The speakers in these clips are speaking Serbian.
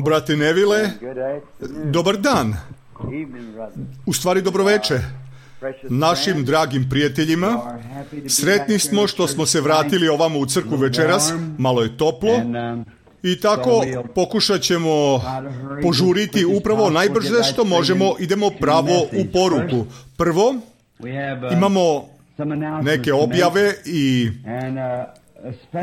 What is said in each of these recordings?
Brate Neville, dobar dan. U stvari dobroveče. Našim dragim prijateljima, sretni smo što smo se vratili ovamo u crkvu večeras, malo je toplo i tako pokušat ćemo požuriti upravo najbrže što možemo, idemo pravo u poruku. Prvo, imamo neke objave i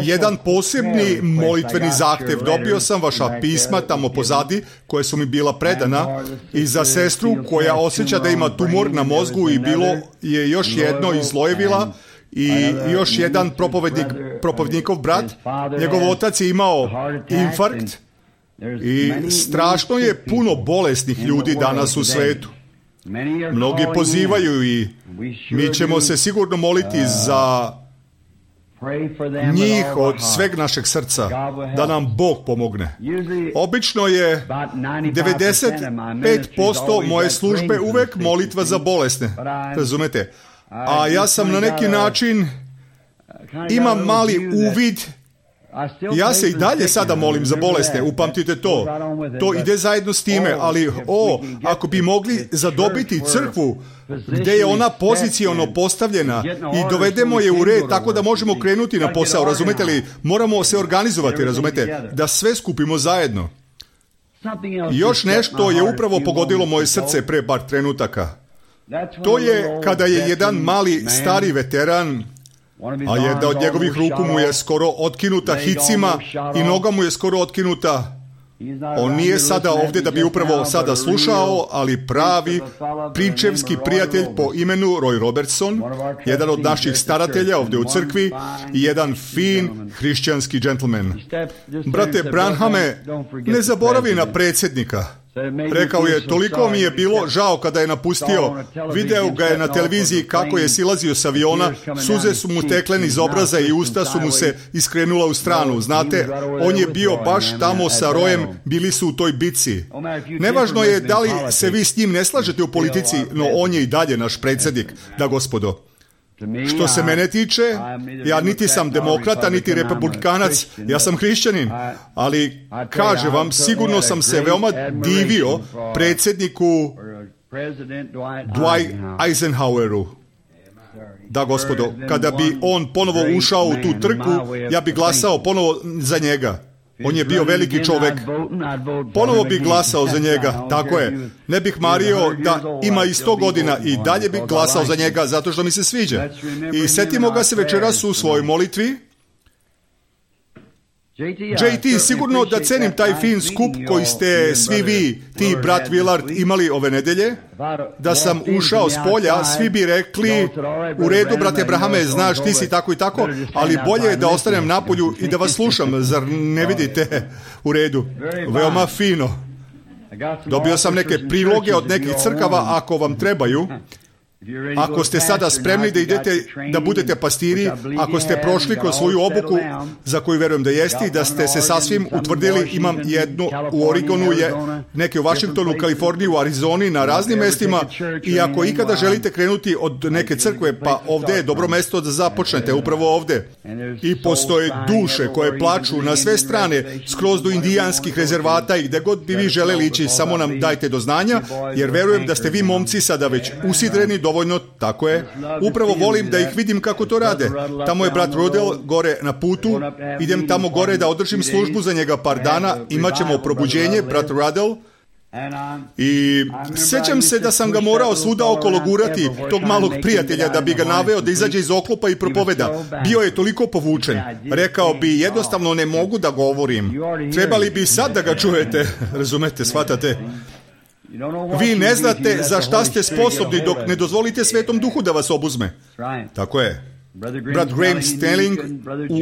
jedan posebni molitveni zahtev. Dobio sam vaša pisma tamo pozadi koje su mi bila predana i za sestru koja osjeća da ima tumor na mozgu i bilo je još jedno iz Lojevila i još jedan propovednikov brat. Njegov otac je imao infarkt i strašno je puno bolesnih ljudi danas u svetu. Mnogi pozivaju i mi ćemo se sigurno moliti za njih od sveg našeg srca, da nam Bog pomogne. Obično je 95% moje službe uvek molitva za bolesne, razumete? A ja sam na neki način, imam mali uvid, ja se i dalje sada molim za bolesne, upamtite to. To ide zajedno s time, ali ako bi mogli zadobiti crkvu gdje je ona poziciono postavljena i dovedemo je u red tako da možemo krenuti na posao, razumete li? Moramo se organizovati, razumete? Da sve skupimo zajedno. Još nešto je upravo pogodilo moje srce pre par trenutaka. To je kada je jedan mali stari veteran, a jedna od njegovih ruku mu je skoro otkinuta hicima i noga mu je skoro otkinuta. On nije sada ovdje da bi upravo sada slušao, ali pravi pričevski prijatelj po imenu Roy Robertson, jedan od naših staratelja ovdje u crkvi i jedan fin hrišćanski džentlmen. Brate Branhame, ne zaboravi na predsjednika. Rekao je, toliko mi je bilo žao kada je napustio, video ga je na televiziji kako je silazio s aviona, suze su mu tekle iz obraza i usta su mu se iskrenula u stranu. Znate, on je bio baš tamo sa Rojem, bili su u toj bici. Nevažno je da li se vi s njim ne slažete u politici, no on je i dalje naš predsjednik, da gospodo. Što se mene tiče, ja niti sam demokrata, niti republikanac, ja sam hrišćanin, ali kažem vam, sigurno sam se veoma divio predsjedniku Dwight Eisenhoweru. Da, gospodo, kada bi on ponovo ušao u tu trku, ja bi glasao ponovo za njega. On je bio veliki čovjek. Ponovo bih glasao za njega, tako je. Ne bih mario da ima i 100 godina i dalje bih glasao za njega zato što mi se sviđa. I setimo ga se večeras u svojoj molitvi. JT, sigurno da cenim taj fin skup koji ste svi vi, ti brat Willard, imali ove nedelje. Da sam ušao s polja, svi bi rekli, u redu, brate Abrahame, znaš, ti si tako i tako, ali bolje je da ostanem napolju i da vas slušam, zar ne vidite? U redu, veoma fino. Dobio sam neke priloge od nekih crkava, ako vam trebaju. Ako ste sada spremni da idete, da budete pastiri, ako ste prošli kroz svoju obuku, za koju verujem da jeste, i da ste se sasvim utvrdili, imam jednu u Oregonu, neke u Washingtonu, Kaliforniji, u Arizoni, na raznim mestima, i ako ikada želite krenuti od neke crkve, pa ovdje je dobro mesto da započnete, upravo ovdje. I postoje duše koje plaču na sve strane, skroz do indijanskih rezervata i gdje god bi vi želeli ići, samo nam dajte do znanja, jer verujem da ste vi momci sada već usidreni dovoljno, tako je. Upravo volim da ih vidim kako to rade. Tamo je brat Rudel gore na putu. Idem tamo gore da održim službu za njega par dana. Imaćemo probuđenje, brat Rudel. I sjećam se da sam ga morao svuda okolo gurati, tog malog prijatelja, da bi ga naveo da izađe iz oklopa i propoveda. Bio je toliko povučen. Rekao bi, jednostavno ne mogu da govorim. Trebali bi sad da ga čujete. Razumete, shvatate? Vi ne znate za šta ste sposobni dok ne dozvolite Svetom Duhu da vas obuzme. Tako je. Brat Graham Stelling,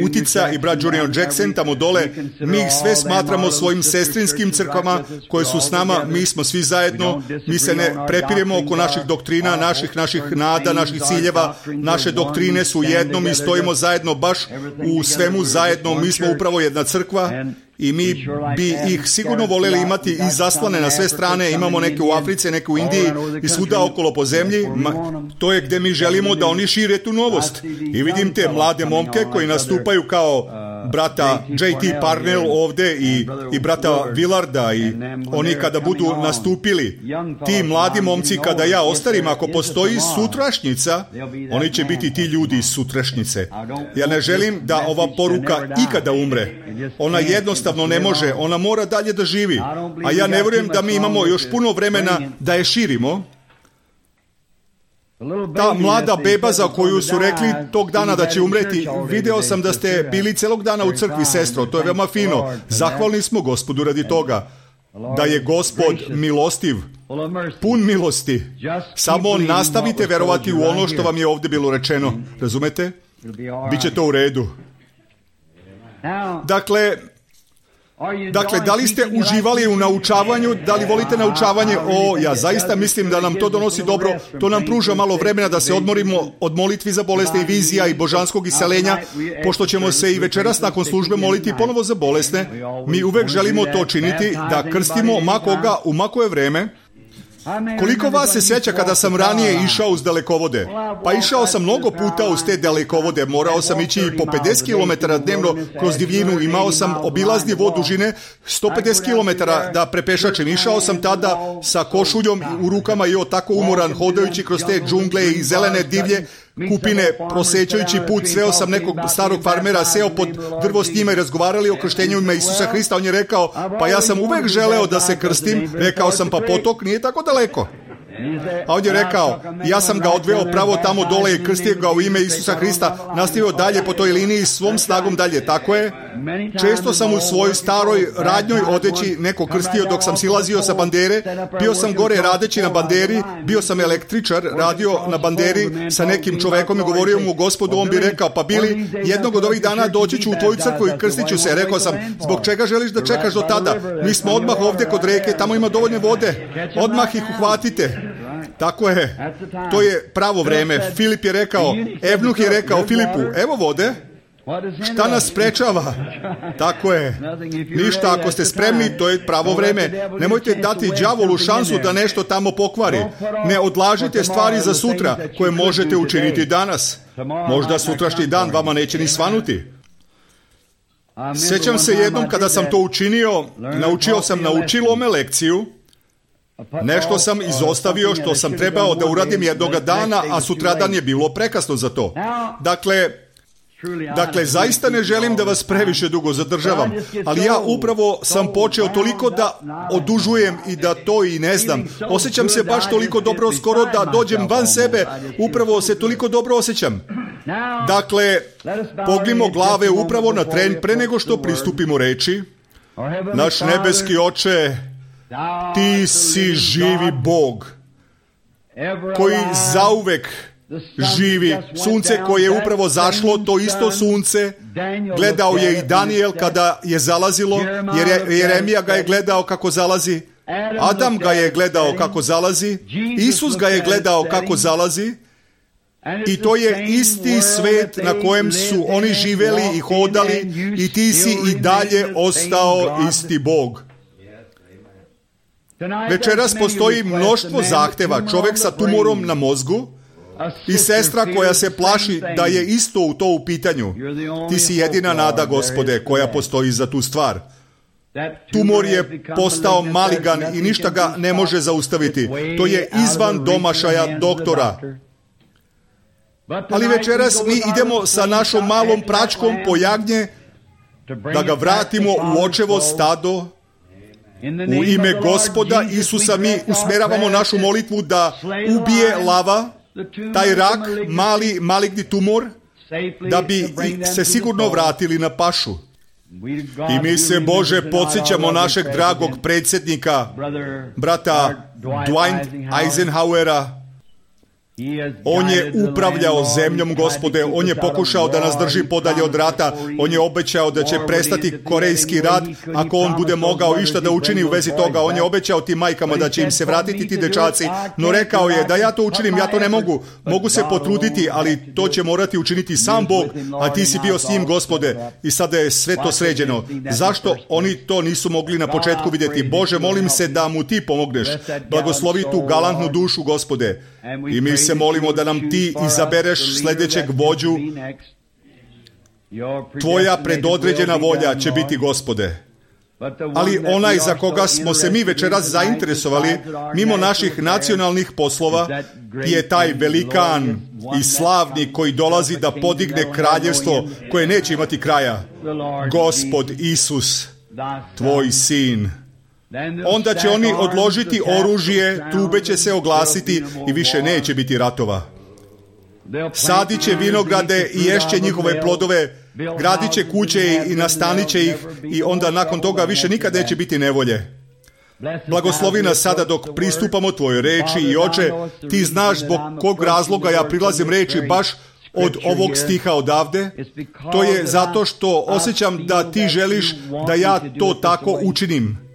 Utica i brat Junior Jackson tamo dole, mi ih sve smatramo svojim sestrinskim crkvama koje su s nama, mi smo svi zajedno, mi se ne prepiremo oko naših doktrina, naših nada, naših ciljeva, naše doktrine su jedno, mi stojimo zajedno baš u svemu zajedno, mi smo upravo jedna crkva. I mi bi ih sigurno voljeli imati i zaslane na sve strane. Imamo neke u Africi, neke u Indiji i svuda okolo po zemlji. To je gdje mi želimo da oni šire tu novost. I vidim te mlade momke koji nastupaju kao brata J.T. Parnell ovde i brata Willarda i oni kada budu nastupili, ti mladi momci kada ja ostarim, ako postoji sutrašnjica, oni će biti ti ljudi iz sutrašnjice. Ja ne želim da ova poruka ikada umre. Ona jednostavno ne može, ona mora dalje da živi. A ja ne vjerujem da mi imamo još puno vremena da je širimo. Ta mlada beba za koju su rekli tog dana da će umreti, video sam da ste bili celog dana u crkvi, sestro, to je veoma fino. Zahvalni smo Gospodu radi toga, da je Gospod milostiv, pun milosti. Samo nastavite verovati u ono što vam je ovdje bilo rečeno. Razumete? Biće to u redu. Dakle, da li ste uživali u naučavanju? Da li volite naučavanje? Ja zaista mislim da nam to donosi dobro. To nam pruža malo vremena da se odmorimo od molitvi za bolesne i vizija i božanskog iseljenja, pošto ćemo se i večeras nakon službe moliti ponovo za bolesne. Mi uvek želimo to činiti, da krstimo makoga u makoje vreme. Koliko vas se sjeća kada sam ranije išao uz dalekovode? Pa išao sam mnogo puta uz te dalekovode, morao sam ići i po 50 km dnevno kroz divljinu, imao sam obilazni vod dužine 150 km da prepešačem. Išao sam tada sa košuljom u rukama i tako umoran, hodajući kroz te džungle i zelene divlje kupine, prosećajući put. Sreo sam nekog starog farmera, seo pod drvo s njima i razgovarali o krštenju ime Isusa Hrista. On je rekao, pa ja sam uvek želeo da se krstim. Rekao sam, pa potok nije tako daleko. A on je rekao, ja sam ga odveo pravo tamo dole i krstio ga u ime Isusa Hrista, nastavio dalje po toj liniji svom snagom dalje. Tako je. Često sam u svojoj staroj radnjoj odeći neko krstio dok sam silazio sa bandere. Bio sam gore radeći na banderi, bio sam električar, radio na banderi sa nekim čovekom i govorio mu Gospodu, on bi rekao, pa Bili, jednog od ovih dana doći ću u tvoju crkvu i krstit ću se. Rekao sam, zbog čega želiš da čekaš do tada? Mi smo odmah ovdje kod reke, tamo ima dovoljne vode, odmah ih uhvatite. Tako je, to je pravo vreme. Filip je rekao, Evnuh je rekao Filipu, evo vode, šta nas sprečava? Tako je, ništa, ako ste spremni, to je pravo vreme. Nemojte dati đavolu šansu da nešto tamo pokvari. Ne odlažite stvari za sutra koje možete učiniti danas. Možda sutrašnji dan vama neće ni svanuti. Sjećam se jednom kada sam to učinio, naučio sam na učilome lekciju. Nešto sam izostavio što sam trebao da uradim jednoga dana, a sutradan je bilo prekasno za to. Dakle, zaista ne želim da vas previše dugo zadržavam, ali ja upravo sam počeo toliko da odužujem i da to i ne znam. Osjećam se baš toliko dobro, skoro da dođem van sebe, upravo se toliko dobro osjećam. Dakle, pognimo glave upravo na tren pre nego što pristupimo reči. Naš nebeski Oče, ti si živi Bog, koji zauvek živi. Sunce koje je upravo zašlo, to isto sunce, gledao je i Daniel kada je zalazilo, jer Jeremija ga je gledao kako zalazi, Adam ga je gledao kako zalazi, Isus ga je gledao kako zalazi, i to je isti svet na kojem su oni živeli i hodali, i ti si i dalje ostao isti Bog. Večeras postoji mnoštvo zahteva, čovjek sa tumorom na mozgu i sestra koja se plaši da je isto u to u pitanju. Ti si jedina nada, Gospode, koja postoji za tu stvar. Tumor je postao maligan i ništa ga ne može zaustaviti. To je izvan domašaja doktora. Ali večeras mi idemo sa našom malom pračkom po jagnje da ga vratimo u očevo stado. U ime Gospoda Isusa mi usmeravamo našu molitvu da ubije lava, taj rak, mali maligni tumor, da bi se sigurno vratili na pašu. I mi se, Bože, podsjećamo našeg dragog predsjednika, brata Dwight Eisenhowera. On je upravljao zemljom, Gospode, on je pokušao da nas drži podalje od rata, on je obećao da će prestati korejski rat ako on bude mogao išta da učini u vezi toga. On je obećao tim majkama da će im se vratiti ti dečaci, no rekao je da ja to učinim, ja to ne mogu. Mogu se potruditi, ali to će morati učiniti sam Bog, a ti si bio s njim, Gospode, i sada je sve to sređeno. Zašto oni to nisu mogli na početku vidjeti? Bože, molim se da mu ti pomogneš. Blagoslovi tu galantnu dušu, Gospode. I mi se molimo da nam ti izabereš sljedećeg vođu Tvoja predodređena volja će biti, Gospode. Ali onaj za koga smo se mi večeras zainteresovali, mimo naših nacionalnih poslova, je taj velikan i slavni koji dolazi da podigne kraljevstvo koje neće imati kraja. Gospod Isus, tvoj sin. Onda će oni odložiti oružje, trube će se oglasiti i više neće biti ratova. Sadit će vinograde i ješće njihove plodove, gradit će kuće i nastanit će ih i onda nakon toga više nikad neće biti nevolje. Blagoslovi nas sada dok pristupamo tvojoj reči i Oče, ti znaš zbog kog razloga ja prilazim reči baš od ovog stiha odavde. To je zato što osjećam da ti želiš da ja to tako učinim.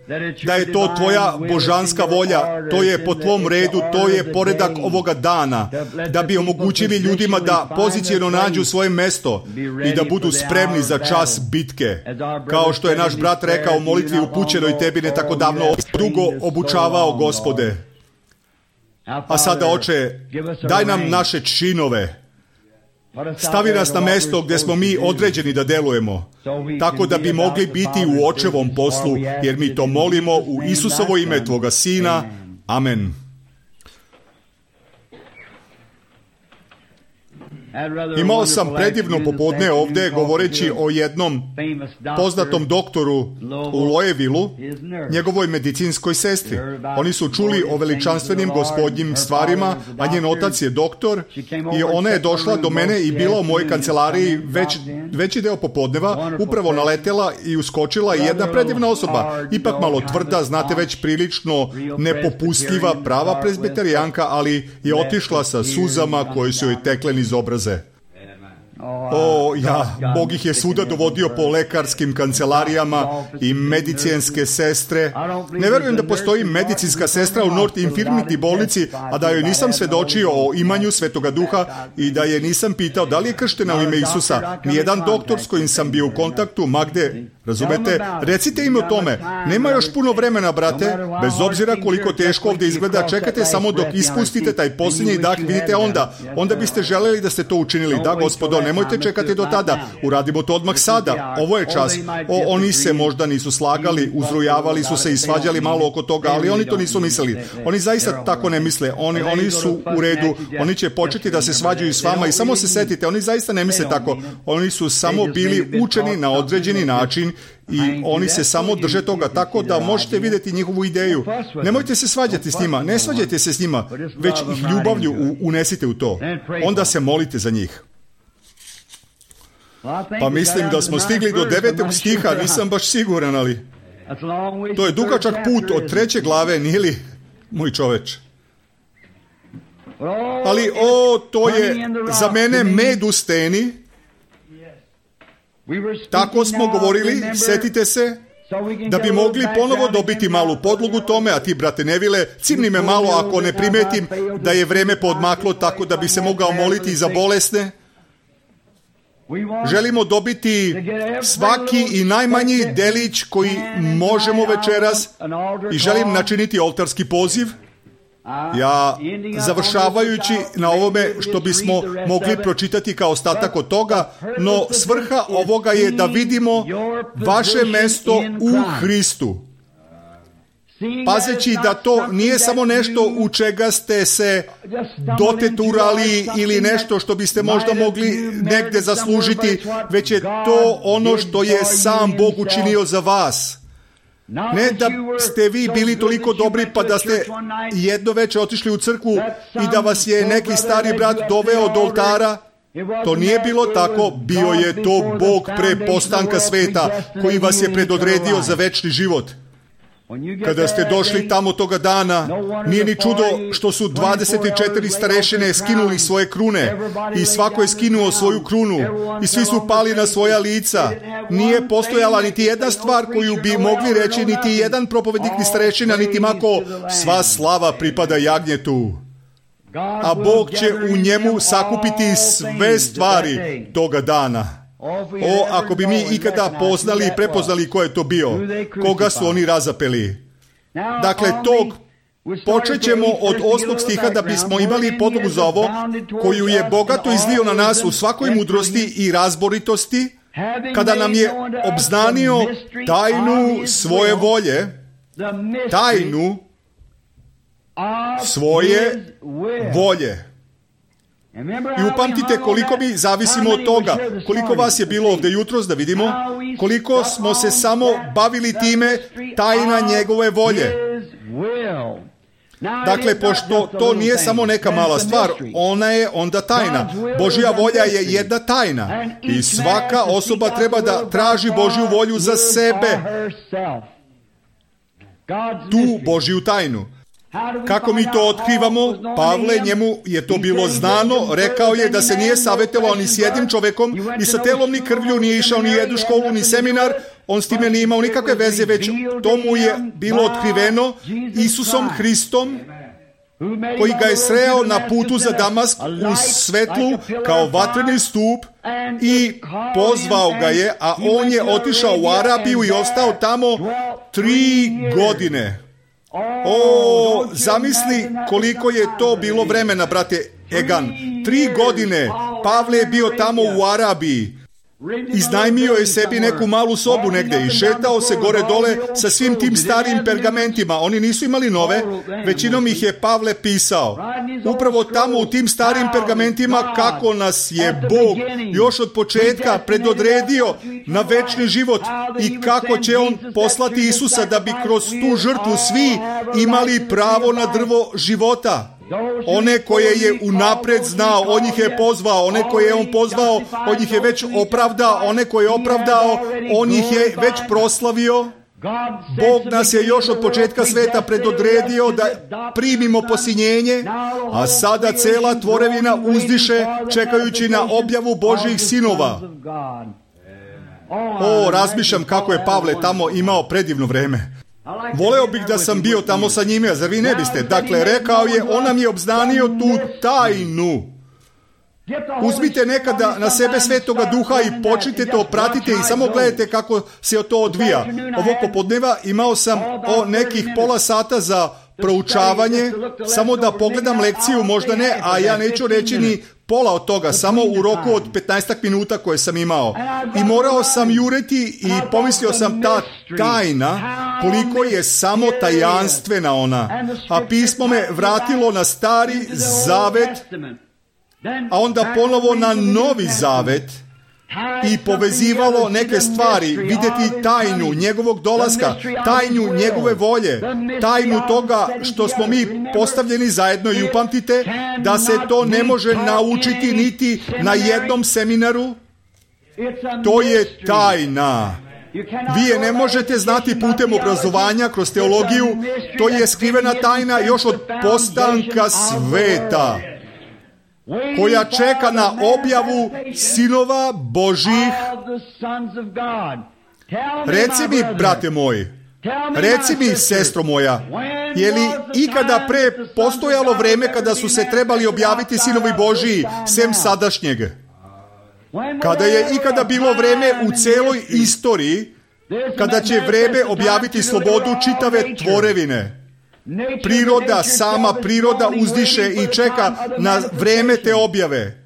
Da je to tvoja božanska volja, to je po tvom redu, to je poredak ovoga dana, da bi omogućili ljudima da poziciono nađu svoje mesto i da budu spremni za čas bitke. Kao što je naš brat rekao u molitvi upućenoj tebi ne tako davno, dugo obučavao, Gospode. A sada, Oče, daj nam naše činove. Stavi nas na mesto gdje smo mi određeni da delujemo, tako da bi mogli biti u Očevom poslu, jer mi to molimo u Isusovo ime, tvoga Sina. Amen. Imao sam predivno popodne ovdje govoreći o jednom poznatom doktoru u Lojevilu, njegovoj medicinskoj sestri. Oni su čuli o veličanstvenim gospodnjim stvarima, a njen otac je doktor i ona je došla do mene i bila u mojoj kancelariji veći deo popodneva, upravo naletela i uskočila jedna predivna osoba, ipak malo tvrda, znate već prilično nepopustljiva, prava prezbiterijanka, ali je otišla sa suzama koje su joj tekle niz obraze. Bog ih je svuda dovodio po lekarskim kancelarijama i medicinske sestre. Ne verujem da postoji medicinska sestra u North Infirmity bolnici, a da joj nisam svedočio o imanju Svetoga Duha i da je nisam pitao da li je krštena u ime Isusa. Nijedan doktor s kojim sam bio u kontaktu, magde, razumete? Recite im o tome. Nema još puno vremena, brate, bez obzira koliko teško ovdje izgleda, čekajte samo dok ispustite taj posljednji dah, vidite onda biste željeli da ste to učinili. Da, Gospodo, nemojte čekati do tada, uradimo to odmah sada, ovo je čas. Oni se možda nisu slagali, uzrujavali su se i svađali malo oko toga, ali oni to nisu mislili. Oni zaista tako ne misle, oni su u redu, oni će početi da se svađaju s vama i samo se setite, oni zaista ne misle tako, oni su samo bili učeni na određeni način i oni se samo drže toga tako da možete vidjeti njihovu ideju. Nemojte se svađati s njima, ne svađajte se s njima, već ih ljubavlju unesite u to. Onda se molite za njih. Pa mislim da smo stigli do 9. stiha, nisam baš siguran, ali to je dugačak put od 3. glave, nije li, moj čoveč? Ali, to je za mene med u steni. Tako smo govorili, setite se, da bi mogli ponovo dobiti malu podlogu tome, a ti, brate Nevile, cimni me malo ako ne primetim da je vreme podmaklo tako da bi se mogao moliti i za bolesne. Želimo dobiti svaki i najmanji delić koji možemo večeras i želim načiniti oltarski poziv. Ja, završavajući na ovome što bismo mogli pročitati kao ostatak od toga, no svrha ovoga je da vidimo vaše mesto u Hristu. Pazeći da to nije samo nešto u čega ste se doteturali ili nešto što biste možda mogli negdje zaslužiti, već je to ono što je sam Bog učinio za vas. Ne da ste vi bili toliko dobri pa da ste jedno večer otišli u crkvu i da vas je neki stari brat doveo do oltara. To nije bilo tako, bio je to Bog pre postanka sveta koji vas je predodredio za večni život. Kada ste došli tamo toga dana, nije ni čudo što su 24 starešine skinuli svoje krune i svako je skinuo svoju krunu i svi su pali na svoja lica. Nije postojala niti jedna stvar koju bi mogli reći niti jedan propovednik ni starešina, niti mako, sva slava pripada jagnjetu. A Bog će u njemu sakupiti sve stvari toga dana. Ako bi mi ikada poznali i prepoznali ko je to bio, koga su oni razapeli. Dakle, počet ćemo od 8. stiha da bismo imali podlogu za ovo, koju je bogato izlio na nas u svakoj mudrosti i razboritosti, kada nam je obznanio tajnu svoje volje, tajnu svoje volje. I upamtite koliko mi zavisimo od toga, koliko vas je bilo ovdje jutros da vidimo, koliko smo se samo bavili time tajna njegove volje. Dakle, pošto to nije samo neka mala stvar, ona je onda tajna. Božja volja je jedna tajna i svaka osoba treba da traži Božju volju za sebe. Tu Božju tajnu. Kako mi to otkrivamo? Pavle, njemu je to bilo znano, rekao je da se nije savjetovao ni s jednim čovjekom, ni sa telom, ni krvlju, nije išao ni jednu školu, ni seminar, on s time nije imao nikakve veze, već to mu je bilo otkriveno Isusom Hristom, koji ga je sreo na putu za Damask u svetlu kao vatreni stup i pozvao ga je, a on je otišao u Arabiju i ostao tamo 3 godine. Zamisli koliko je to bilo vremena, brate Egan. 3 godine Pavle je bio tamo u Arabiji. Iznajmio je sebi neku malu sobu negdje i šetao se gore dole sa svim tim starim pergamentima. Oni nisu imali nove, većinom ih je Pavle pisao. Upravo tamo u tim starim pergamentima kako nas je Bog još od početka predodredio na večni život i kako će on poslati Isusa da bi kroz tu žrtvu svi imali pravo na drvo života. One koje je unapred znao, on ih je pozvao. One koje je on pozvao, on ih je već opravdao. One koje je opravdao, on ih je već proslavio. Bog nas je još od početka sveta predodredio da primimo posinjenje, a sada cela tvorevina uzdiše čekajući na objavu Božjih sinova. Razmišljam kako je Pavle tamo imao predivno vreme. Voleo bih da sam bio tamo sa njime, zar vi ne biste? Dakle, rekao je, on nam je obznanio tu tajnu. Uzmite nekada na sebe Svetoga Duha i počnite to, pratite i samo gledajte kako se to odvija. Ovog popodneva imao sam nekih pola sata za proučavanje, samo da pogledam lekciju, možda ne, a ja neću reći ni pola od toga, samo u roku od 15 minuta koje sam imao. I morao sam juriti i pomislio sam ta tajna, koliko je samo tajanstvena ona. A pismo me vratilo na Stari Zavet, a onda ponovo na Novi Zavet i povezivalo neke stvari, vidjeti tajnu njegovog dolaska, tajnu njegove volje, tajnu toga što smo mi postavljeni zajedno i upamtite da se to ne može naučiti niti na jednom seminaru. To je tajna. Vi je ne možete znati putem obrazovanja, kroz teologiju. To je skrivena tajna još od postanka sveta, koja čeka na objavu sinova Božih. Reci mi, brate moj, reci mi, sestro moja, je li ikada pre postojalo vreme kada su se trebali objaviti sinovi Božiji, sem sadašnjeg? Kada je ikada bilo vreme u celoj istoriji, kada će vreme objaviti slobodu čitave tvorevine? Priroda, sama priroda uzdiše i čeka na vreme te objave.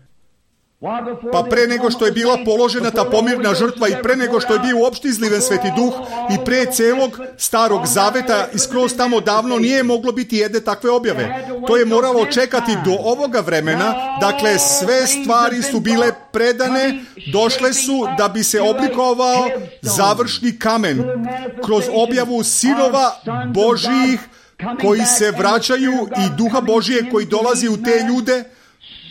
Pa pre nego što je bila položena ta pomirna žrtva i pre nego što je bio uopšte izliven Sveti Duh i pre celog Starog Zaveta i skroz tamo davno nije moglo biti jedne takve objave. To je moralo čekati do ovoga vremena. Dakle, sve stvari su bile predane, došle su da bi se oblikovao završni kamen kroz objavu sinova Božijih koji se vraćaju i Duha Božije koji dolazi u te ljude,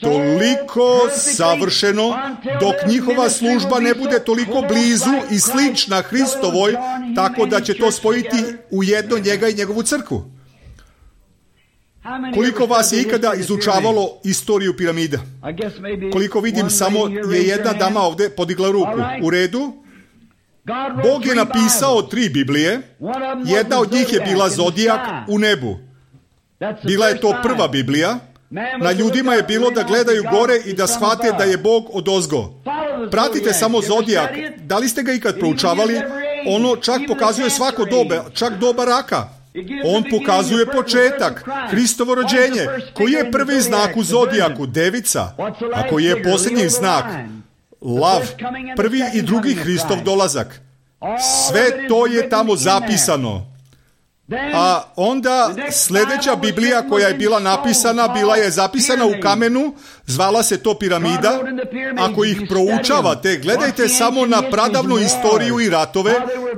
toliko savršeno, dok njihova služba ne bude toliko blizu i slična Hristovoj, tako da će to spojiti u jedno njega i njegovu crkvu. Koliko vas je ikada izučavalo istoriju piramida? Koliko vidim, samo je jedna dama ovdje podigla ruku. U redu? Bog je napisao 3 Biblije. Jedna od njih je bila Zodijak u nebu. Bila je to prva Biblija. Na ljudima je bilo da gledaju gore i da shvate da je Bog odozgo. Pratite samo Zodijak. Da li ste ga ikad proučavali? Ono čak pokazuje svako doba, čak doba raka. On pokazuje početak, Hristovo rođenje. Koji je prvi znak u Zodijaku? Devica. A koji je posljednji znak? lav, prvi i drugi Hristov dolazak. Sve to je tamo zapisano. A onda sljedeća Biblija koja je bila napisana, bila je zapisana u kamenu, zvala se to piramida. Ako ih proučavate, gledajte samo na pradavnu istoriju i ratove,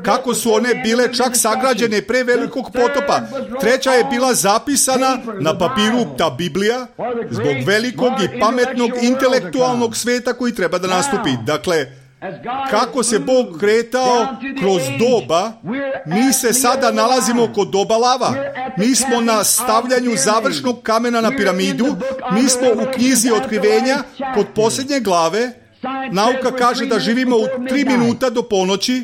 kako su one bile čak sagrađene pre velikog potopa. Treća je bila zapisana na papiru, ta Biblija, zbog velikog i pametnog intelektualnog sveta koji treba da nastupi. Dakle, kako se Bog kretao kroz doba, mi se sada nalazimo kod doba lava. Mi smo na stavljanju završnog kamena na piramidu, mi smo u knjizi otkrivenja kod posljednje glave. Nauka kaže da živimo u 3 minuta do ponoći.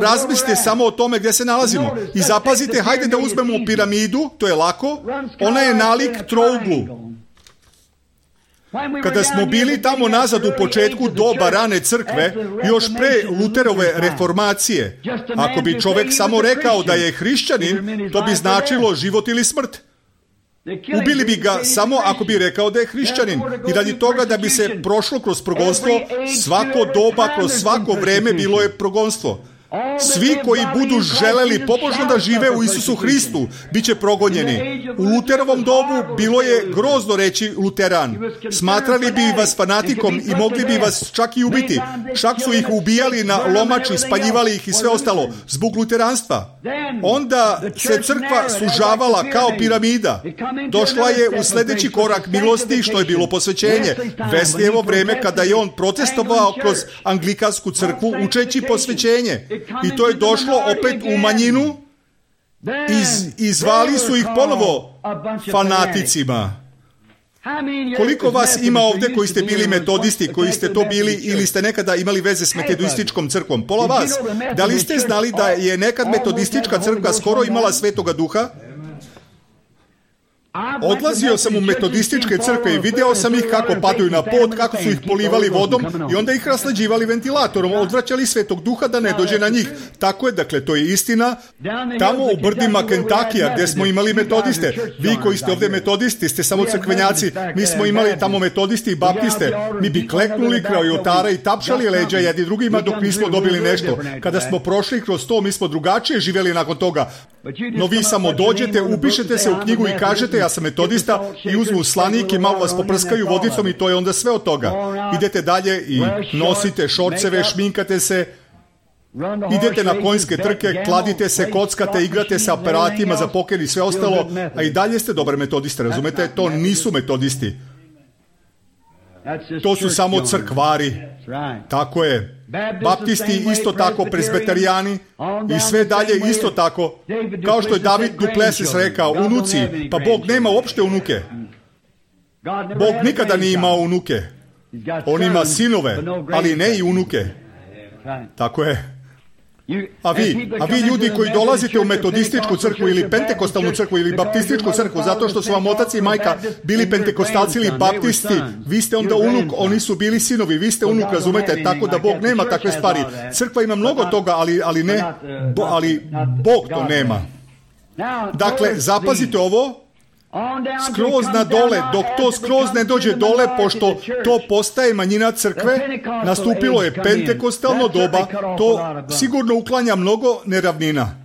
Razmislite samo o tome gdje se nalazimo. I zapazite, hajde da uzmemo piramidu, to je lako, ona je nalik trouglu. Kada smo bili tamo nazad u početku doba rane crkve, još pre Luterove reformacije, ako bi čovjek samo rekao da je hrišćanin, to bi značilo život ili smrt. Ubili bi ga samo ako bi rekao da je hrišćanin. I radi toga da bi se prošlo kroz progonstvo, svako doba, kroz svako vreme bilo je progonstvo. Svi koji budu želeli pobožno da žive u Isusu Hristu, bit će progonjeni. U Luterovom dobu bilo je grozno reći luteran. Smatrali bi vas fanatikom i mogli bi vas čak i ubiti. Čak su ih ubijali na lomači, spaljivali ih i sve ostalo, zbog luteranstva. Onda se crkva sužavala kao piramida. Došla je u sljedeći korak milosti, što je bilo posvećenje. Veslijevo vreme kada je on protestovao kroz anglikansku crkvu učeći posvećenje. I to je došlo opet u manjinu i zvali su ih ponovo fanaticima. Koliko vas ima ovdje koji ste bili metodisti, koji ste to bili ili ste nekada imali veze s metodističkom crkvom? Pola vas. Da li ste znali da je nekad metodistička crkva skoro imala Svetoga Duha? Odlazio sam u metodističke crkve i video sam ih kako padaju na pod, kako su ih polivali vodom i onda ih raslađivali ventilatorom, odvraćali Svetog Duha da ne dođe na njih. Tako je, dakle, to je istina. Tamo u brdima Kentakija gdje smo imali metodiste, vi koji ste ovdje metodisti ste samo crkvenjaci, mi smo imali tamo metodisti i baptiste, mi bi kleknuli kraj oltara i tapšali leđa jedni drugima dok nismo dobili nešto. Kada smo prošli kroz to, mi smo drugačije živjeli nakon toga. No vi samo dođete, upišete se u knjigu i kažete ja sam metodista i uzmu slanik i malo vas poprskaju vodicom i to je onda sve od toga. Idete dalje i nosite šorceve, šminkate se, idete na konjske trke, kladite se, kockate, igrate sa aparatima za poker i sve ostalo, a i dalje ste dobar metodista, razumete? To nisu metodisti. To su samo crkvari. Tako je. Baptisti isto tako, presbiterijani i sve dalje isto tako. Kao što je David Duplessis rekao, unuci, pa Bog nema uopšte unuke. Bog nikada nije imao unuke. On ima sinove, ali ne i unuke. Tako je. A vi ljudi koji dolazite u metodističku crkvu ili pentekostalnu crkvu ili baptističku crkvu zato što su vam otac i majka bili pentekostalci ili baptisti, vi ste onda unuk, oni su bili sinovi, vi ste unuk, razumete, tako da Bog nema takve stvari. Crkva ima mnogo toga, ali Bog to nema. Dakle, zapazite ovo, skroz na dole, dok to skroz ne dođe dole, pošto to postaje manjina crkve, nastupilo je pentekostalno doba, to sigurno uklanja mnogo neravnina.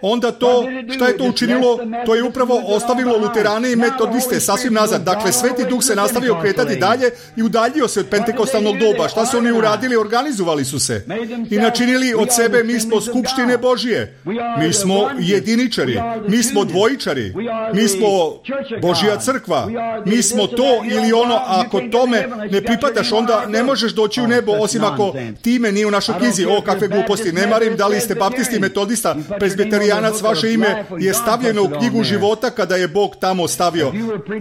Onda to, šta je to učinilo? To je upravo ostavilo luterane i metodiste sasvim nazad. Dakle, Sveti Duh se nastavio kretati dalje i udaljio se od pentekostalnog doba. Šta su oni uradili? Organizovali su se i načinili od sebe, mi smo skupštine Božije, mi smo jediničari, mi smo dvojičari, mi smo Božja crkva, mi smo to ili ono. Ako tome ne pripadaš, onda ne možeš doći u nebo, osim ako time nije u našoj knjizi. O, kakve gluposti, ne marim da li ste baptisti, metodista, presbiterijanac, vaše ime je stavljeno u knjigu života kada je Bog tamo stavio.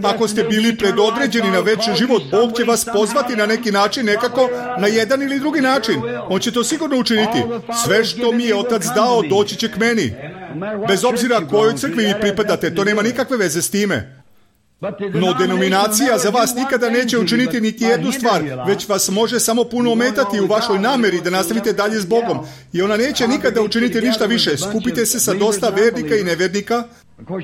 Ako ste bili predodređeni na večni život, Bog će vas pozvati na neki način, nekako, na jedan ili drugi način. On će to sigurno učiniti. Sve što mi je Otac dao, doći će k meni. Bez obzira kojoj crkvi vi pripadate, to nema nikakve veze s time. No denominacija za vas nikada neće učiniti niti jednu stvar, već vas može samo puno ometati u vašoj nameri da nastavite dalje s Bogom. I ona neće nikada učiniti ništa više. Skupite se sa dosta vernika i nevernika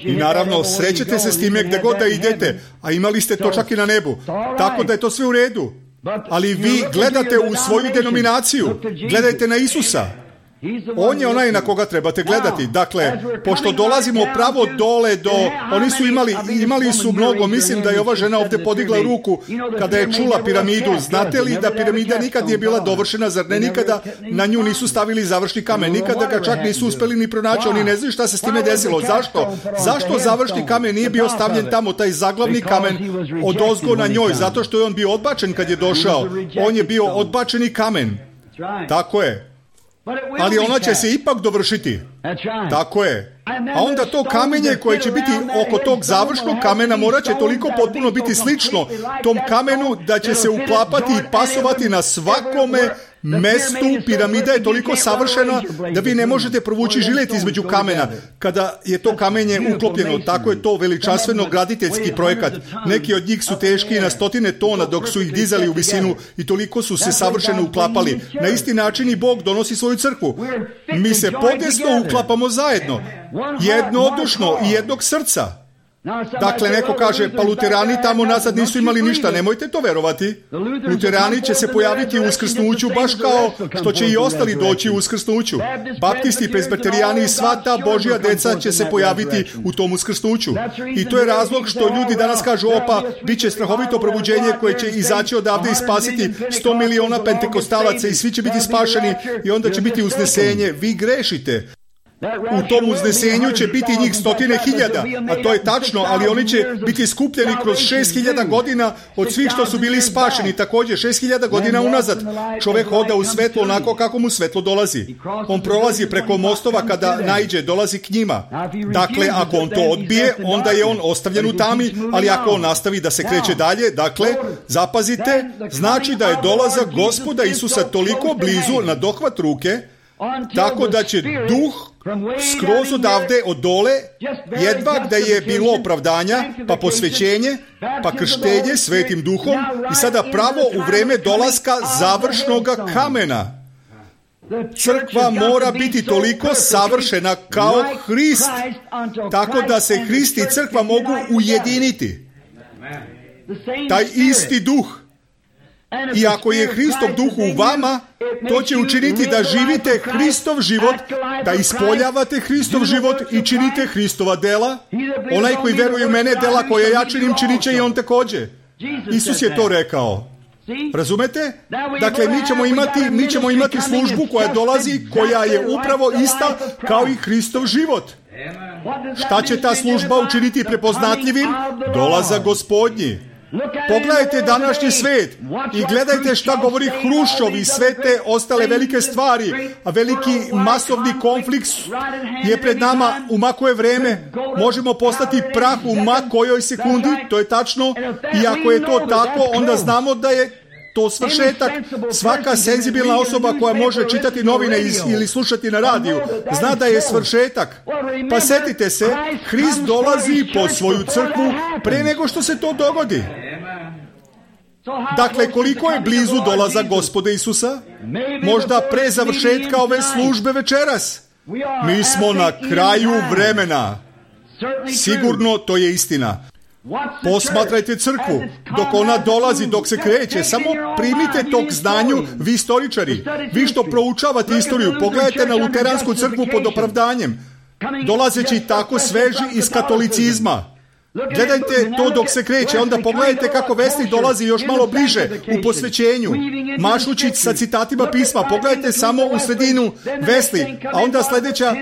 i naravno srećete se s time gdje god da idete, a imali ste to čak i na nebu. Tako da je to sve u redu. Ali vi gledate u svoju denominaciju, gledajte na Isusa. On je onaj na koga trebate gledati. Dakle, pošto dolazimo pravo dole do... Oni su imali su mnogo. Mislim da je ova žena ovdje podigla ruku kada je čula piramidu. Znate li da piramida nikad nije bila dovršena? Zar ne nikada na nju nisu stavili završni kamen? Nikada ga čak nisu uspeli ni pronaći. Oni ne znaju šta se s time desilo. Zašto? Zašto završni kamen nije bio stavljen tamo? Taj zaglavni kamen odozgo na njoj. Zato što je on bio odbačen kad je došao. On je bio odbačeni kamen. Tako je. Ali ona će se ipak dovršiti. Tako je. A onda to kamenje koje će biti oko tog završnog kamena morat će toliko potpuno biti slično tom kamenu da će se uklapati i pasovati na svakome mestu. Piramida je toliko savršena da vi ne možete provući žilet između kamena kada je to kamenje uklopljeno. Tako je to veličanstveno graditeljski projekat. Neki od njih su teški na 100 tona dok su ih dizali u visinu i toliko su se savršeno uklapali. Na isti način i Bog donosi svoju crkvu. Mi se podesno uklapamo zajedno, jednodušno i jednog srca. Dakle, neko kaže, pa luterani tamo nazad nisu imali ništa, nemojte to verovati. Luterani će se pojaviti u uskrsnuću baš kao što će i ostali doći u uskrsnuću. Baptisti, presbiterijani i sva ta Božja deca će se pojaviti u tom uskrsnuću. I to je razlog što ljudi danas kažu, opa, bit će strahovito probuđenje koje će izaći odavde i spasiti 100 miliona pentekostalaca i svi će biti spašeni i onda će biti uznesenje. Vi grešite. U tom uznesenju će biti njih 100.000, a to je tačno, ali oni će biti skupljeni kroz 6.000 godina od svih što su bili spašeni, također 6.000 godina unazad. Čovjek hoda u svetlo onako kako mu svetlo dolazi. On prolazi preko mostova kada naiđe, dolazi k njima. Dakle, ako on to odbije, onda je on ostavljen u tami, ali ako on nastavi da se kreće dalje, dakle, zapazite, znači da je dolazak Gospoda Isusa toliko blizu na dohvat ruke, tako da će duh skroz odavde od dole, jedva da je bilo opravdanja, pa posvećenje, pa krštenje svetim duhom i sada pravo u vreme dolaska završnog kamena. Crkva mora biti toliko savršena kao Hrist, tako da se Hrist i crkva mogu ujediniti. Taj isti duh. I ako je Hristov duh u vama, to će učiniti da živite Hristov život, da ispoljavate Hristov život i činite Hristova dela. Onaj koji veruje u mene, dela koje ja činim, činit će i on također. Isus je to rekao. Razumete? Dakle, mi ćemo imati službu koja dolazi, koja je upravo ista kao i Hristov život. Šta će ta služba učiniti prepoznatljivim? Dolazak Gospodnji. Pogledajte današnji svet i gledajte šta govori Hruščov i sve te ostale velike stvari, a veliki masovni konflikt je pred nama. U ma koje vreme možemo postati prah u ma kojoj sekundi, to je tačno, i ako je to tako, onda znamo da je to svršetak. Svaka senzibilna osoba koja može čitati novine ili slušati na radiju zna da je svršetak. Pa setite se, Hrist dolazi po svoju crkvu pre nego što se to dogodi. Dakle, koliko je blizu dolazak Gospoda Isusa? Možda pre završetka ove službe večeras. Mi smo na kraju vremena. Sigurno to je istina. Posmatrajte crkvu, dok ona dolazi, dok se kreće, samo primite tog znanju, vi istoričari, vi što proučavate istoriju, pogledajte na luteransku crkvu pod opravdanjem, dolazeći tako sveži iz katolicizma. Gledajte to dok se kreće, onda pogledajte kako Vesnik dolazi još malo bliže u posvećenju, mašući sa citatima pisma. Pogledajte samo u sredinu Vesli, a onda sljedeća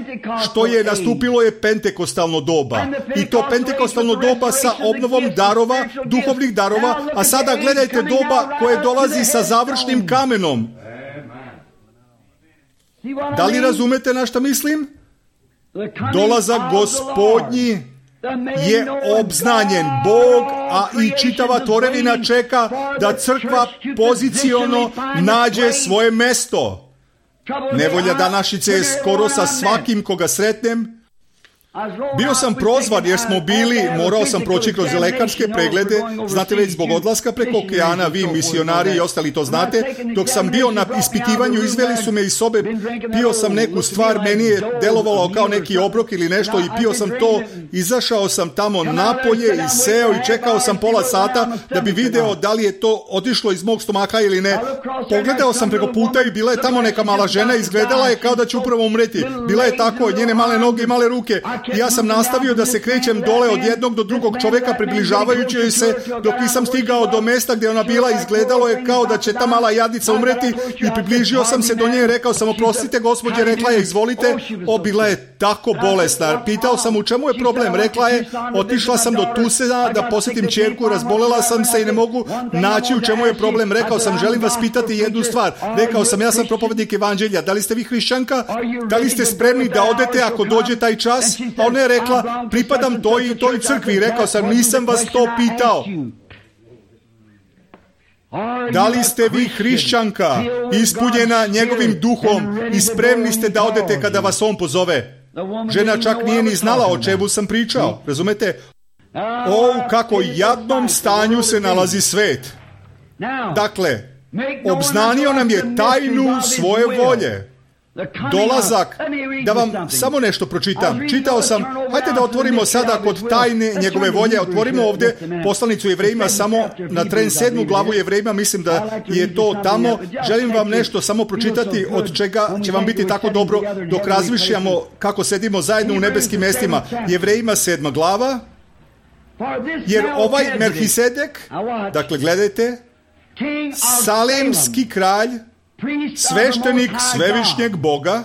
što je nastupilo je pentekostalno doba. I to pentekostalno doba sa obnovom darova, duhovnih darova, a sada gledajte doba koje dolazi sa završnim kamenom. Da li razumete na šta mislim? Dolazak Gospodnji je obznanjen. Bog, a i čitava tvorevina čeka da crkva poziciono nađe svoje mesto. Nevolja današnjice je skoro sa svakim koga sretnem. Bio sam prozvan jer smo morao sam proći kroz lekarske preglede, znate već zbog odlaska preko okeana, vi misionari i ostali to znate. Dok sam bio na ispitivanju, izveli su me iz sobe, pio sam neku stvar, meni je delovalo kao neki obrok ili nešto i pio sam to, izašao sam tamo napolje i seo i čekao sam pola sata da bi video da li je to otišlo iz mog stomaka ili ne. Pogledao sam preko puta i bila je tamo neka mala žena, izgledala je kao da će upravo umreti. Bila je tako, njene male noge i male ruke. I ja sam nastavio da se krećem dole od jednog do drugog čoveka, približavajući joj se dok nisam stigao do mesta gdje ona bila. Izgledalo je kao da će ta mala jadnica umreti i približio sam se do nje i rekao sam: oprostite gospođe, rekla je izvolite. Bila je tako bolesna. Pitao sam u čemu je problem, rekla je otišla sam do Tusena da posjetim ćerku, razbolela sam se i ne mogu naći u čemu je problem. Rekao sam: želim vas pitati jednu stvar. Rekao sam: ja sam propovednik evanđelja, da li ste vi hrišćanka? Da li ste spremni da odete ako dođe taj čas? A ona je rekla: pripadam toj i toj crkvi. Rekao sam: nisam vas to pitao. Da li ste vi hrišćanka, ispunjena njegovim duhom i spremni ste da odete kada vas on pozove? Žena čak nije ni znala o čemu sam pričao, razumete? O, kako jadnom stanju se nalazi svet. Dakle, obznanio nam je tajnu svoje volje. Dolazak, da vam samo nešto pročitam. Čitao sam, hajde da otvorimo sada kod tajne njegove volje. Otvorimo ovdje poslanicu Jevrejima, samo na tren 7. glavu Jevrejima, mislim da je to tamo. Želim vam nešto samo pročitati od čega će vam biti tako dobro dok razmišljamo kako sedimo zajedno u nebeskim mjestima. Jevrejima 7. glava. Jer ovaj Melhisedek, dakle gledajte, Salemski kralj, sveštenik svevišnjeg Boga,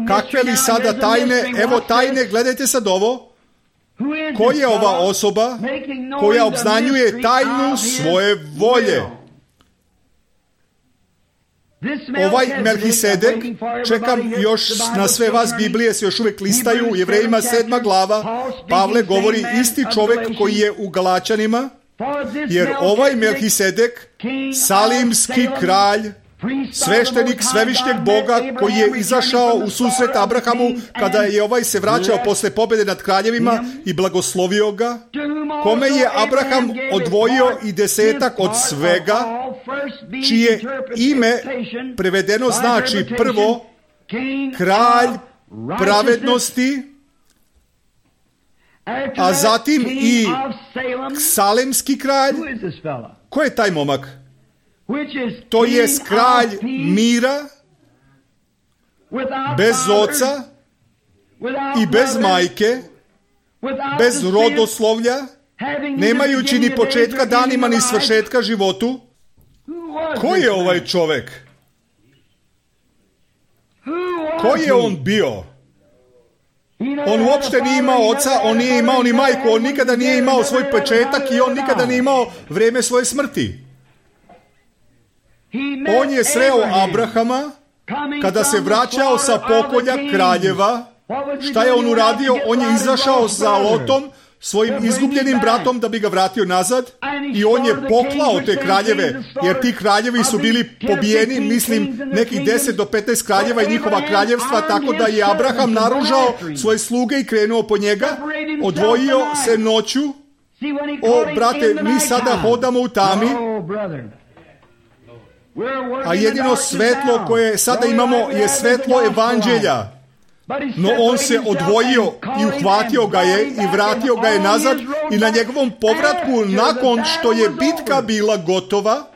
kakve li sada tajne, evo tajne, gledajte sad ovo, ko je ova osoba koja obznanjuje tajnu svoje volje? Ovaj Melhisedek, čekam još na sve vas, Biblije se još uvijek listaju, Jevrejima 7. glava, Pavle govori isti čovjek koji je u Galačanima, jer ovaj Melhisedek, Salimski kralj, sveštenik svevišnjeg Boga koji je izašao u susret Abrahamu kada je ovaj se vraćao posle pobjede nad kraljevima i blagoslovio ga, kome je Abraham odvojio i 10% od svega, čije ime prevedeno znači prvo kralj pravednosti, a zatim i Salemski kralj. Ko je taj momak? To je kralj mira, bez oca i bez majke, bez rodoslovlja, nemajući ni početka danima ni svršetka životu. Ko je ovaj čovjek? Ko je on bio? On uopšte nije imao oca, on nije imao ni majku, on nikada nije imao svoj početak i on nikada nije imao vrijeme svoje smrti. On je sreo Abrahama kada se vraćao sa pokolja kraljeva. Šta je on uradio? On je izašao sa Lotom, svojim izgubljenim bratom, da bi ga vratio nazad, i on je poklao te kraljeve, jer ti kraljevi su bili pobijeni, mislim nekih 10 do 15 kraljeva i njihova kraljevstva, tako da je Abraham naružao svoje sluge i krenuo po njega, odvojio se noću. O, brate, mi sada hodamo u tami, a jedino svetlo koje sada imamo je svetlo evanđelja. No on se odvojio i uhvatio ga je i vratio ga je nazad, i na njegovom povratku, nakon što je bitka bila gotova,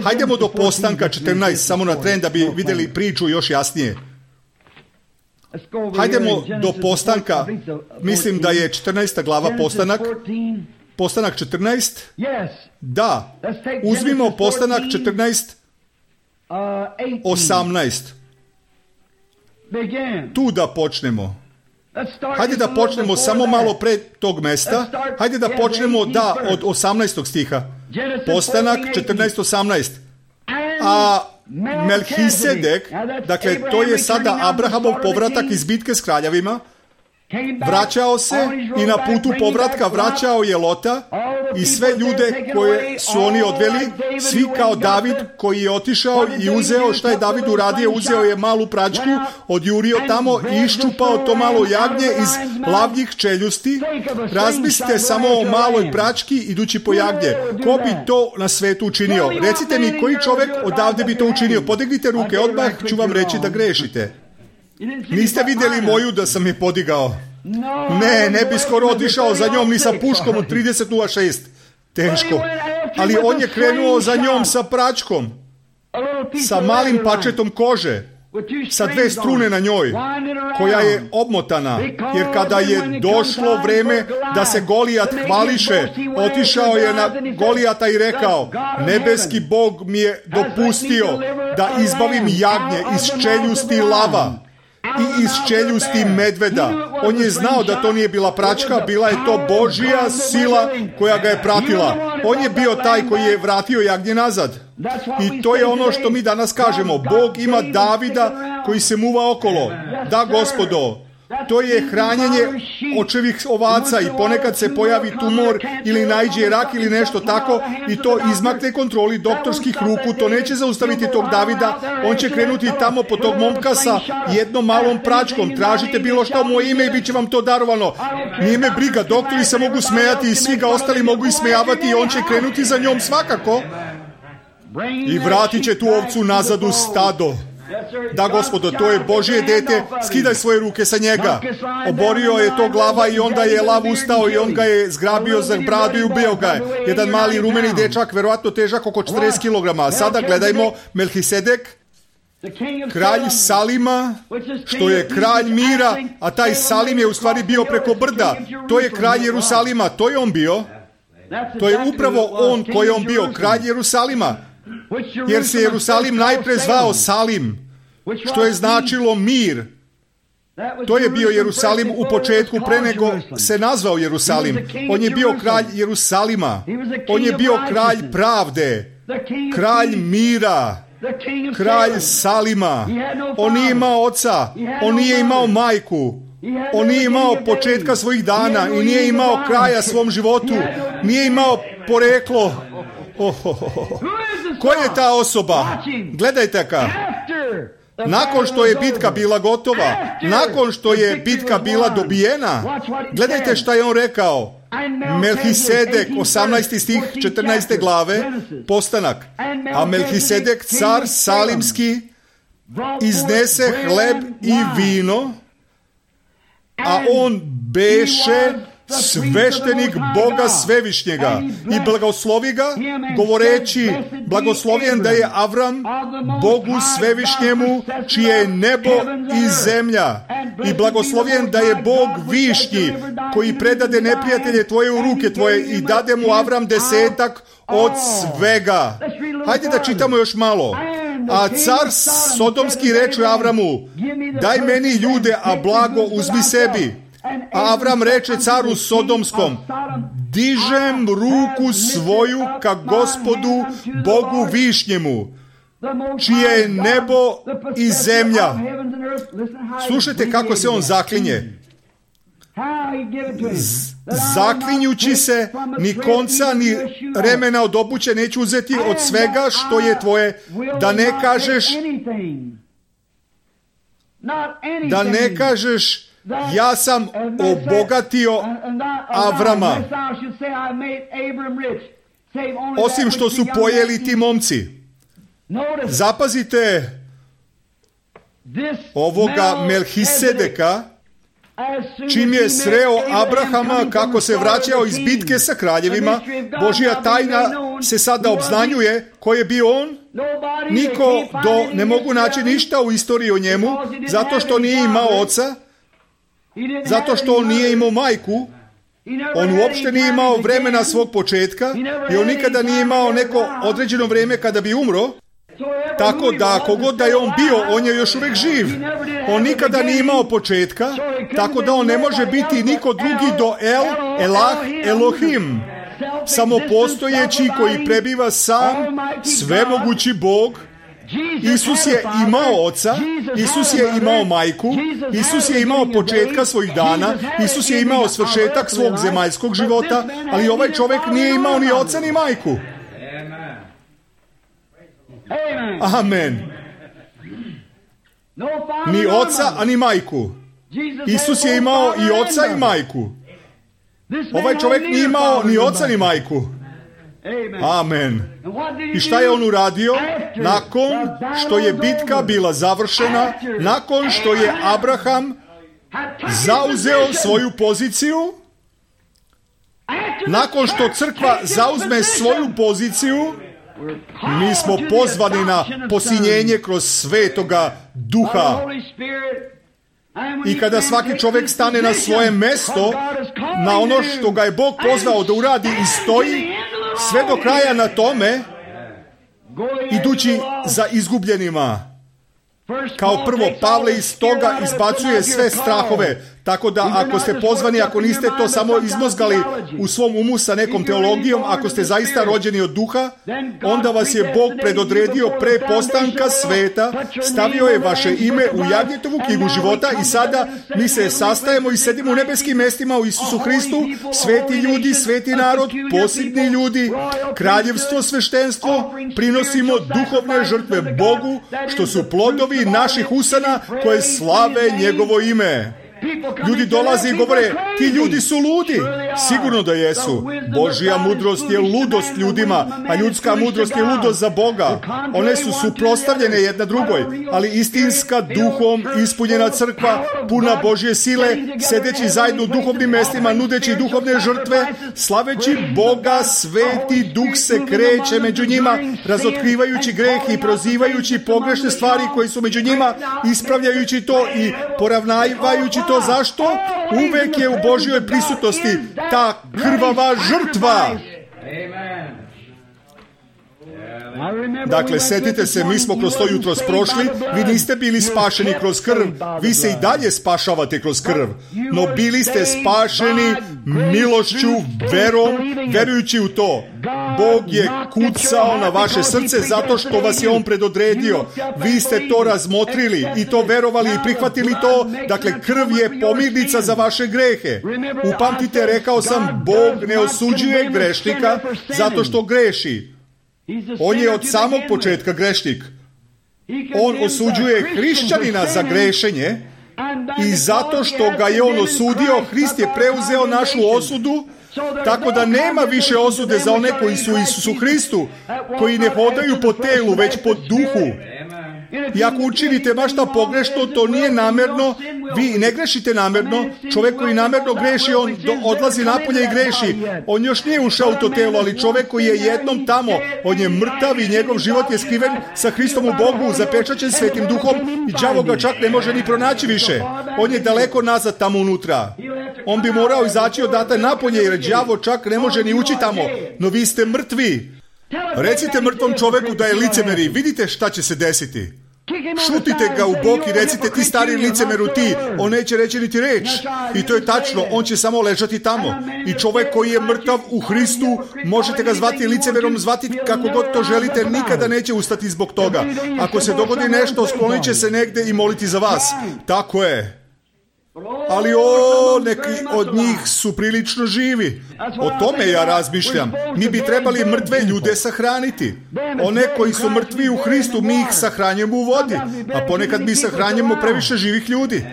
hajdemo do Postanka 14, samo na tren da bi vidjeli priču još jasnije. Hajdemo do Postanka, mislim da je 14. glava Postanak. Postanak 14? Da, uzmimo Postanak 14, 18. Tu da počnemo. Hajde da počnemo samo malo pred tog mesta. Hajde da počnemo, od 18. stiha. Postanak 14:18. A Melhisedek, dakle to je sada Abrahamov povratak iz bitke s kraljevima, vraćao se i na putu povratka vraćao je Lota, i sve ljude koje su oni odveli, svi kao David koji je otišao i uzeo, šta je David uradio, uzeo je malu pračku, odjurio tamo i iščupao to malo jagnje iz lavljih čeljusti. Razmislite samo o maloj prački idući po jagnje. Ko bi to na svetu učinio? Recite mi, koji čovjek odavde bi to učinio? Podignite ruke, odmah ću vam reći da grešite. Niste vidjeli moju da sam je podigao? Ne bi skoro otišao za njom ni sa puškom od 30.06. Teško. Ali on je krenuo za njom sa pračkom, sa malim pačetom kože, sa 2 strune na njoj, koja je obmotana, jer kada je došlo vreme da se Golijat hvališe, otišao je na Golijata i rekao: nebeski Bog mi je dopustio da izbavim jagnje iz čeljusti lava i iz čeljusti medveda. On je znao da to nije bila pračka, bila je to Božja sila koja ga je pratila. On je bio taj koji je vratio jagnje nazad. I to je ono što mi danas kažemo. Bog ima Davida koji se muva okolo. Da, Gospodo, to je hranjenje očevih ovaca i ponekad se pojavi tumor ili naiđe rak ili nešto tako i to izmakne kontroli doktorskih ruku. To neće zaustaviti tog Davida. On će krenuti tamo po tog momka sa jednom malom pračkom. Tražite bilo što u moje ime i bit će vam to darovano. Nije me briga, doktori se mogu smejati i svi ga ostali mogu ismejavati i on će krenuti za njom svakako i vratit će tu ovcu nazad u stado. Da, Gospodo, to je Božje dete, skidaj svoje ruke sa njega. Oborio je to glava i onda je lav ustao i on ga je zgrabio za bradu i ubio ga je. Jedan mali rumeni dečak, verovatno težak oko 40 kg. Sada gledajmo Melhisedek, kralj Salima, što je kralj mira, a taj Salim je u stvari bio preko brda. To je kralj Jerusalima, to je on bio. To je upravo on koji je on bio, kralj Jerusalima. Jer se Jerusalim najpre zvao Salim, što je značilo mir. To je bio Jerusalim u početku, pre nego se nazvao Jerusalim. On je bio kralj Jerusalima. On je bio kralj pravde, kralj mira, kralj Salima. On nije imao oca, on nije imao majku, on nije imao početka svojih dana i nije imao kraja svom životu, nije imao poreklo. Ko je ta osoba? Gledajte ka. Nakon što je bitka bila gotova, nakon što je bitka bila dobijena, gledajte šta je on rekao. Melhisedek, 18. stih 14. glave, postanak. A Melhisedek, car salimski, iznese hleb i vino, a on beše sveštenik Boga Svevišnjega i blagoslovi ga, govoreći: blagoslovljen da je Avram Bogu Svevišnjemu, čije je nebo i zemlja, i blagoslovljen da je Bog Višnji, koji predade neprijatelje tvoje u ruke tvoje i dade mu Avram 10% od svega. Hajde da čitamo još malo. A car sodomski reče Avramu: daj meni ljude, a blago uzmi sebi. A Avram reče caru sodomskom: dižem ruku svoju ka Gospodu Bogu Višnjemu, čije je nebo i zemlja. Slušajte kako se on zaklinje. Zaklinjući se, ni konca ni remena od obuće neću uzeti od svega što je tvoje, da ne kažeš ja sam obogatio Avrama, osim što su pojeli ti momci. Zapazite ovoga Melhisedeka, čim je sreo Abrahama kako se vraćao iz bitke sa kraljevima. Božja tajna se sada obznanjuje. Ko je bio on? Niko ne mogu naći ništa u istoriji o njemu, zato što nije imao oca, zato što on nije imao majku, on uopšte nije imao vremena svog početka i on nikada nije imao neko određeno vrijeme kada bi umro. Tako da, kogod da je on bio, on je još uvijek živ. On nikada nije imao početka, tako da on ne može biti niko drugi do Elah, Elohim, samopostojeći koji prebiva sam, svemogući Bog, Isus je imao oca, Isus je imao majku, Isus je imao početka svojih dana, Isus je imao svršetak svog zemaljskog života, ali ovaj čovjek nije imao ni oca ni majku. Amen. Ni oca, a ni majku. Isus je imao i oca i majku. Ovaj čovjek nije imao ni oca ni majku. Amen. I šta je on uradio? Nakon što je bitka bila završena, nakon što je Abraham zauzeo svoju poziciju, nakon što crkva zauzme svoju poziciju, mi smo pozvani na posinjenje kroz Svetoga Duha. I kada svaki čovjek stane na svoje mesto, na ono što ga je Bog pozvao da uradi i stoji sve do kraja na tome, idući za izgubljenima. Kao prvo, Pavle iz toga izbacuje sve strahove, tako da ako ste pozvani, ako niste to samo izmozgali u svom umu sa nekom teologijom, ako ste zaista rođeni od duha, onda vas je Bog predodredio pre postanka sveta, stavio je vaše ime u Jagnjetovu knjigu života i sada mi se sastajemo i sedimo u nebeskim mestima u Isusu Hristu, sveti ljudi, sveti narod, posebni ljudi, kraljevstvo, sveštenstvo, prinosimo duhovne žrtve Bogu, što su plodovi naših usana koje slave njegovo ime. Ljudi dolaze i govore, ti ljudi su ludi. Sigurno da jesu. Božja mudrost je ludost ljudima, a ljudska mudrost je ludost za Boga. One su suprotstavljene jedna drugoj, ali istinska duhom ispunjena crkva, puna Božje sile, sedeći zajedno u duhovnim mestima, nudeći duhovne žrtve, slaveći Boga, sveti duh se kreće među njima, razotkrivajući greh i prozivajući pogrešne stvari koje su među njima, ispravljajući to i poravnavajući to. Zašto? Uvek je u Božjoj prisutnosti ta krvava žrtva. Dakle, setite se, mi smo kroz to jutros prošli, vi niste bili spašeni kroz krv, vi se i dalje spašavate kroz krv, no bili ste spašeni milošću, verom, verujući u to. Bog je kucao na vaše srce zato što vas je On predodredio. Vi ste to razmotrili i to verovali i prihvatili to. Dakle, krv je pomirnica za vaše grehe. Upamtite, rekao sam, Bog ne osuđuje grešnika zato što greši. On je od samog početka grešnik. On osuđuje hrišćanina za grešenje i zato što ga je on osudio, Hrist je preuzeo našu osudu, tako da nema više osude za one koji su u Isusu Hristu, koji ne hodaju po telu, već po duhu. I ako učinite baš šta pogrešno, to nije namerno, vi ne grešite namerno. Čovjek koji namerno greši, on odlazi napolje i greši. On još nije ušao u to telo, ali čovjek koji je jednom tamo, on je mrtav i njegov život je skriven sa Hristom u Bogu, zapečaćen Svetim Duhom i đavo ga čak ne može ni pronaći više. On je daleko nazad tamo unutra. On bi morao izaći odatle napolje jer đavo čak ne može ni ući tamo. No vi ste mrtvi. Recite mrtvom čovjeku da je licemeri, vidite šta će se desiti. Šutite ga u bok i recite, ti stari licemeru ti, on neće reći niti reč. I to je tačno, on će samo ležati tamo. I čovjek koji je mrtav u Hristu, možete ga zvati licemerom, zvati kako god to želite, nikada neće ustati zbog toga. Ako se dogodi nešto, sklonit će se negde i moliti za vas. Tako je. Ali neki od njih su prilično živi. O tome ja razmišljam. Mi bi trebali mrtve ljude sahraniti. One koji su mrtvi u Hristu, mi ih sahranjujemo u vodi. A ponekad mi sahranjujemo previše živih ljudi.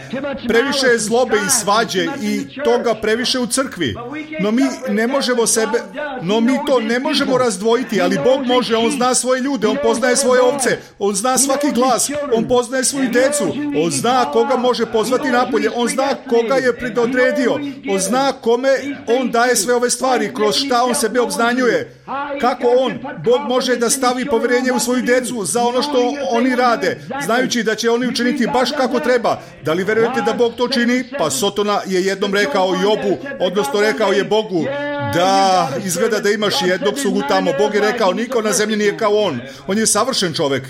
Previše je zlobe i svađe i toga previše u crkvi. No mi to ne možemo razdvojiti, ali Bog može, On zna svoje ljude, On poznaje svoje ovce, On zna svaki glas, On poznaje svoju decu, On zna koga može pozvati napolje, On zna koga je predodredio, On zna kome On daje sve ove stvari, kroz šta On sebe obznanjuje, kako Bog može da stavi povjerenje u svoju decu za ono što oni rade, znajući da će oni učiniti baš kako treba. Da li verujete da Bog to čini? Pa Sotona je jednom rekao Jobu, odnosno rekao je Bogu, da izgleda da imaš jednog slugu tamo. Bog je rekao, niko na zemlji nije kao on. On je savršen čovjek.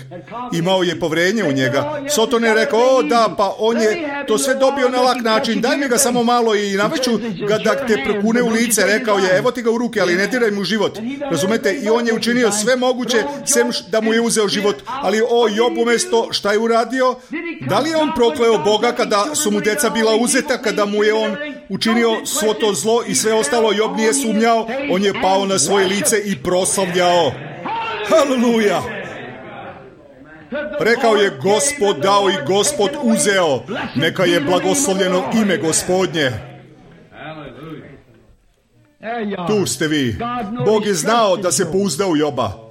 Imao je povjerenje u njega. Soton je rekao, da, pa on je to sve dobio na lak način. Daj mi ga samo malo i naveću ga da te prokune u lice. Rekao je, evo ti ga u ruke, ali ne diraj mu život. Razumete? I on je učinio sve moguće, sem da mu je uzeo život. Ali o Job umjesto šta je uradio? Da li je on prokleo Boga kada su mu deca bila uzeta, kada mu je on učinio svo to zlo i sve ostalo? Job nije sumnjao, on je pao na svoje lice i proslavljao. Haleluja! Rekao je, Gospod dao i Gospod uzeo. Neka je blagoslovljeno ime Gospodnje. Tu ste vi. Bog je znao da se pouzda u Joba.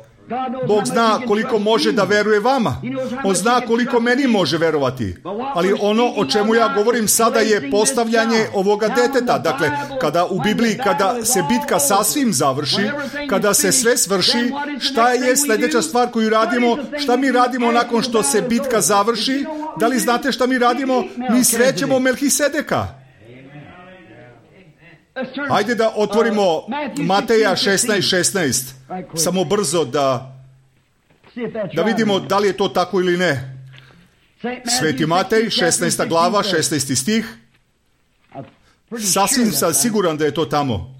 Bog zna koliko može da veruje vama. On zna koliko meni može verovati. Ali ono o čemu ja govorim sada je postavljanje ovoga deteta. Dakle, kada u Bibliji, kada se bitka sasvim završi, kada se sve svrši, šta je sljedeća stvar koju radimo? Šta mi radimo nakon što se bitka završi? Da li znate šta mi radimo? Mi srećemo Melhisedeka. Hajde da otvorimo Mateja 16:16. Samo brzo da vidimo da li je to tako ili ne. Sveti Matej, 16. glava, 16. stih. Sasvim sam siguran da je to tamo.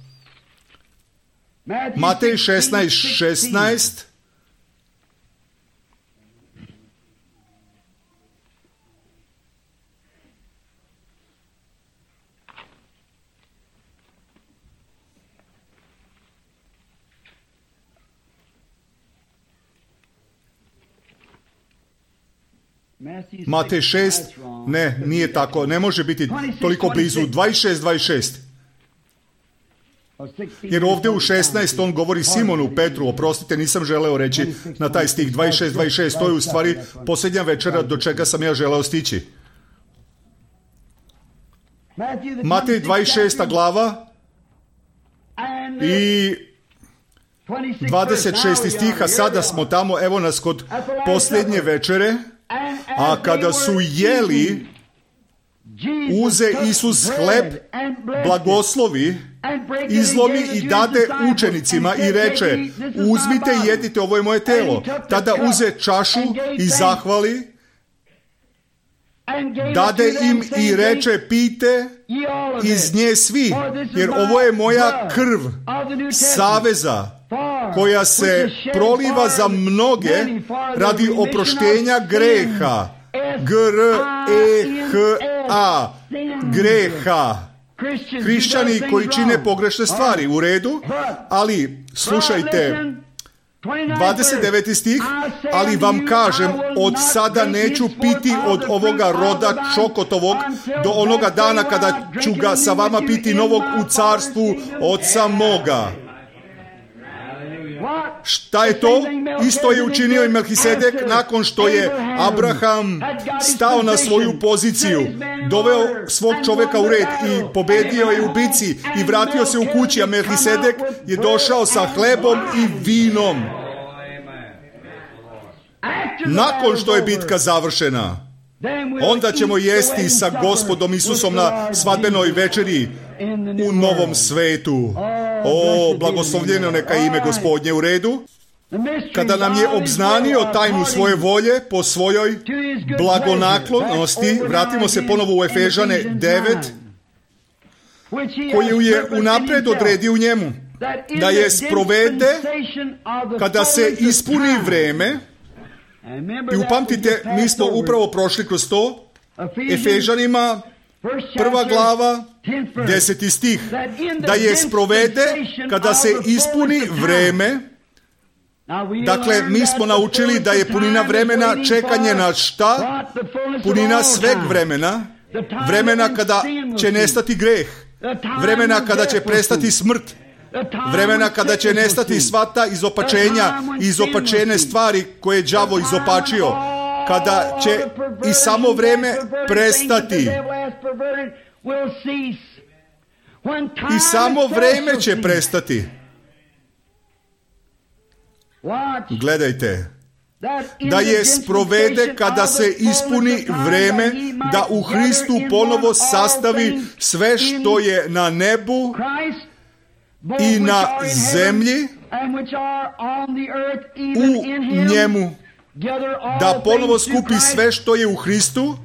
Matej 16:16. Matej 6, ne, nije tako, ne može biti toliko blizu, 26. Jer ovdje u 16 on govori Simonu Petru, oprostite, nisam želeo reći na taj stih, 26, to je u stvari posljednja večera do čega sam ja želeo stići. Matej 26. glava i 26. stiha, sada smo tamo, evo nas kod posljednje večere. A kada su jeli, uze Isus hleb, blagoslovi, izlomi i dade učenicima i reče, uzmite i jedite, ovo je moje telo. Tada uze čašu i zahvali, dade im i reče, pijte iz nje svi, jer ovo je moja krv saveza, koja se proliva za mnoge radi oproštenja greha. G-R-E-H-A. Greha. Hrišćani koji čine pogrešne stvari, u redu, ali slušajte, 29. stih, ali vam kažem, od sada neću piti od ovoga roda čokotovog do onoga dana kada ću ga sa vama piti novog u carstvu Oca moga. Šta je to? Isto je učinio i Melhisedek nakon što je Abraham stao na svoju poziciju, doveo svog čovjeka u red i pobedio je u bici i vratio se u kući, a Melhisedek je došao sa hlebom i vinom. Nakon što je bitka završena, onda ćemo jesti sa Gospodom Isusom na svadbenoj večeri u novom svetu. O, blagoslovljeno neka ime Gospodnje, u redu. Kada nam je obznanio tajnu svoje volje po svojoj blagonaklonosti, vratimo se ponovo u Efežane 9, koju je unapred odredio u njemu, da je sprovede kada se ispuni vreme. I upamtite, mi smo upravo prošli kroz to, Efežanima 1. glava, 10. stih, da je sprovede kada se ispuni vreme. Dakle, mi smo naučili da je punina vremena čekanje na šta? Punina sveg vremena. Vremena kada će nestati greh. Vremena kada će prestati smrt. Vremena kada će nestati sva ta izopačenja i izopačene stvari koje je đavo izopačio. Kada će i samo vreme prestati. I samo vreme će prestati. Gledajte. Da je sprovede kada se ispuni vreme, da u Hristu ponovo sastavi sve što je na nebu i na zemlji u njemu, da ponovo skupi sve što je u Hristu.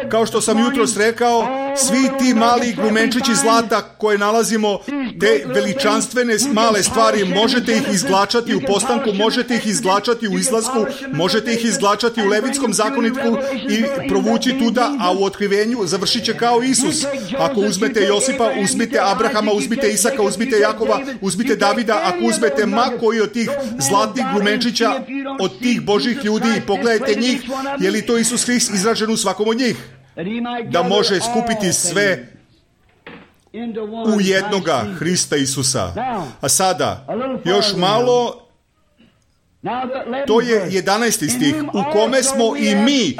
Kao što sam jutros rekao, svi ti mali grumenčići zlata koje nalazimo, te veličanstvene male stvari, možete ih izglačati u postanku, možete ih izglačati u izlasku, možete ih izglačati u Levitskom zakonitku i provući tuda, a u otkrivenju završit će kao Isus. Ako uzmete Josipa, uzmite Abrahama, uzmite Isaka, uzmite Jakova, uzmite Davida, ako uzmete ma koji od tih zlatnih grumenčića, od tih Božih ljudi i pogledajte njih, je li to Isus Hrist izražen u svakom od njih, da može skupiti sve u jednoga Hrista Isusa. A sada, još malo, to je 11. stih, u kome smo i mi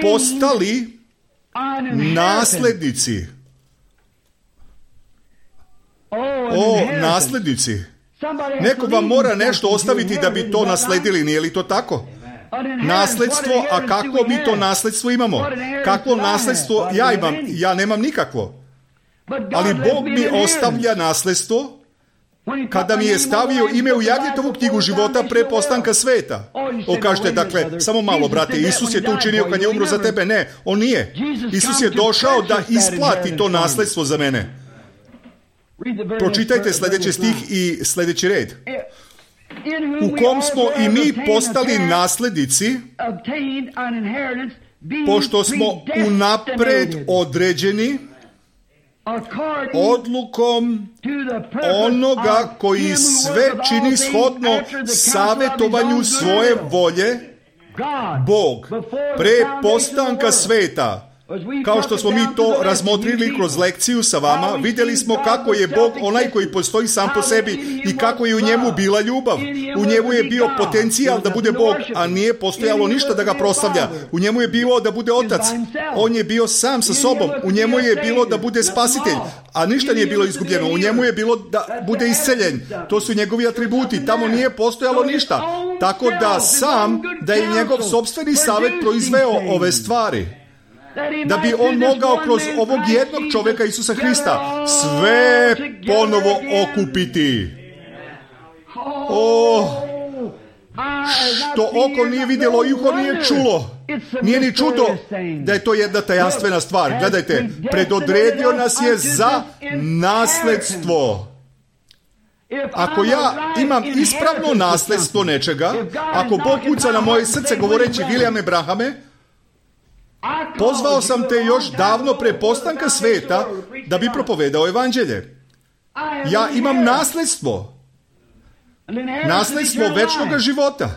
postali naslednici. O, naslednici. Neko vam mora nešto ostaviti da bi to nasledili, nije li to tako? Nasledstvo, a kako mi to nasledstvo imamo? Kakvo nasledstvo ja imam? Ja nemam nikakvo. Ali Bog mi ostavlja nasledstvo kada mi je stavio ime u Jagnjetovu knjigu života pre postanka sveta. Kažete, dakle, samo malo, brate, Isus je to učinio kad je umro za tebe. Ne, on nije. Isus je došao da isplati to nasledstvo za mene. Pročitajte sljedeći stih i sljedeći red. U kom smo i mi postali naslednici, pošto smo unapred određeni odlukom onoga koji sve čini shodno savjetovanju svoje volje, Bog, pre postanka sveta. Kao što smo mi to razmotrili kroz lekciju sa vama, vidjeli smo kako je Bog onaj koji postoji sam po sebi i kako je u njemu bila ljubav. U njemu je bio potencijal da bude Bog, a nije postojalo ništa da ga proslavlja. U njemu je bilo da bude otac. On je bio sam sa sobom. U njemu je bilo da bude spasitelj, a ništa nije bilo izgubljeno. U njemu je bilo da bude isceljen. To su njegovi atributi. Tamo nije postojalo ništa. Tako da sam, da je njegov sopstveni savjet proizveo ove stvari. Da bi on mogao kroz ovog jednog čovjeka Isusa Hrista sve ponovo okupiti. Što oko nije vidjelo i uho nije čulo. Nije ni čudo da je to jedna tajanstvena stvar. Gledajte, predodredio nas je za nasledstvo. Ako ja imam ispravno nasledstvo nečega, ako Bog kuca na moje srce govoreći Williame Brahame, pozvao sam te još davno pre postanka sveta da bi propovedao evanđelje. Ja imam nasledstvo. Nasledstvo večnog života.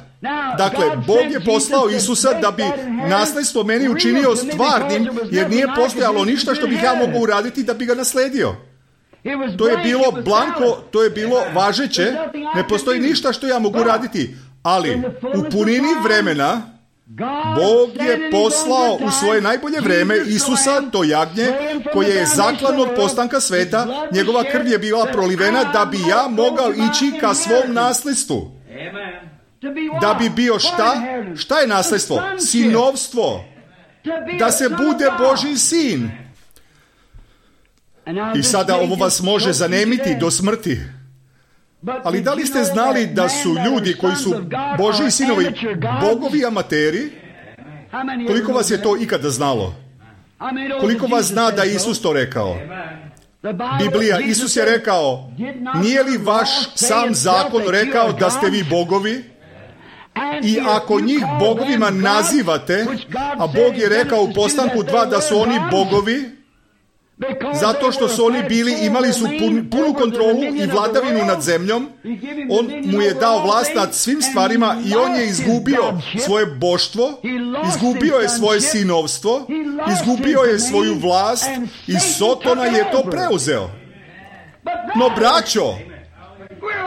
Dakle, Bog je poslao Isusa da bi nasledstvo meni učinio stvarnim, jer nije postojalo ništa što bih ja mogao uraditi da bi ga nasledio. To je bilo blanko, to je bilo važeće, ne postoji ništa što ja mogu raditi, ali u punini vremena Bog je poslao u svoje najbolje vreme Isusa, to jagnje, koje je zaklan od postanka sveta, njegova krv je bila prolivena da bi ja mogao ići ka svom nasledstvu. Da bi bio šta? Šta je nasledstvo? Sinovstvo. Da se bude Božji sin. I sada ovo vas može zanemiti do smrti. Ali da li ste znali da su ljudi koji su Božji sinovi bogovi amateri? Koliko vas je to ikada znalo? Koliko vas zna da Isus to rekao? Biblija, Isus je rekao, nije li vaš sam zakon rekao da ste vi bogovi? I ako njih bogovima nazivate, a Bog je rekao u postanku 2 da su oni bogovi, zato što su oni imali su punu kontrolu i vladavinu nad zemljom, on mu je dao vlast nad svim stvarima i on je izgubio svoje boštvo, izgubio je svoje sinovstvo, izgubio je svoju vlast i Sotona je to preuzeo. No, braćo,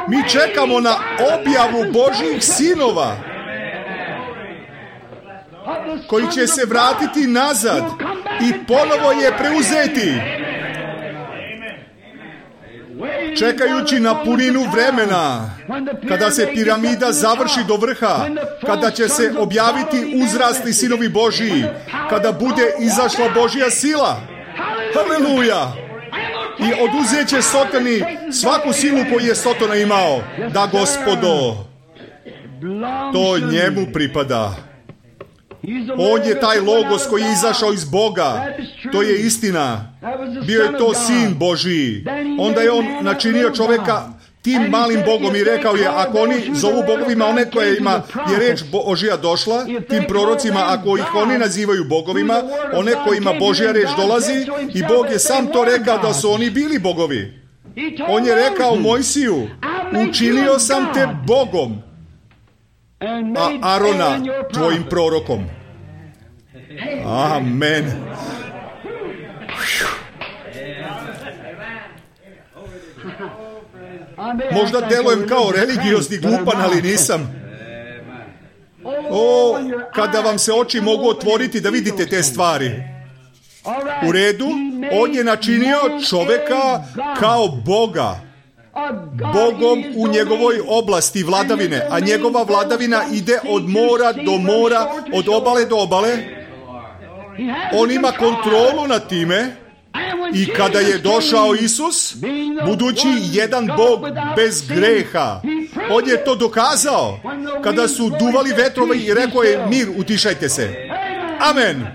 mi čekamo na objavu Božjih sinova koji će se vratiti nazad i ponovo je preuzeti. Čekajući na puninu vremena, kada se piramida završi do vrha, kada će se objaviti uzrasli sinovi Božiji, kada bude izašla Božja sila. Haleluja! i oduzet će Sotoni svaku silu koju je Sotona imao. Da, Gospodo, to njemu pripada. On je taj logos koji je izašao iz Boga. To je istina. Bio je to Sin Božiji. Onda je on načinio čoveka tim malim Bogom i rekao je, ako oni zovu bogovima one kojima je reč Božja došla, tim prorocima, ako ih oni nazivaju bogovima, one kojima Božja reč dolazi, i Bog je sam to rekao da su oni bili bogovi. On je rekao Mojsiju, učinio sam te Bogom, a Arona tvojim prorokom. Amen. Možda delujem kao religiozni glupan, ali nisam. Kada vam se oči mogu otvoriti da vidite te stvari. U redu, on je načinio čoveka kao Boga. Bogom u njegovoj oblasti vladavine, a njegova vladavina ide od mora do mora, od obale do obale. On ima kontrolu nad time. I kada je došao Isus, budući jedan Bog bez greha, on je to dokazao. Kada su duvali vetrovi i rekao je, mir, utišajte se. Amen.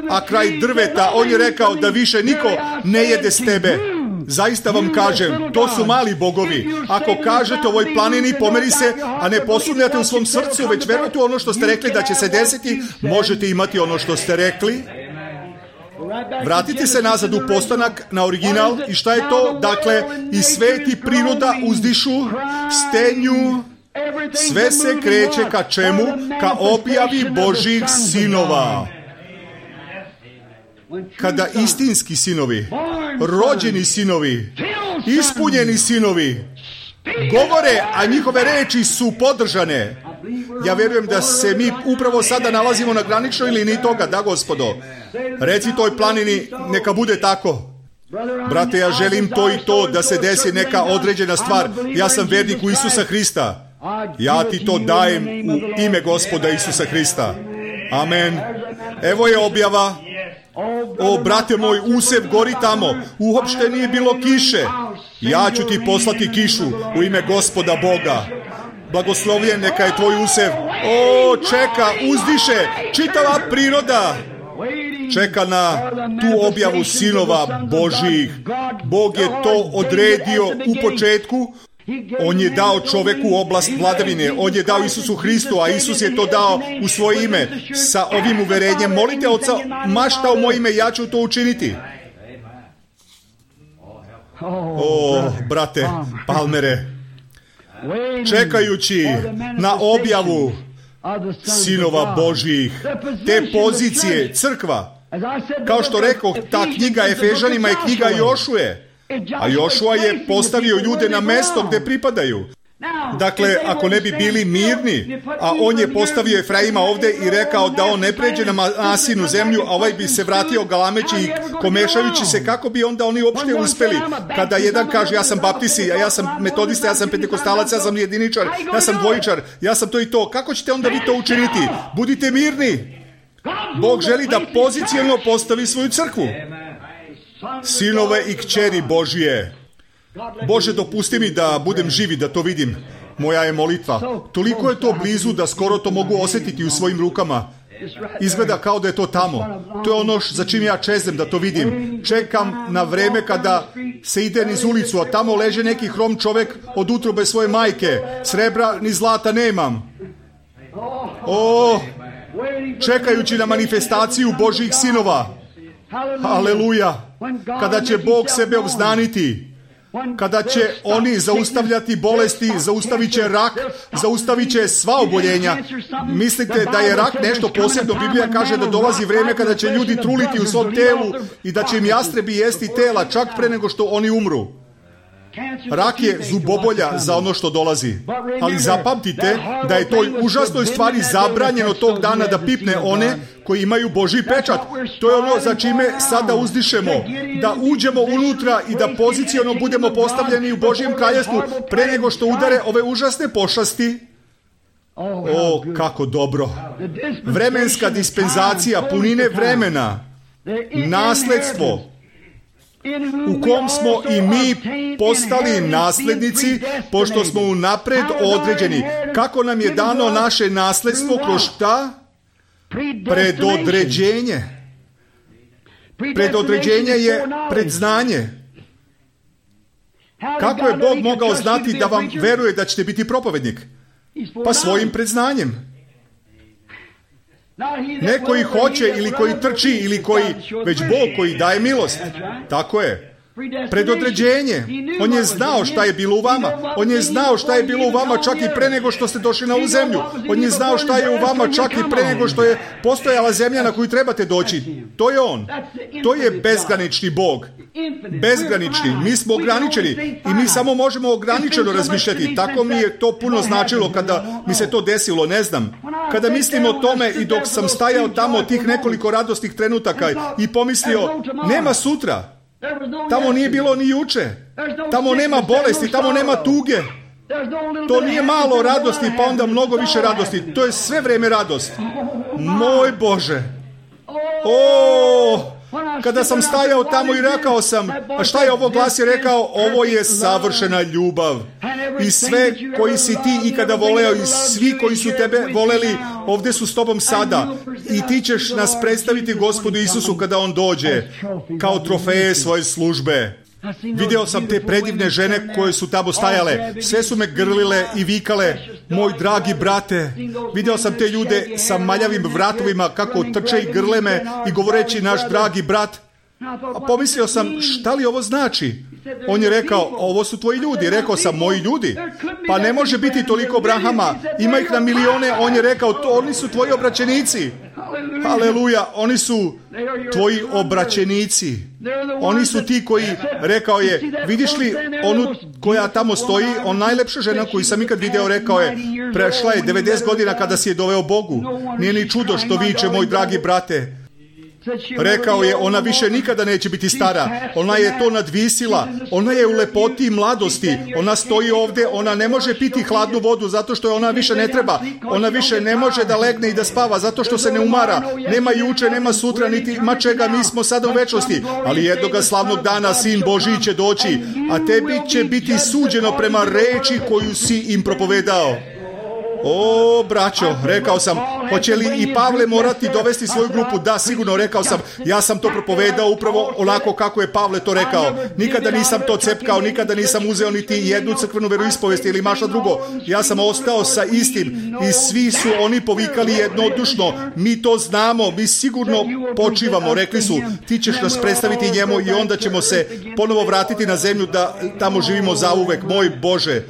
A kraj drveta, on je rekao da više niko ne jede s tebe. Zaista vam kažem, to su mali bogovi. Ako kažete ovoj planini, pomeri se, a ne posumnjate u svom srcu, već verujete u ono što ste rekli da će se desiti, možete imati ono što ste rekli. Vratite se nazad u postanak, na original. I šta je to? Dakle, i sveti priroda uzdišu, stenju, sve se kreće ka čemu? Ka objavi Božjih sinova. Kada istinski sinovi, rođeni sinovi, ispunjeni sinovi govore, a njihove reči su podržane. Ja vjerujem da se mi upravo sada nalazimo na graničnoj liniji toga, da, Gospodo. Reci toj planini, neka bude tako. Brate, ja želim to i to da se desi neka određena stvar. Ja sam vernik u Isusa Hrista. Ja ti to dajem u ime Gospoda Isusa Hrista. Amen. Evo je objava. O, brate moj, usev gori tamo. Uopšte nije bilo kiše. Ja ću ti poslati kišu u ime Gospoda Boga. Blagoslovljen neka je tvoj usev. O, čeka, uzdiše, čitava priroda čeka na tu objavu sinova Božjih. Bog je to odredio u početku. On je dao čoveku oblast vladavine. On je dao Isusu Hristu, a Isus je to dao u svoje ime. Sa ovim uverenjem, molite Oca, mašta u moje ime, ja ću to učiniti. O, brate, Palmere, čekajući na objavu sinova Božjih, te pozicije, crkva, kao što rekao, ta knjiga Efežanima je knjiga Jošuje, a Jošua je postavio ljude na mesto gde pripadaju. Dakle, ako ne bi bili mirni, a on je postavio Efraima ovde i rekao da on ne pređe na Manasinu zemlju, a ovaj bi se vratio galameći i komešajući se, kako bi onda oni uopšte uspeli? Kada jedan kaže, ja sam baptisti, a ja sam metodista, ja sam pentekostalac, ja sam jediničar, ja sam dvojičar, ja sam to i to. Kako ćete onda vi to učiniti? Budite mirni. Bog želi da pozicijalno postavi svoju crkvu. Sinove i kćeri Božije. Bože, dopusti mi da budem živi, da to vidim. Moja je molitva. Toliko je to blizu da skoro to mogu osjetiti u svojim rukama. Izgleda kao da je to tamo. To je ono za čim ja čeznem da to vidim. Čekam na vreme kada se ide niz ulicu, a tamo leže neki hrom čovek od utrobe svoje majke. Srebra ni zlata nemam. O, čekajući na manifestaciju Božjih sinova. Aleluja. Kada će Bog sebe obznaniti, kada će oni zaustavljati bolesti, zaustavit će rak, zaustavit će sva oboljenja. Mislite da je rak nešto posebno? Biblija kaže da dolazi vreme kada će ljudi truliti u svom telu i da će im jastrebi jesti tela čak pre nego što oni umru. Rak je zubobolja za ono što dolazi. Ali zapamtite da je toj užasnoj stvari zabranjeno tog dana da pipne one koji imaju Božji pečat. To je ono za čime sada uzdišemo. Da uđemo unutra i da poziciono budemo postavljeni u Božjem kraljevstvu pre nego što udare ove užasne pošasti. O, kako dobro. Vremenska dispenzacija, punine vremena, nasledstvo, u kom smo i mi postali naslednici, pošto smo unapred određeni. Kako nam je dano naše nasledstvo kroz šta? Predodređenje. Predodređenje je predznanje. Kako je Bog mogao znati da vam veruje da ćete biti propovednik? Pa svojim predznanjem. Ne koji hoće ili koji trči ili koji, već Bog koji daje milost. Tako je. Predodređenje. On je znao šta je bilo u vama. On je znao šta je bilo u vama čak i pre nego što ste došli na ovu zemlju. On je znao šta je u vama čak i pre nego što je postojala zemlja na koju trebate doći. To je On. To je bezgranični Bog. Bezgranični. Mi smo ograničeni i mi samo možemo ograničeno razmišljati. Tako mi je to puno značilo kada mi se to desilo, ne znam. Kada mislim o tome i dok sam stajao tamo tih nekoliko radosnih trenutaka i pomislio, nema sutra. Tamo nije bilo ni juče. Tamo nema bolesti, tamo nema tuge. To nije malo radosti, pa onda mnogo više radosti. To je sve vrijeme radost. Moj Bože. Kada sam stajao tamo i rekao sam, a šta je ovo glas je rekao? Ovo je savršena ljubav. I sve koji si ti ikada voleo i svi koji su tebe voleli, ovdje su s tobom sada. I ti ćeš nas predstaviti Gospodu Isusu kada On dođe, kao trofeje svoje službe. Vidio sam te predivne žene koje su tamo stajale. Sve su me grlile i vikale, moj dragi brate. Vidio sam te ljude sa maljavim vratovima kako trče i grle me i govoreći naš dragi brat. A pomislio sam, šta li ovo znači? On je rekao, ovo su tvoji ljudi. Rekao sam, moji ljudi? Pa ne može biti toliko Abrahama. Ima ih na milione. On je rekao, oni su tvoji obraćenici. Haleluja, oni su tvoji obraćenici. Oni su ti koji, rekao je, vidiš li onu koja tamo stoji, on najlepša žena koju sam ikad video, rekao je, prešla je 90 godina kada si je doveo Bogu. Nije ni čudo što viče, moj dragi brate. Rekao je, ona više nikada neće biti stara. Ona je to nadvisila. Ona je u lepoti i mladosti. Ona stoji ovdje, ona ne može piti hladnu vodu zato što je ona više ne treba. Ona više ne može da legne i da spava zato što se ne umara. Nema juče, nema sutra, niti ima čega, mi smo sada u večnosti. Ali jednoga slavnog dana Sin Božji će doći, a tebi će biti suđeno prema reči koju si im propovedao. O, braćo, rekao sam, hoće li i Pavle morati dovesti svoju grupu? Da, sigurno, rekao sam, ja sam to propovedao upravo onako kako je Pavle to rekao. Nikada nisam to cepkao, nikada nisam uzeo niti jednu crkvenu veroispovest ili mašta drugo. Ja sam ostao sa istim i svi su oni povikali jednodušno. Mi to znamo, mi sigurno počivamo, rekli su, ti ćeš nas predstaviti njemu i onda ćemo se ponovo vratiti na zemlju da tamo živimo zauvek. Moj Bože,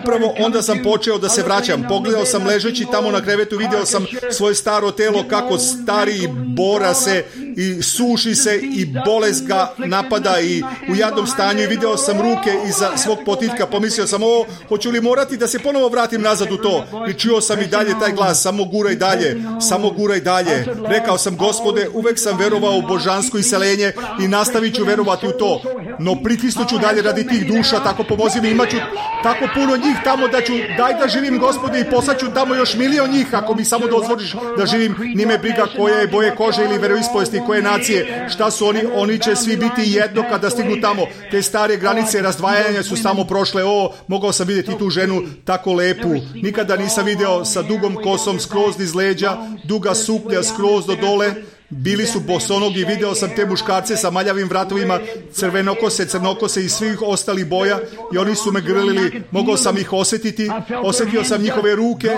upravo onda sam počeo da se vraćam. Pogledao sam ležeći tamo na krevetu, video sam svoje staro telo kako stari i bora se i suši se i bolest ga napada i u jadnom stanju i video sam ruke iza svog potiljka. Pomislio sam, hoću li morati da se ponovo vratim nazad u to? I čuo sam i dalje taj glas, samo guraj dalje, samo guraj dalje. Rekao sam, Gospode, uvek sam verovao u božansko iseljenje i nastavit ću verovati u to. No pritisnuću dalje radi tih duša, tako pomozi mi, imaću tako puno njih tamo da ću, daj da živim, Gospode, i poslaću tamo još milion njih ako mi samo dozvoliš da živim. Nime briga koja je boje kože ili veroispovesti, koje nacije, šta su oni će svi biti jedno kada stignu tamo. Te stare granice razdvajanja su samo prošle. Mogao sam vidjeti tu ženu tako lepu. Nikada nisam video sa dugom kosom skroz niz leđa, duga suknja skroz do dole. Bili su bosonogi, video sam te muškarce sa maljavim vratovima, crvenokose, crnokose i svih ostalih boja i oni su me grlili, mogao sam ih osjetiti, osjetio sam njihove ruke,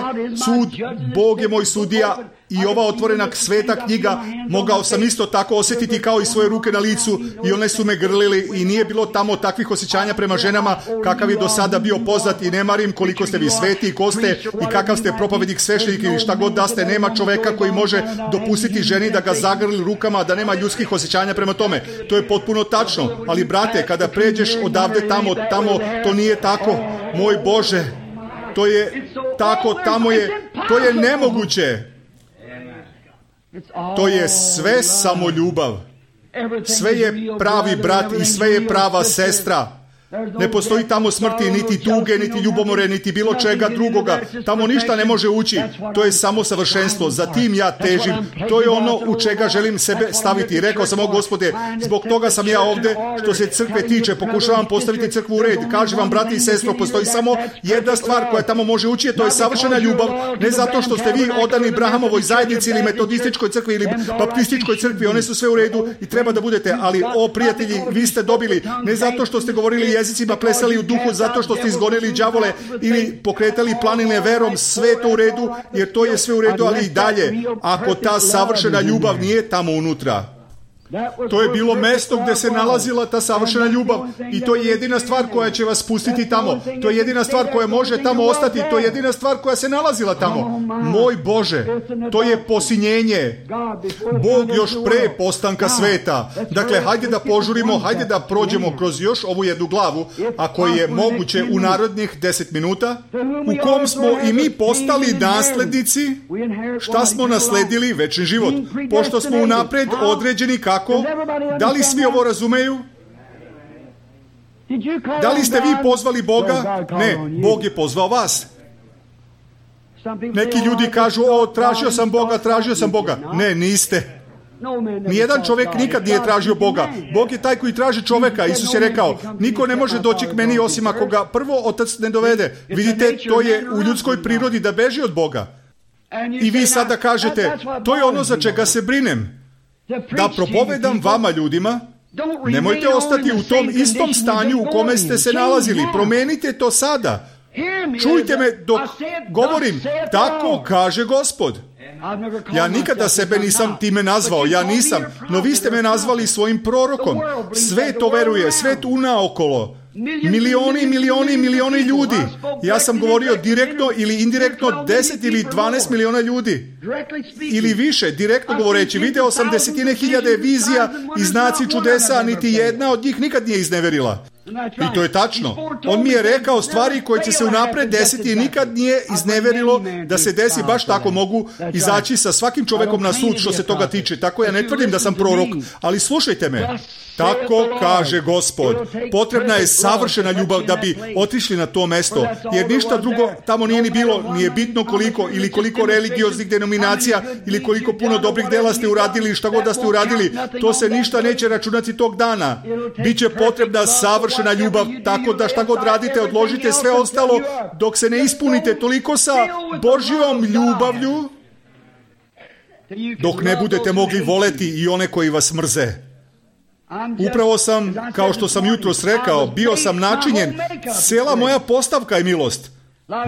sud, Bog je moj sudija i ova otvorena sveta knjiga, mogao sam isto tako osjetiti kao i svoje ruke na licu i one su me grlili i nije bilo tamo takvih osjećanja prema ženama kakav je do sada bio poznat i ne marim koliko ste vi sveti i ko ste i kakav ste propovednik, sveštenik ili šta god da ste, nema čoveka koji može dopustiti ženi da ga zagrli rukama, da nema ljudskih osjećanja prema tome. To je potpuno tačno, ali brate, kada pređeš odavde tamo, to nije tako. Moj Bože, to je tako, to je nemoguće. To je sve samo ljubav. Sve je pravi brat i sve je prava sestra. Ne postoji tamo smrti, niti tuge, niti ljubomore, niti bilo čega drugoga. Tamo ništa ne može ući. To je samo savršenstvo. Za tim ja težim. To je ono u čega želim sebe staviti. Rekao sam, o Gospode, zbog toga sam ja ovde. Što se crkve tiče, pokušavam postaviti crkvu u red. Kažem vam, brati i sestro, postoji samo jedna stvar koja tamo može ući, to je savršena ljubav. Ne zato što ste vi odani Brahamovoj zajednici ili metodističkoj crkvi ili baptističkoj crkvi, one su sve u redu i treba da budete, ali o prijatelji, vi ste dobili, ne zato što ste govorili jezicima, plesali u duhu, zato što ste izgonili đavole ili pokretali planine verom, sve to u redu, jer to je sve u redu, ali i dalje, ako ta savršena ljubav nije tamo unutra. To je bilo mesto gdje se nalazila ta savršena ljubav i to je jedina stvar koja će vas pustiti tamo. To je jedina stvar koja može tamo ostati. To je jedina stvar koja se nalazila tamo. Moj Bože, to je posinjenje. Bog još pre postanka sveta. Dakle, hajde da požurimo, hajde da prođemo kroz još ovu jednu glavu, ako je moguće u narodnih 10 minuta, u kom smo i mi postali naslednici. Šta smo nasledili? Večni život. Pošto smo unapred određeni kako. Da li svi ovo razumeju? Da li ste vi pozvali Boga? Ne, Bog je pozvao vas. Neki ljudi kažu, tražio sam Boga. Ne, niste. Nijedan čovjek nikad nije tražio Boga. Bog je taj koji traži čovjeka. Isus je rekao, niko ne može doći k meni osim ako ga prvo Otac ne dovede. Vidite, to je u ljudskoj prirodi da beži od Boga. I vi sada kažete, to je ono za čega se brinem. Da propovedam vama ljudima, nemojte ostati u tom istom stanju u kome ste se nalazili. Promenite to sada. Čujte me dok govorim. Tako kaže Gospod. Ja nikada sebe nisam time nazvao. Ja nisam. No vi ste me nazvali svojim prorokom. Sve to veruje. Sve tu naokolo. Milioni ljudi. Ja sam govorio direktno ili indirektno 10 ili 12 miliona ljudi. Ili više, direktno govoreći. Video sam 10.000 vizija i znaci čudesa, niti jedna od njih nikad nije izneverila. I to je tačno. On mi je rekao stvari koje će se unapred desiti i nikad nije izneverilo da se desi. Baš tako mogu izaći sa svakim čovjekom na sud što se toga tiče. Tako ja ne tvrdim da sam prorok, ali slušajte me. Tako kaže Gospod. Potrebna je savršena ljubav da bi otišli na to mesto, jer ništa drugo tamo nije ni bilo, nije bitno koliko ili koliko religioznih denominacija ili koliko puno dobrih dela ste uradili, šta god da ste uradili, to se ništa neće računati tog dana. Biće potrebna savršena ljubav, tako da šta god radite, odložite sve ostalo dok se ne ispunite toliko sa Božjom ljubavlju, dok ne budete mogli voleti i one koji vas mrze. Upravo sam, kao što sam jutros rekao, bio sam načinjen, cijela moja postavka je milost.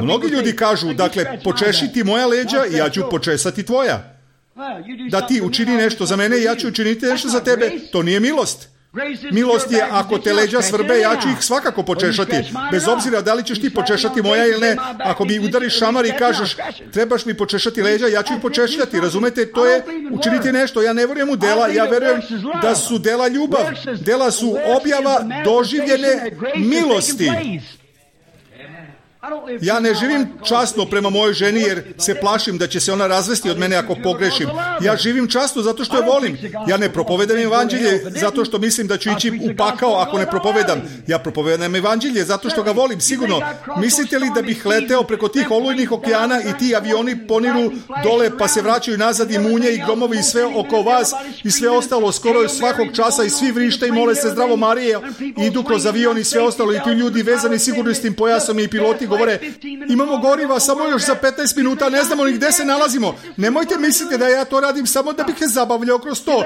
Mnogi ljudi kažu, dakle, počeši ti moja leđa i ja ću počesati tvoja. Da ti učini nešto za mene i ja ću učiniti nešto za tebe, to nije milost. Milost je, ako te leđa svrbe, ja ću ih svakako počešati. Bez obzira da li ćeš ti počešati moja ili ne. Ako mi udariš šamar i kažeš, trebaš mi počešati leđa, ja ću ih počešati. Razumete, to je učiniti nešto. Ja ne vjerujem u dela, ja vjerujem da su dela ljubav. Dela su objava doživljene milosti. Ja ne živim časno prema mojoj ženi jer se plašim da će se ona razvesti od mene ako pogrešim. Ja živim časno zato što je volim. Ja ne propovedam evanđelje zato što mislim da ću ići u pakao ako ne propovedam. Ja propovedam evanđelje zato što ga volim, sigurno. Mislite li da bih leteo preko tih olujnih okeana i ti avioni poniru dole pa se vraćaju nazad i munje i gromovi i sve oko vas i sve ostalo skoro svakog časa i svi vrište i mole se zdravo Marije, idu kroz avion i sve ostalo i ti ljudi vezani sigurnosnim pojasom i piloti govore, imamo goriva samo još za 15 minuta, ne znamo ni gde se nalazimo. Nemojte misliti da ja to radim samo da bih se zabavljao kroz to.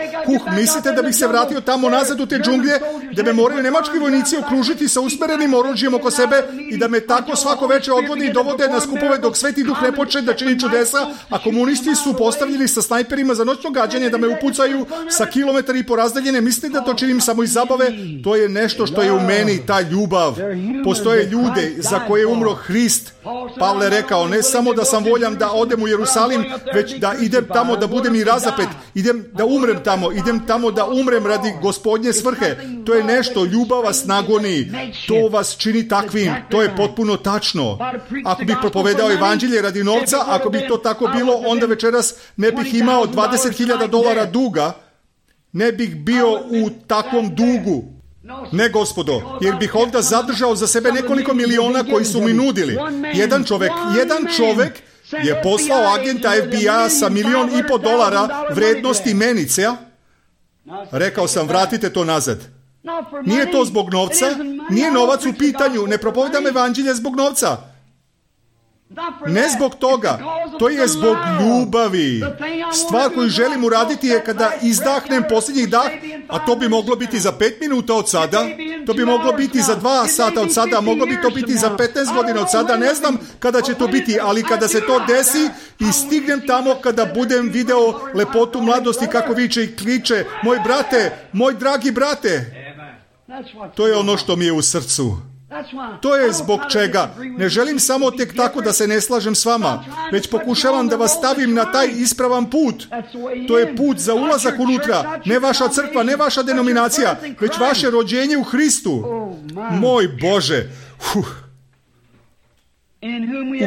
Mislite da bih se vratio tamo nazad u te džunglje, da me moraju nemački vojnici okružiti sa usmerenim oružjem oko sebe i da me tako svako veče odvode i dovode na skupove dok Sveti Duh ne počne da čini čudesa, a komunisti su postavljeni sa snajperima za noćno gađanje da me upucaju sa kilometara i po razdaljene. Mislite da to činim samo iz zabave? To je nešto što je u meni, ta ljubav. Postoje ljude za koje je umro Hrist. Pavle rekao, ne samo da sam voljan da odem u Jerusalim, već da idem tamo da budem i razapet, idem da umrem tamo, idem tamo da umrem radi Gospodnje svrhe. To je nešto, ljubav vas nagoni, to vas čini takvim, to je potpuno tačno. Ako bih propovedao evanđelje radi novca, ako bi to tako bilo, onda večeras ne bih imao $20,000 duga, ne bih bio u takvom dugu. Ne, gospodo, jer bih onda zadržao za sebe nekoliko miliona koji su mi nudili. Jedan čovek je poslao agenta FBI-a sa $1,500,000 vrednosti menice. Rekao sam, vratite to nazad. Nije to zbog novca, nije novac u pitanju, ne propovedam evanđelje zbog novca. Ne zbog toga, to je zbog ljubavi. Stvar koju želim uraditi je kada izdahnem posljednjih dah, a to bi moglo biti za 5 minuta od sada, to bi moglo biti za 2 sata od sada, a moglo bi to biti za 15 godina od sada, ne znam kada će to biti, ali kada se to desi i stignem tamo kada budem video lepotu mladosti kako viče i kliče, moj brate, moj dragi brate, to je ono što mi je u srcu. To je zbog čega ne želim samo tek tako da se ne slažem s vama, već pokušavam da vas stavim na taj ispravan put. To je put za ulazak unutra, ne vaša crkva, ne vaša denominacija, već vaše rođenje u Hristu. Moj Bože, u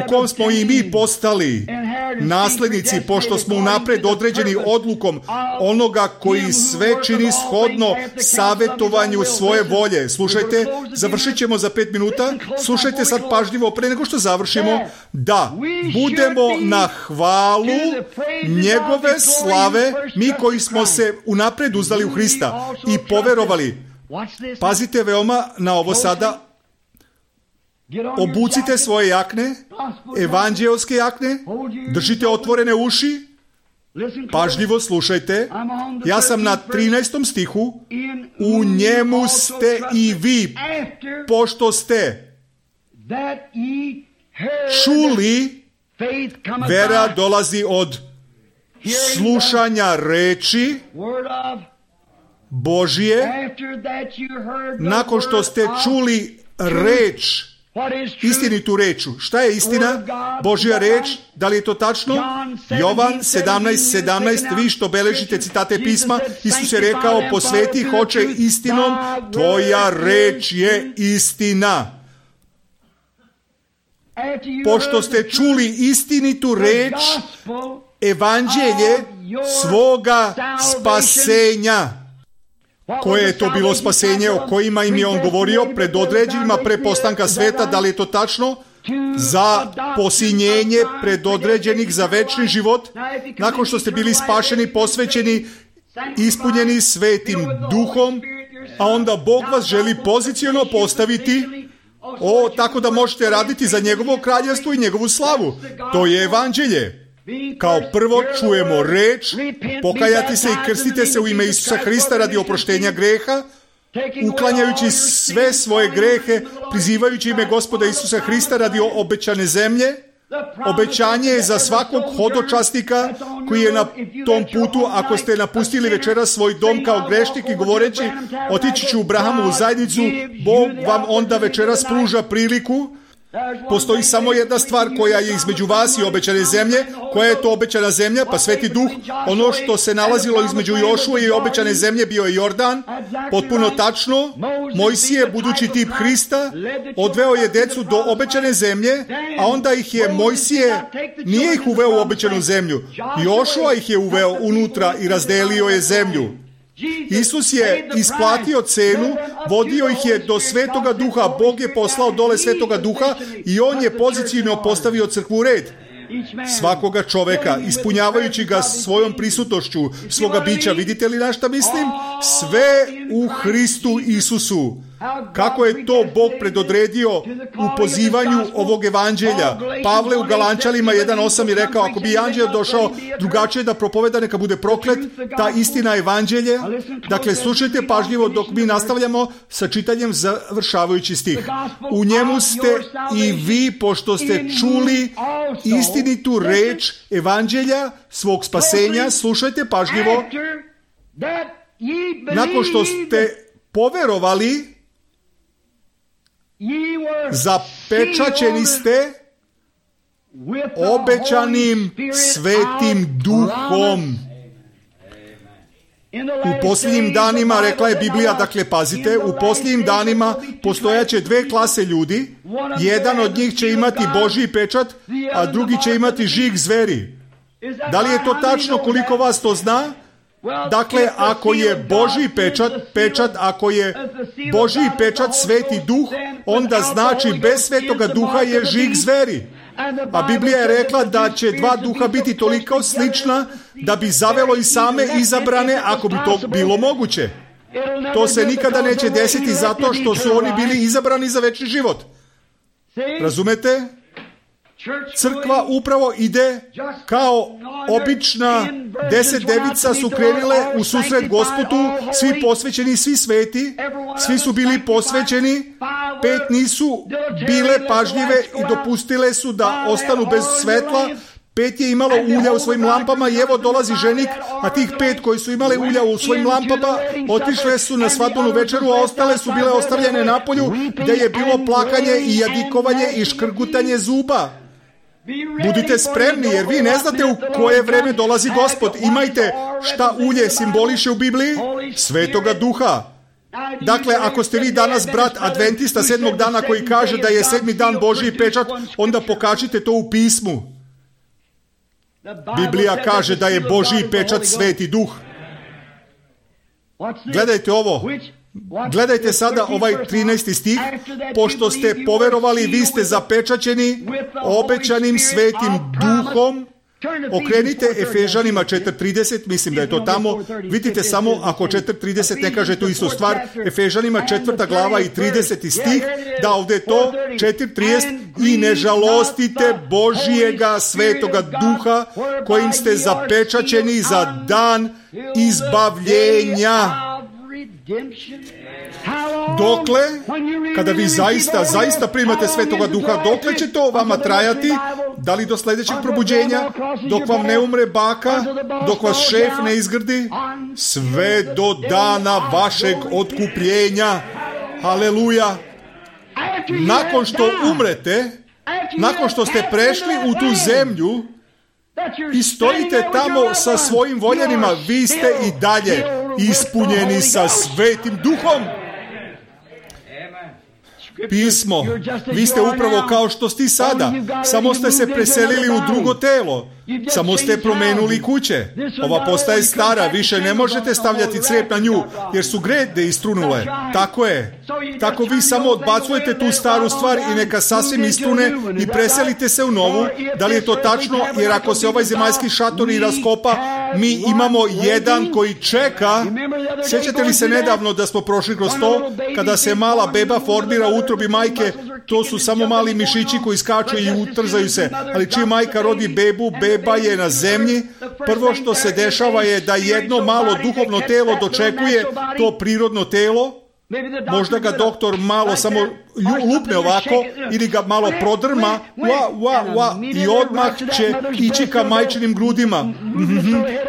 kom smo i mi postali naslednici, pošto smo unapred određeni odlukom onoga koji sve čini shodno savjetovanju svoje volje. Slušajte, završit ćemo za 5 minuta. Slušajte sad pažljivo pre nego što završimo. Da, budemo na hvalu njegove slave, mi koji smo se unapred uzdali u Hrista i poverovali. Pazite veoma na ovo sada. Obucite svoje jakne, evanđelske jakne, držite otvorene uši, pažljivo slušajte. Ja sam na 13. stihu. U njemu ste i vi, pošto ste čuli, vera dolazi od slušanja reči Božije. Nakon što ste čuli reč, istinitu reču. Šta je istina? Božja reč. Da li je to tačno? Jovan 17:17. Vi što beležite citate pisma, Isus je rekao, posveti ih oče istinom, tvoja reč je istina. Pošto ste čuli istinitu reč, evanđelje svoga spasenja. Koje je to bilo spasenje o kojima im je on govorio pred određenima pre postanka sveta? Da li je to tačno? Za posinjenje predodređenih za večni život, nakon što ste bili spašeni, posvećeni, ispunjeni Svetim Duhom, a onda Bog vas želi poziciono postaviti tako da možete raditi za njegovo kraljevstvo i njegovu slavu. To je evanđelje. Kao prvo čujemo reč, pokajati se i krstite se u ime Isusa Hrista radi oproštenja greha, uklanjajući sve svoje grehe, prizivajući ime Gospoda Isusa Hrista radi obećane zemlje. Obećanje je za svakog hodočasnika koji je na tom putu. Ako ste napustili večeras svoj dom kao grešnik i govoreći otići ću u Brahamovu zajednicu, Bog vam onda večeras pruža priliku. Postoji samo jedna stvar koja je između vas i obećane zemlje. Koja je to obećana zemlja? Pa Sveti Duh. Ono što se nalazilo između Jošue i obećane zemlje bio je Jordan. Potpuno tačno. Mojsije, budući tip Hrista, odveo je decu do obećane zemlje, a onda ih je Mojsije, nije ih uveo u obećanu zemlju. Jošua ih je uveo unutra i razdelio je zemlju. Isus je isplatio cenu, vodio ih je do Svetoga Duha, Bog je poslao dole Svetoga Duha i on je pozicijno postavio crkvu u red. Svakoga čoveka, ispunjavajući ga svojom prisutnošću, svoga bića. Vidite li na šta mislim? Sve u Hristu Isusu. Kako je to Bog predodredio u pozivanju ovog evanđelja? Pavle u Galančanima 1:8 je rekao, ako bi anđeo došao drugačije da propoveda, neka bude proklet, ta istina evanđelje. Dakle, slušajte pažljivo dok mi nastavljamo sa čitanjem završavajući stih. U njemu ste i vi, pošto ste čuli istinitu reč evanđelja svog spasenja. Slušajte pažljivo. Nakon što ste poverovali, zapečaćeni ste obećanim Svetim Duhom. U posljednjim danima, rekla je Biblija, dakle pazite, u posljednjim danima postojaće 2 klase ljudi. Jedan od njih će imati Božji pečat, a drugi će imati žig zveri. Da li je to tačno? Koliko vas to zna? Dakle, ako je Božji pečat, ako je Božji pečat Sveti Duh, onda znači bez Svetoga Duha je žig zveri. A Biblija je rekla da će dva duha biti toliko slična da bi zavelo i same izabrane ako bi to bilo moguće. To se nikada neće desiti zato što su oni bili izabrani za večni život. Razumete? Crkva upravo ide kao obična 10 devica su krenule u susret Gospodu, svi posvećeni, svi sveti, svi su bili posvećeni, 5 nisu bile pažljive i dopustile su da ostanu bez svetla, 5 je imalo ulja u svojim lampama i evo dolazi ženik, a tih 5 koji su imale ulja u svojim lampama otišle su na svadbenu večeru, a ostale su bile ostavljene napolju gdje je bilo plakanje i jadikovanje i škrgutanje zuba. Budite spremni jer vi ne znate u koje vreme dolazi Gospod. Imajte šta ulje simboliše u Bibliji? Svetoga Duha. Dakle, ako ste vi danas brat adventista 7. dana koji kaže da je 7. dan Božji pečat, onda pokažite to u pismu. Biblija kaže da je Božji pečat Sveti Duh. Gledajte ovo. Gledajte sada ovaj 13. stih. Pošto ste poverovali, vi ste zapečaćeni obećanim Svetim Duhom. Okrenite Efežanima 4.30, mislim da je to tamo. Vidite samo ako 4.30 ne kaže tu istu stvar. Efežanima 4. glava i 30. stih. Da, ovdje je to 4.30. I ne žalostite Božijega Svetoga Duha kojim ste zapečaćeni za dan izbavljenja. Dokle, kada vi zaista primate Svetoga Duha, dokle će to vama trajati? Da li do sljedećeg probuđenja? Dok vam ne umre baka? Dok vas šef ne izgrdi? Sve do dana vašeg otkupljenja. Haleluja! Nakon što umrete, nakon što ste prešli u tu zemlju i stojite tamo sa svojim voljenima, vi ste i dalje ispunjeni sa Svetim Duhom. Pismo, vi ste upravo kao što ste sada, samo ste se preselili u drugo telo, samo ste promenuli kuće. Ova postaje stara, više ne možete stavljati crijep na nju, jer su grede istrunule. Tako je. Tako vi samo odbacujete tu staru stvar i neka sasvim istrune i preselite se u novu. Da li je to tačno? Jer ako se ovaj zemaljski šator i raskopa, mi imamo jedan koji čeka. Sjećate li se nedavno da smo prošli kroz to, kada se mala beba formira u utrobi majke, to su samo mali mišići koji skaču i utrzaju se, ali čim majka rodi bebu, beba je na zemlji, prvo što se dešava je da jedno malo duhovno telo dočekuje to prirodno telo. Možda ga doktor malo samo lupne ovako ili ga malo prodrma i odmah će ići ka majčinim grudima,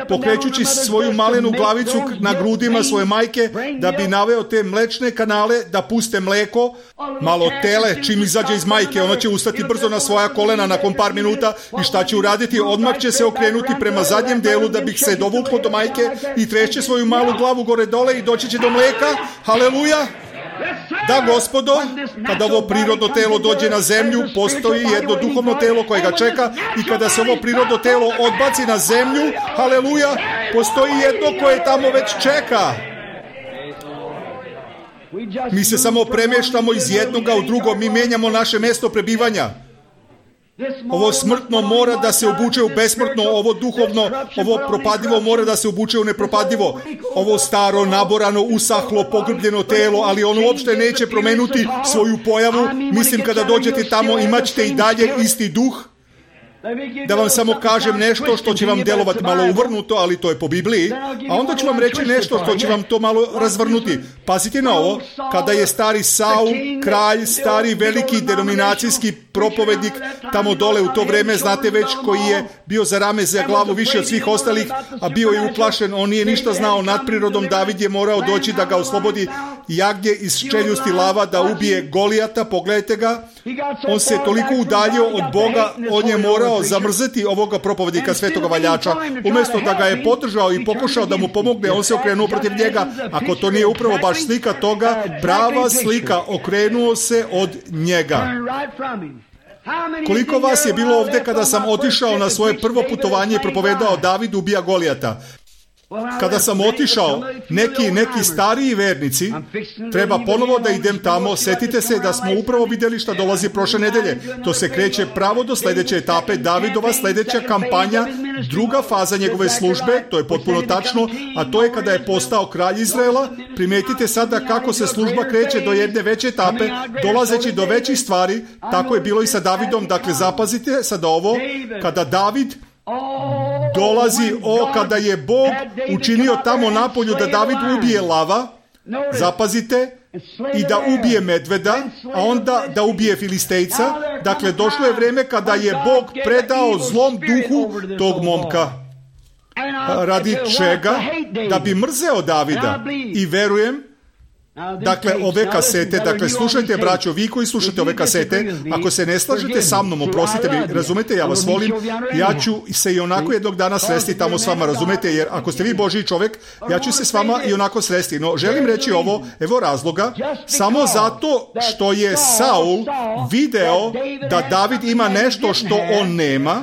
pokrećući svoju malenu glavicu na grudima svoje majke da bi naveo te mlečne kanale da puste mleko. Malo tele čim izađe iz majke, ona će ustati brzo na svoja kolena nakon par minuta i šta će uraditi? Odmah će se okrenuti prema zadnjem delu da bi se dovuklo do majke i trešće svoju malu glavu gore dole i doći će do mleka. Haleluja! Da, Gospodo, kada ovo prirodno telo dođe na zemlju, postoji jedno duhovno telo koje ga čeka i kada se ovo prirodno telo odbaci na zemlju, haleluja, postoji jedno koje tamo već čeka. Mi se samo premještamo iz jednoga u drugo, mi menjamo naše mjesto prebivanja. Ovo smrtno mora da se obuče u besmrtno, ovo duhovno, ovo propadivo mora da se obuče u nepropadivo. Ovo staro, naborano, usahlo, pogrbljeno telo, ali ono uopšte neće promenuti svoju pojavu. Mislim, kada dođete tamo imat ćete i dalje isti duh. Da vam samo kažem nešto što će vam djelovati malo uvrnuto, ali to je po Bibliji, a onda ću vam reći nešto što će vam to malo razvrnuti. Pazite na ovo, kada je stari Saul, kralj, stari veliki denominacijski propovednik, tamo dole u to vrijeme, znate već, koji je bio za rame, za glavu više od svih ostalih, a bio je uplašen, on nije ništa znao nad prirodom, David je morao doći da ga oslobodi jagnje iz čeljusti lava, da ubije Golijata, pogledajte ga, on se toliko udaljio od Boga, on je morao zamrzeti ovoga propovednika svetoga valjača. Umjesto da ga je podržao i pokušao da mu pomogne, on se okrenuo protiv njega. Ako to nije upravo baš slika toga, prava slika, okrenuo se od njega. Koliko vas je bilo ovdje kada sam otišao na svoje prvo putovanje i propovedao David ubija Golijata? Kada sam otišao, neki stariji vernici, treba ponovo da idem tamo, setite se da smo upravo vidjeli šta dolazi prošle nedelje. To se kreće pravo do sljedeće etape, Davidova sljedeća kampanja, druga faza njegove službe, to je potpuno tačno, a to je kada je postao kralj Izraela. Primetite sada kako se služba kreće do jedne veće etape, dolazeći do većih stvari, tako je bilo i sa Davidom. Dakle, zapazite sada ovo, kada David dolazi, kada je Bog učinio tamo napolju da David ubije lava, zapazite, i da ubije medveda, a onda da ubije Filistejca. Dakle, došlo je vrijeme kada je Bog predao zlom duhu tog momka. Radi čega? Da bi mrzeo Davida. I verujem, dakle, ove kasete, dakle, slušajte, braćo, vi koji slušate ove kasete, ako se ne slažete sa mnom, oprostite mi, razumete, ja vas volim, ja ću se i onako jednog dana sresti tamo s vama, razumete, jer ako ste vi Božji čovjek, ja ću se s vama i onako sresti. No, želim reći ovo, evo razloga, samo zato što je Saul video da David ima nešto što on nema.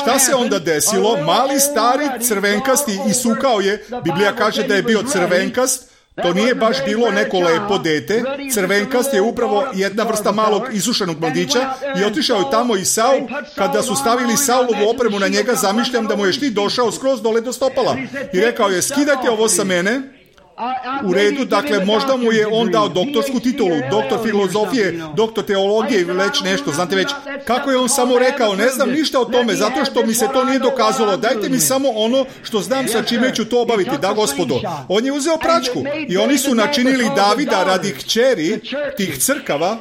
Šta se onda desilo? Mali stari crvenkasti isukao je, Biblija kaže da je bio crvenkast. To nije baš bilo neko lepo dete. Crvenkast je upravo jedna vrsta malog isušenog mladića i otišao je tamo i Saul. Kada su stavili Saulovu opremu na njega, zamišljam da mu je štit došao skroz dole do stopala. I rekao je, skidajte ovo sa mene. U redu, dakle, možda mu je on dao doktorsku titulu, doktor filozofije, doktor teologije ili već nešto, znate već. Kako je on samo rekao, ne znam ništa o tome, zato što mi se to nije dokazalo, dajte mi samo ono što znam sa čime ću to obaviti, da gospodo. On je uzeo pračku i oni su načinili Davida radi kćeri tih crkava.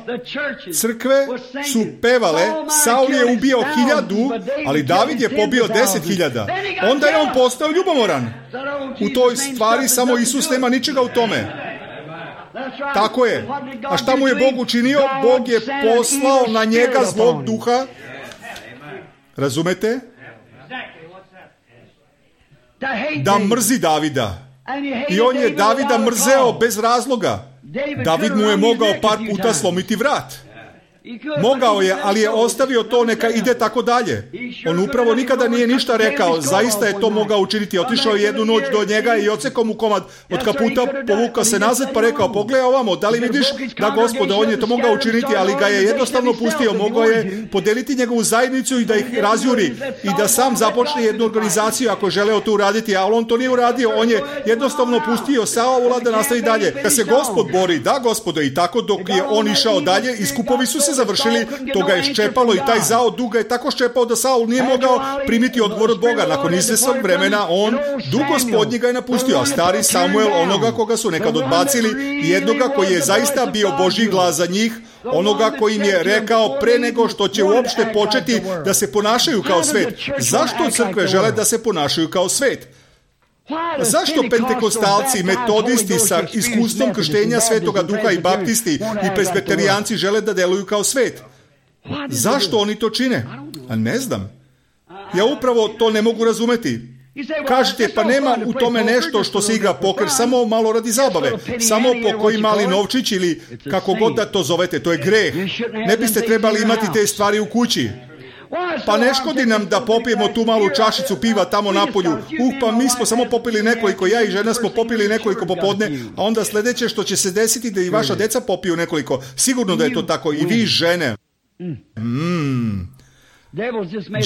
Crkve su pevale, Saul je ubio 1000, ali David je pobio 10.000. Onda je on postao ljubomoran. U toj stvari samo Isus nema ničega u tome. Tako je. A šta mu je Bog učinio? Bog je poslao na njega zlog duha. Razumete? Da mrzi Davida. I on je Davida mrzeo bez razloga. David mu je mogao par puta slomiti vrat. Mogao je, ali je ostavio to, neka ide tako dalje. On upravo nikada nije ništa rekao, zaista je to mogao učiniti. Otišao je jednu noć do njega i odsekao mu komad od kaputa, povukao se nazad pa rekao, pogledaj ovamo, da li vidiš? Da, gospode, on je to mogao učiniti, ali ga je jednostavno pustio. Mogao je podeliti njegovu zajednicu i da ih razjuri i da sam započne jednu organizaciju ako je želeo to uraditi, ali on to nije uradio. On je jednostavno pustio Saula da nastavi dalje. Kad se Gospod bori, da, gospode, i tako dok je on išao dalje, iskupovi su se završili, to ga je ščepalo i taj zao duga je tako ščepao da Saul nije mogao primiti odgovor od Boga. Nakon izvesnog vremena on, duh Gospodnji ga je napustio, a stari Samuel, onoga koga su nekad odbacili, jednoga koji je zaista bio Božji glas za njih, onoga koji im je rekao pre nego što će uopšte početi da se ponašaju kao svet. Zašto crkve žele da se ponašaju kao svet? Zašto pentekostalci, metodisti sa iskustvom krštenja Svetoga Duha i baptisti i presbiterijanci žele da deluju kao svet? Zašto oni to čine? A ne znam. Ja upravo to ne mogu razumeti. Kažete, pa nema u tome nešto što se igra poker, samo malo radi zabave, samo po koji mali novčić ili kako god da to zovete, to je greh. Ne biste trebali imati te stvari u kući. Pa ne škodi nam da popijemo tu malu čašicu piva tamo napolju. Pa mi smo samo popili nekoliko, ja i žena smo popili nekoliko popodne, a onda sljedeće što će se desiti da i vaša deca popiju nekoliko. Sigurno da je to tako, i vi žene.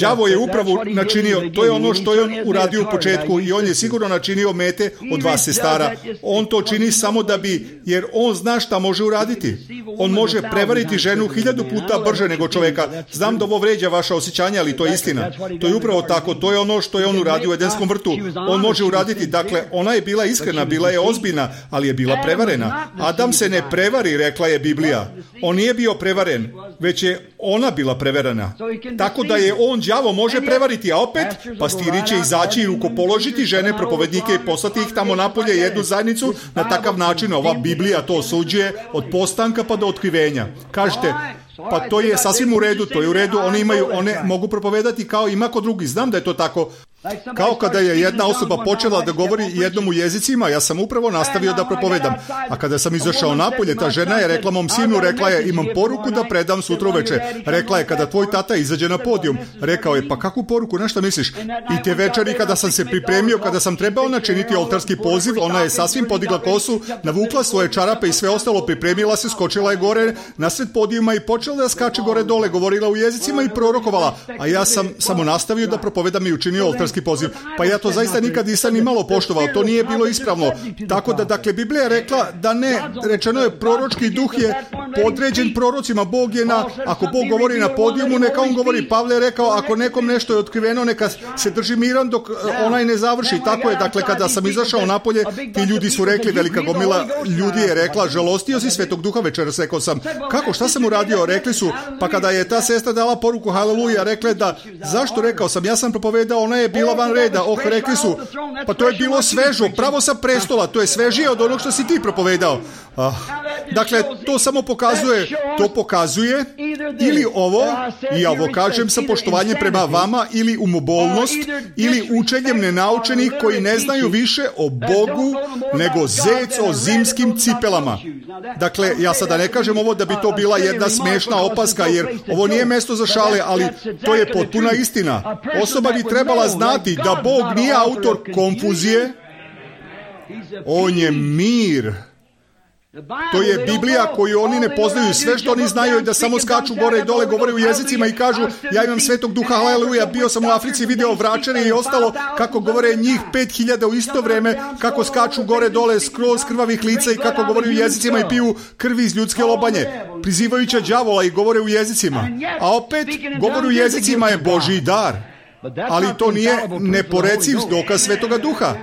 Đavo je upravo načinio, to je ono što je on uradio u početku, i on je sigurno načinio mete od vas, sestara. On to čini samo da bi, jer on zna šta može uraditi. On može prevariti ženu 1000 puta brže nego čovjeka. Znam da ovo vređa vaša osjećanja, ali to je istina. To je upravo tako, to je ono što je on uradio u Edenskom vrtu. On može uraditi, dakle, ona je bila iskrena, bila je ozbiljna, ali je bila prevarena. Adam se ne prevari, rekla je Biblija. On nije bio prevaren, već je ona bila prevarena. Tako da je on, đavo, može prevariti, a opet pastiri će izaći i rukopoložiti žene, propovednike i poslati ih tamo napolje, jednu zajednicu. Na takav način ova Biblija to osuđuje od postanka pa do otkrivenja. Kažete, pa to je sasvim u redu, to je u redu, one mogu propovedati kao i mako drugi, znam da je to tako. Kao kada je jedna osoba počela da govori jednom u jezicima, ja sam upravo nastavio da propovedam. A kada sam izašao napolje, ta žena je rekla mom sinu, rekla je, imam poruku da predam sutra uveče. Rekla je, kada tvoj tata izađe na podijum. Rekao je, pa kakvu poruku, na šta misliš? I te večeri kada sam se pripremio, kada sam trebao načiniti oltarski poziv, ona je sasvim podigla kosu, navukla svoje čarape i sve ostalo, pripremila se, skočila je gore nasred podijuma i počela da skače gore dole, govorila u jezicima i prorokovala. A ja sam samo nastavio da propovedam i učinio oltarski poziv. Pa ja to zaista nikad nisam ni malo poštovao, to nije bilo ispravno. Tako da, dakle, Biblija je rekla da ne, rečeno je, proročki duh je podređen prorocima. Bog je ako Bog govori na podijumu, neka on govori. Pavle je rekao, ako nekom nešto je otkriveno, neka se drži miran dok onaj ne završi. Tako je, dakle, kada sam izašao napolje, ti ljudi su rekli, velika gomila ljudi je rekla, žalostio si Svetog Duha večeras. Rekao sam, kako, šta sam uradio? Rekli su, pa kada je ta sestra dala poruku haleluja, rekle da, zašto? Rekao sam, ja sam propovedao, ona je bila van reda. Rekli su, pa to je bilo svežo, pravo sa prestola, to je svežije od onog što si ti propovedao. Dakle, to samo pokazuje ili ovo, i ja ovo kažem sa poštovanjem prema vama, ili umobolnost, ili učenjem nenaučenih koji ne znaju više o Bogu nego zec o zimskim cipelama. Dakle, ja sada ne kažem ovo da bi to bila jedna smešna opaska, jer ovo nije mesto za šale, ali to je potpuna istina. Osoba bi trebala znati da Bog nije autor konfuzije, on je mir. To je Biblija koju oni ne poznaju. Sve što oni znaju je da samo skaču gore i dole, govore u jezicima i kažu, ja imam Svetog Duha, haleluja, bio sam u Africi, video vračare i ostalo, kako govore njih 5000 u isto vreme, kako skaču gore dole skroz krvavih lica i kako govore u jezicima i piju krvi iz ljudske lobanje, prizivajuća đavola i govore u jezicima. A opet, govor u jezicima je Božji dar. Ali to nije neporeciv dokaz Svetoga Duha.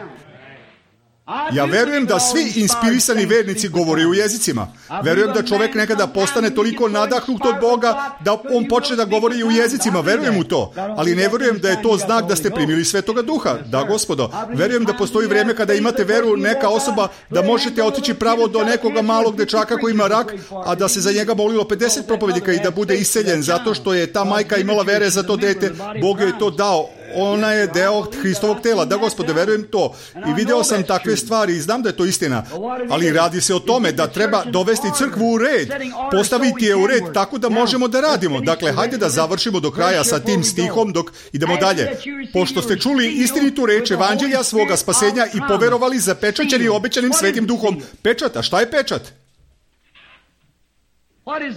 Ja verujem da svi inspirisani vernici govore u jezicima. Verujem da čovjek nekada postane toliko nadahnut od Boga da on počne da govori u jezicima. Verujem u to. Ali ne verujem da je to znak da ste primili Svetoga Duha. Da, gospodo. Verujem da postoji vrijeme kada imate veru, neka osoba, da možete otići pravo do nekoga malog dečaka koji ima rak, a da se za njega molilo 50 propovednika i da bude iseljen zato što je ta majka imala vere za to dete. Bog joj to dao. Ona je deo Hristovog tela. Da, gospode, verujem to. I video sam takve stvari i znam da je to istina. Ali radi se o tome da treba dovesti crkvu u red. Postaviti je u red tako da možemo da radimo. Dakle, hajde da završimo do kraja sa tim stihom dok idemo dalje. Pošto ste čuli istinitu reč evanđelja svoga spasenja i poverovali zapečaćeni obećanim Svetim Duhom. Pečat, a šta je pečat?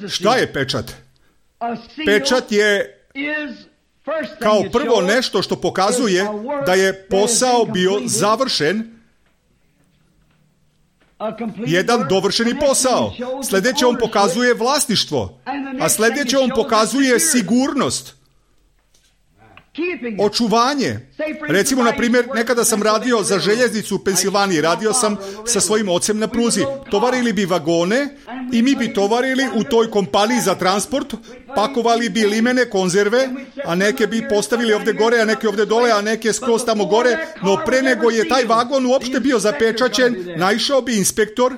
Šta je pečat? Pečat je kao prvo nešto što pokazuje da je posao bio završen, jedan dovršeni posao. Sljedeće on pokazuje vlasništvo, a sljedeće on pokazuje sigurnost, očuvanje. Recimo, na primjer, nekada sam radio za željeznicu u Pensilvaniji, radio sam sa svojim ocem na pruzi. Tovarili bi vagone i mi bi tovarili u toj kompaniji za transport, pakovali bi limene, konzerve, a neke bi postavili ovdje gore, a neke ovdje dole, a neke skroz tamo gore, no pre nego je taj vagon uopšte bio zapečaćen, naišao bi inspektor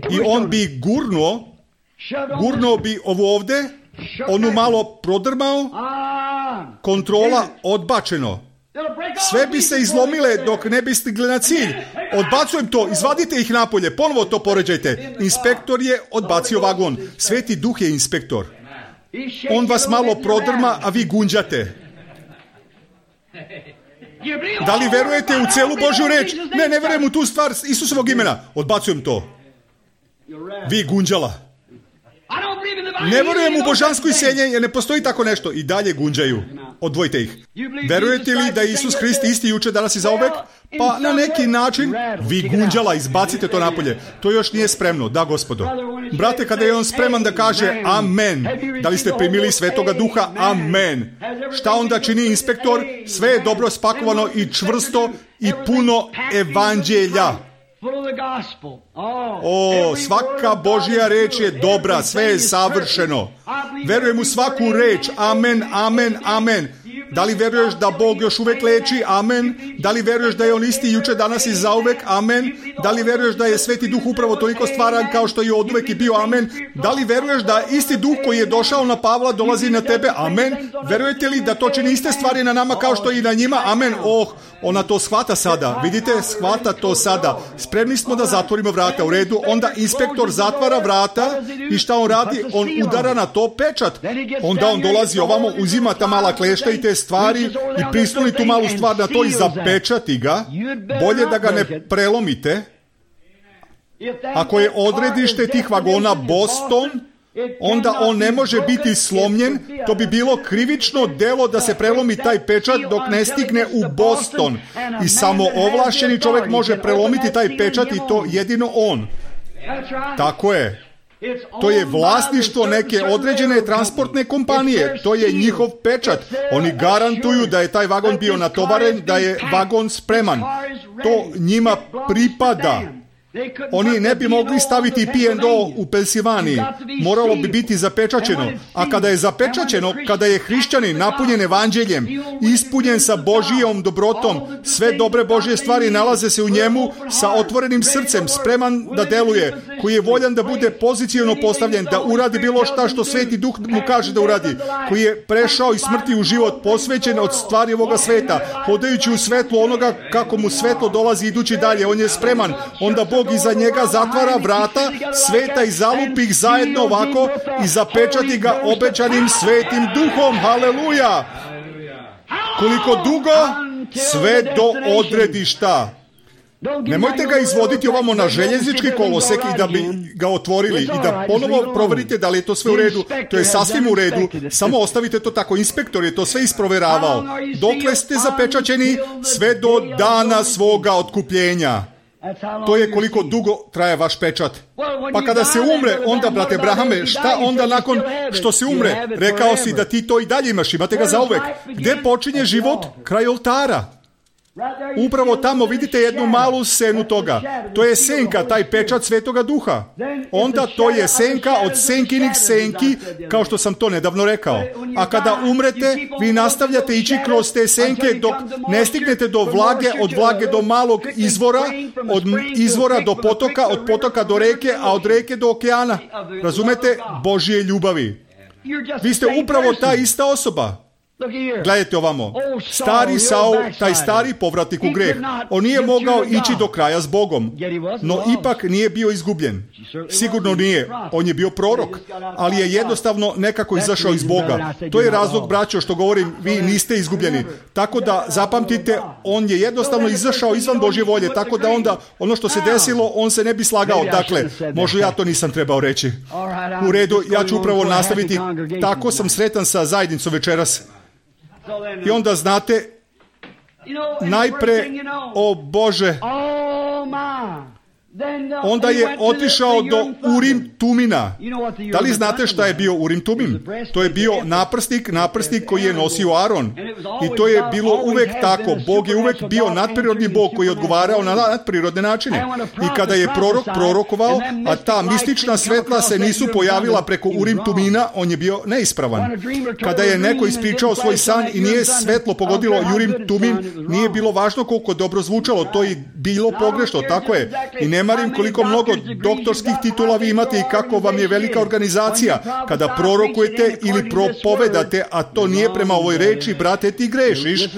i on bi gurnuo bi ovo ovdje, onu malo prodrmao, kontrola odbačeno. Sve bi se izlomile dok ne bi stigli na cilj. Odbacujem to, izvadite ih napolje, ponovo to poređajte. Inspektor je odbacio vagon. Sveti Duh je inspektor. On vas malo prodrma, a vi gunđate. Da li verujete u celu Božju reč? Ne verujem u tu stvar Isusovog imena. Odbacujem to. Vi gunđala. Ne verujem u božansko iseljenje, jer ne postoji tako nešto. I dalje gunđaju. Odvojite ih. Verujete li da je Isus Hrist isti juče, danas i zauvek? Pa na neki način vi gunđala, izbacite to napolje. To još nije spremno. Da, gospodo. Brate, kada je on spreman da kaže amen, da li ste primili Svetoga Duha? Amen. Šta onda čini inspektor? Sve je dobro spakovano i čvrsto i puno evanđelja. Svaka Božja reč je dobra, sve je savršeno. Verujem u svaku reč. Amen, amen, amen. Da li veruješ da Bog još uvek leči? Amen. Da li veruješ da je on isti juče, danas i zauvek? Amen. Da li veruješ da je Sveti Duh upravo toliko stvaran kao što je oduvek i bio? Amen. Da li veruješ da isti Duh koji je došao na Pavla dolazi na tebe? Amen. Verujete li da to čini iste stvari na nama kao što i na njima? Amen. Ona to shvata sada. Vidite, shvata to sada. Spremni smo da zatvorimo vrata. U redu. Onda inspektor zatvara vrata i šta on radi? On udara na to pečat. Onda on dolazi ovamo, uzima ta mala klešta i te stvari i prisloni tu malu stvar na to i zapečati ga. Bolje da ga ne prelomite. Ako je odredište tih vagona Boston, onda on ne može biti slomljen. To bi bilo krivično delo da se prelomi taj pečat dok ne stigne u Boston. I samo ovlašćeni čovjek može prelomiti taj pečat i to jedino on. Tako je. To je vlasništvo neke određene transportne kompanije. To je njihov pečat. Oni garantuju da je taj vagon bio natovaren, da je vagon spreman. To njima pripada. Oni ne bi mogli staviti P&O u Pensilvaniji. Moralo bi biti zapečaćeno. A kada je zapečaćeno, kada je hrišćanin napunjen evanđeljem, ispunjen sa Božijom dobrotom, sve dobre Božje stvari nalaze se u njemu, sa otvorenim srcem, spreman da deluje, koji je voljan da bude poziciono postavljen, da uradi bilo šta što Sveti Duh mu kaže da uradi, koji je prešao iz smrti u život, posvećen od stvari ovoga sveta, hodajući u svetlu onoga kako mu svetlo dolazi idući dalje. On je spreman. Onda Bog iza njega zatvara vrata sveta i zalupi ih zajedno ovako i zapečati ga obećanim Svetim Duhom. Haleluja! Koliko dugo? Sve do odredišta. Nemojte ga izvoditi ovamo na željeznički kolosek i da bi ga otvorili i da ponovo proverite da li je to sve u redu. To je sasvim u redu. Samo ostavite to tako. Inspektor je to sve isproveravao. Dokle ste zapečaćeni? Sve do dana svoga otkupljenja. To je koliko dugo traje vaš pečat. Pa kada se umre, onda, brate Brahame, šta onda nakon što se umre? Rekao si da ti to i dalje imaš, imate ga zauvek. Gde počinje život? Kraj oltara. Upravo tamo vidite jednu malu senu toga. To je senka, taj pečat Svetoga Duha. Onda to je senka od senkinih senki, kao što sam to nedavno rekao. A kada umrete, vi nastavljate ići kroz te senke dok ne stignete do vlage, od vlage do malog izvora, od izvora do potoka, od potoka do reke, a od reke do okeana. Razumete? Božje ljubavi. Vi ste upravo ta ista osoba. Gledajte ovamo. Stari Saul, taj stari povratnik u greh, on nije mogao ići do kraja s Bogom, no ipak nije bio izgubljen. Sigurno nije. On je bio prorok, ali je jednostavno nekako izašao iz Boga. To je razlog, braćo, što govorim, vi niste izgubljeni. Tako da zapamtite, on je jednostavno izašao izvan Božje volje, tako da onda ono što se desilo, on se ne bi slagao. Dakle, možda ja to nisam trebao reći. U redu, ja ću upravo nastaviti. Tako sam sretan sa zajednicom večeras. I onda znate, najpre, o Bože, onda je otišao do Urim Tumina. Da li znate šta je bio Urim Tumim? To je bio naprsnik koji je nosio Aron. I to je bilo uvek tako. Bog je uvek bio nadprirodni Bog koji je odgovarao na nadprirodne načine. I kada je prorok prorokovao, a ta mistična svetla se nisu pojavila preko Urim Tumina, on je bio neispravan. Kada je neko ispričao svoj san i nije svetlo pogodilo Urim Tumin, nije bilo važno koliko dobro zvučalo, to je bilo pogrešno, tako je. I ne marim koliko mnogo doktorskih titula vi imate i kako vam je velika organizacija. Kada prorokujete ili propovedate, a to nije prema ovoj reči, brate, ti grešiš,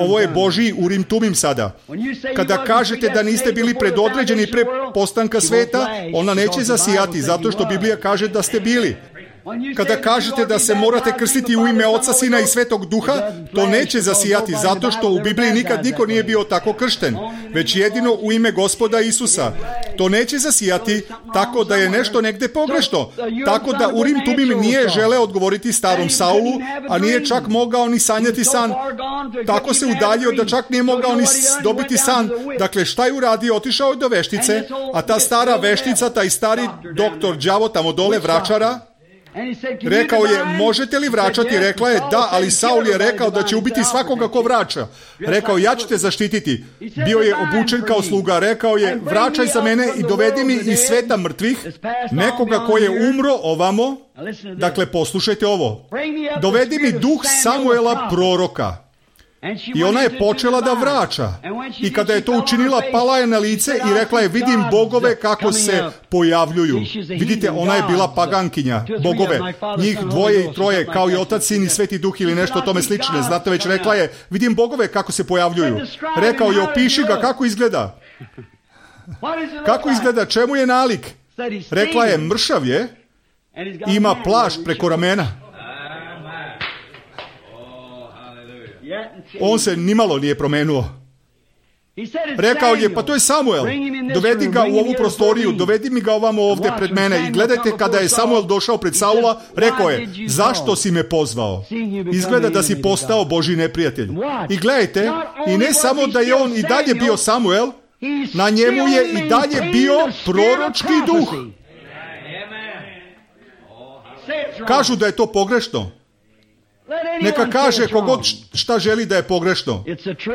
ovo je Božji Urim Tumim sada. Kada kažete da niste bili predodređeni pre postanka sveta, ona neće zasijati, zato što Biblija kaže da ste bili. Kada kažete da se morate krstiti u ime Oca, Sina i Svetog Duha, to neće zasijati, zato što u Bibliji nikad niko nije bio tako kršten, već jedino u ime Gospoda Isusa. To neće zasijati, tako da je nešto negde pogrešno. Tako da Urim Tumim nije želeo odgovoriti starom Saulu, a nije čak mogao ni sanjati san. Tako se udaljio da čak nije mogao ni dobiti san. Dakle, šta je uradio? Otišao je do veštice, a ta stara veštica, taj stari doktor đavo tamo dole, vračara, Rekao je, možete li vraćati? Rekla je, da, ali Saul je rekao da će ubiti svakoga ko vraća. Rekao, ja ću te zaštititi. Bio je obučen kao sluga. Rekao je, vraćaj za mene i dovedi mi iz sveta mrtvih nekoga ko je umro ovamo. Dakle, poslušajte ovo. Dovedi mi duh Samuela proroka. I ona je počela da vraća. I kada je to učinila, pala je na lice i rekla je, vidim bogove kako se pojavljuju. Vidite, ona je bila pagankinja, bogove. Njih 2 i 3, kao i Otac, Sin i Sveti Duh ili nešto tome slične. Znate, već rekla je, vidim bogove kako se pojavljuju. Rekao je, opiši ga kako izgleda. Kako izgleda, čemu je nalik? Rekla je, mršav je, ima plašt preko ramena. On se nimalo nije promenuo. Rekao je, pa to je Samuel. Dovedi ga u ovu prostoriju, dovedi mi ga ovamo ovdje pred mene. I gledajte, kada je Samuel došao pred Saula, rekao je, zašto si me pozvao? Izgleda da si postao Božji neprijatelj. I gledajte, i ne samo da je on i dalje bio Samuel, na njemu je i dalje bio proročki duh. Kažu da je to pogrešno. Neka kaže kogod šta želi da je pogrešno.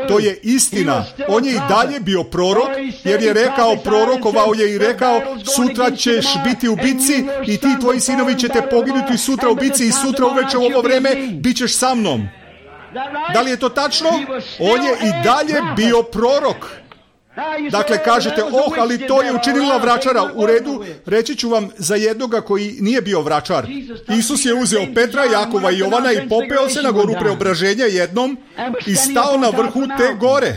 To je istina. On je i dalje bio prorok, jer je rekao, prorokovao je i rekao, sutra ćeš biti u bitci i ti tvoji sinovi ćete poginuti sutra u bitci i sutra uveče u ovo vreme bit ćeš sa mnom. Da li je to tačno? On je i dalje bio prorok. Dakle, kažete, ali to je učinila vračara. U redu, reći ću vam za jednoga koji nije bio vračar. Isus je uzeo Petra, Jakova i Jovana i popeo se na goru preobraženja jednom i stao na vrhu te gore.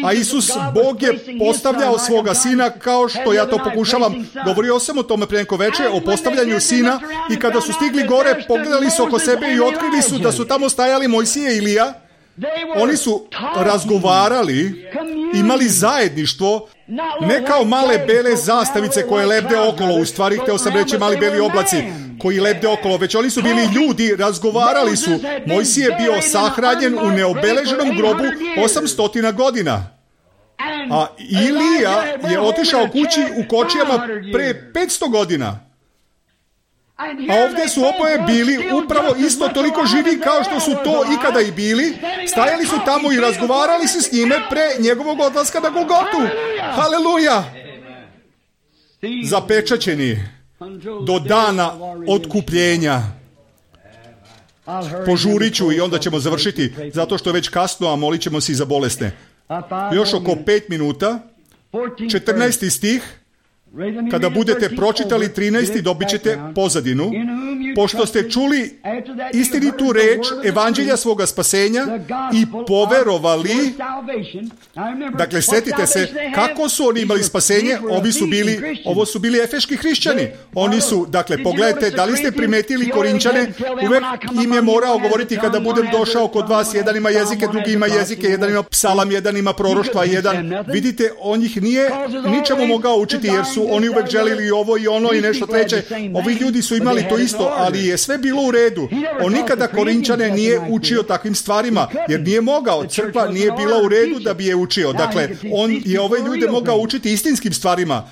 A Isus, Bog je postavljao svoga sina, kao što ja to pokušavam. Govorio sam o tome pre neko veče, o postavljanju sina, i kada su stigli gore, pogledali su oko sebe i otkrili su da su tamo stajali Mojsije i Ilija. Oni su razgovarali, imali zajedništvo, ne kao male bele zastavice koje lebde okolo, u stvari hteo sam reći mali beli oblaci koji lebde okolo, već oni su bili ljudi, razgovarali su. Mojsije je bio sahranjen u neobeleženom grobu 800 godina. A Ilija je otišao kući u kočijama pre 500 godina. A ovdje su oboje bili upravo isto toliko živi kao što su to ikada i bili. Stajali su tamo i razgovarali se s njime pre njegovog odlaska na Golgotu. Haleluja! Zapečaćeni do dana otkupljenja. Požurit ću i onda ćemo završiti, zato što je već kasno, a molit ćemo se i za bolesne. Još oko 5 minuta, 14. stih. Kada budete pročitali 13. dobit ćete pozadinu. Pošto ste čuli istinitu reč evanđelja svoga spasenja i poverovali. Dakle, sjetite se kako su oni imali spasenje. Ovo su bili efeški hrišćani. Oni su, dakle, pogledajte, da li ste primetili Korinčane, uvek im je morao govoriti kada budem došao kod vas, jedan ima jezike, drugi ima jezike, jedan ima psalam, jedan ima proroštva, jedan. Vidite, on ih nije ničemu mogao učiti, jer su oni uvek želili ovo i ono i nešto treće. Ovi ljudi su imali to isto, ali je sve bilo u redu. On nikada Korinčane nije učio takvim stvarima, jer nije mogao. Crkva nije bila u redu da bi je učio. Dakle, on je ove ljude mogao učiti istinskim stvarima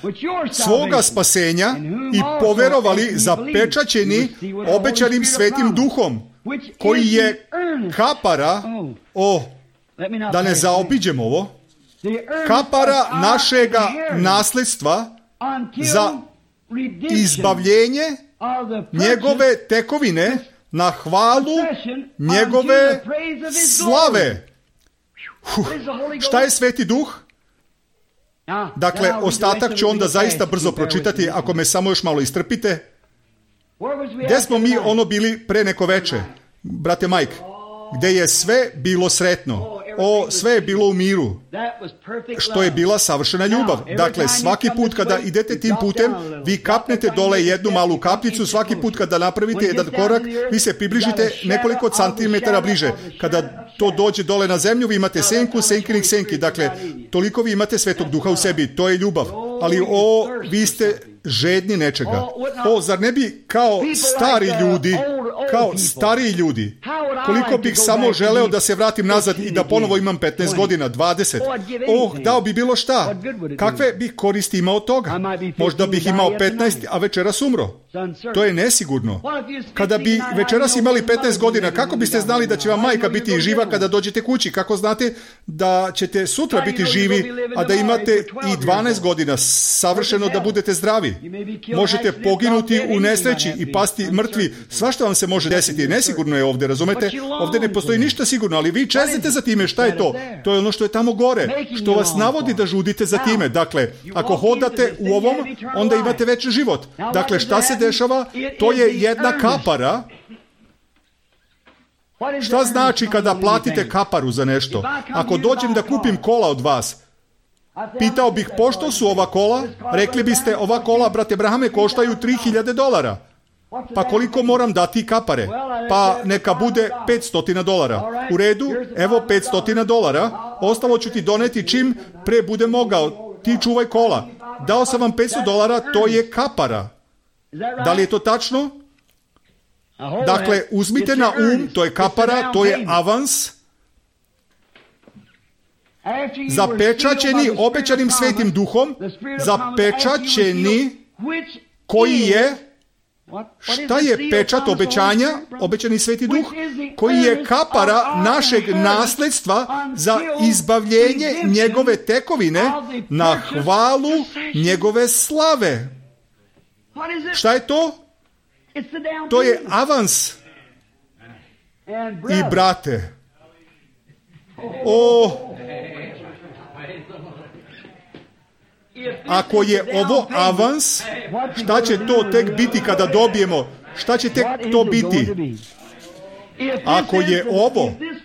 svoga spasenja i poverovali, zapečaćeni obećanim Svetim Duhom, koji je kapara, da ne zaobiđem ovo, kapara našega nasledstva za izbavljenje njegove tekovine na hvalu njegove slave. Šta je Sveti Duh? Dakle, ostatak ću onda zaista brzo pročitati, ako me samo još malo istrpite. Gde smo mi bili pre neko veče, brate Mike? Gde je sve bilo sretno. Sve je bilo u miru, što je bila savršena ljubav. Dakle, svaki put kada idete tim putem, vi kapnete dole jednu malu kapljicu, svaki put kada napravite jedan korak, vi se približite nekoliko centimetara bliže. Kada to dođe dole na zemlju, vi imate senku, senkinih senki. Dakle, toliko vi imate Svetog Duha u sebi, to je ljubav. Ali vi ste žedni nečega. Zar ne bi kao stariji ljudi, Koliko bih samo želeo da se vratim nazad i da ponovo imam 15 godina, 20. Dao bi bilo šta. Kakve bih koristi imao od toga? Možda bih imao 15, a večeras umro. To je nesigurno. Kada bi večeras imali 15 godina, kako biste znali da će vam majka biti živa kada dođete kući? Kako znate da ćete sutra biti živi, a da imate i 12 godina savršeno da budete zdravi? Možete poginuti u nesreći i pasti mrtvi. Svašta vam se može desiti. Nesigurno je ovdje, razumete? Ovdje ne postoji ništa sigurno, ali vi čeznete za time. Šta je to? To je ono što je tamo gore, što vas navodi da žudite za time. Dakle, ako hodate u ovom, onda imate veći život. Dakle, šta se dešava? To je jedna kapara. Šta znači kada platite kaparu za nešto? Ako dođem da kupim kola od vas, pitao bih pošto su ova kola, rekli biste ova kola, brate Brahame, koštaju $3,000. Pa koliko moram dati kapare? Pa neka bude $500. U redu, evo $500. Ostalo ću ti doneti čim pre bude mogao. Ti čuvaj kola. Dao sam vam $500, to je kapara. Da li je to tačno? Dakle, uzmite na to je kapara, to je avans. Zapečaćeni obećanim Svetim Duhom, zapečaćeni koji je, šta je pečat obećanja, obećani Sveti Duh, koji je kapara našeg nasledstva za izbavljenje njegove tekovine na hvalu njegove slave. Šta je to? To je avans. I brate, ako je ovo avans, šta će to tek biti kada dobijemo? Šta će tek to biti?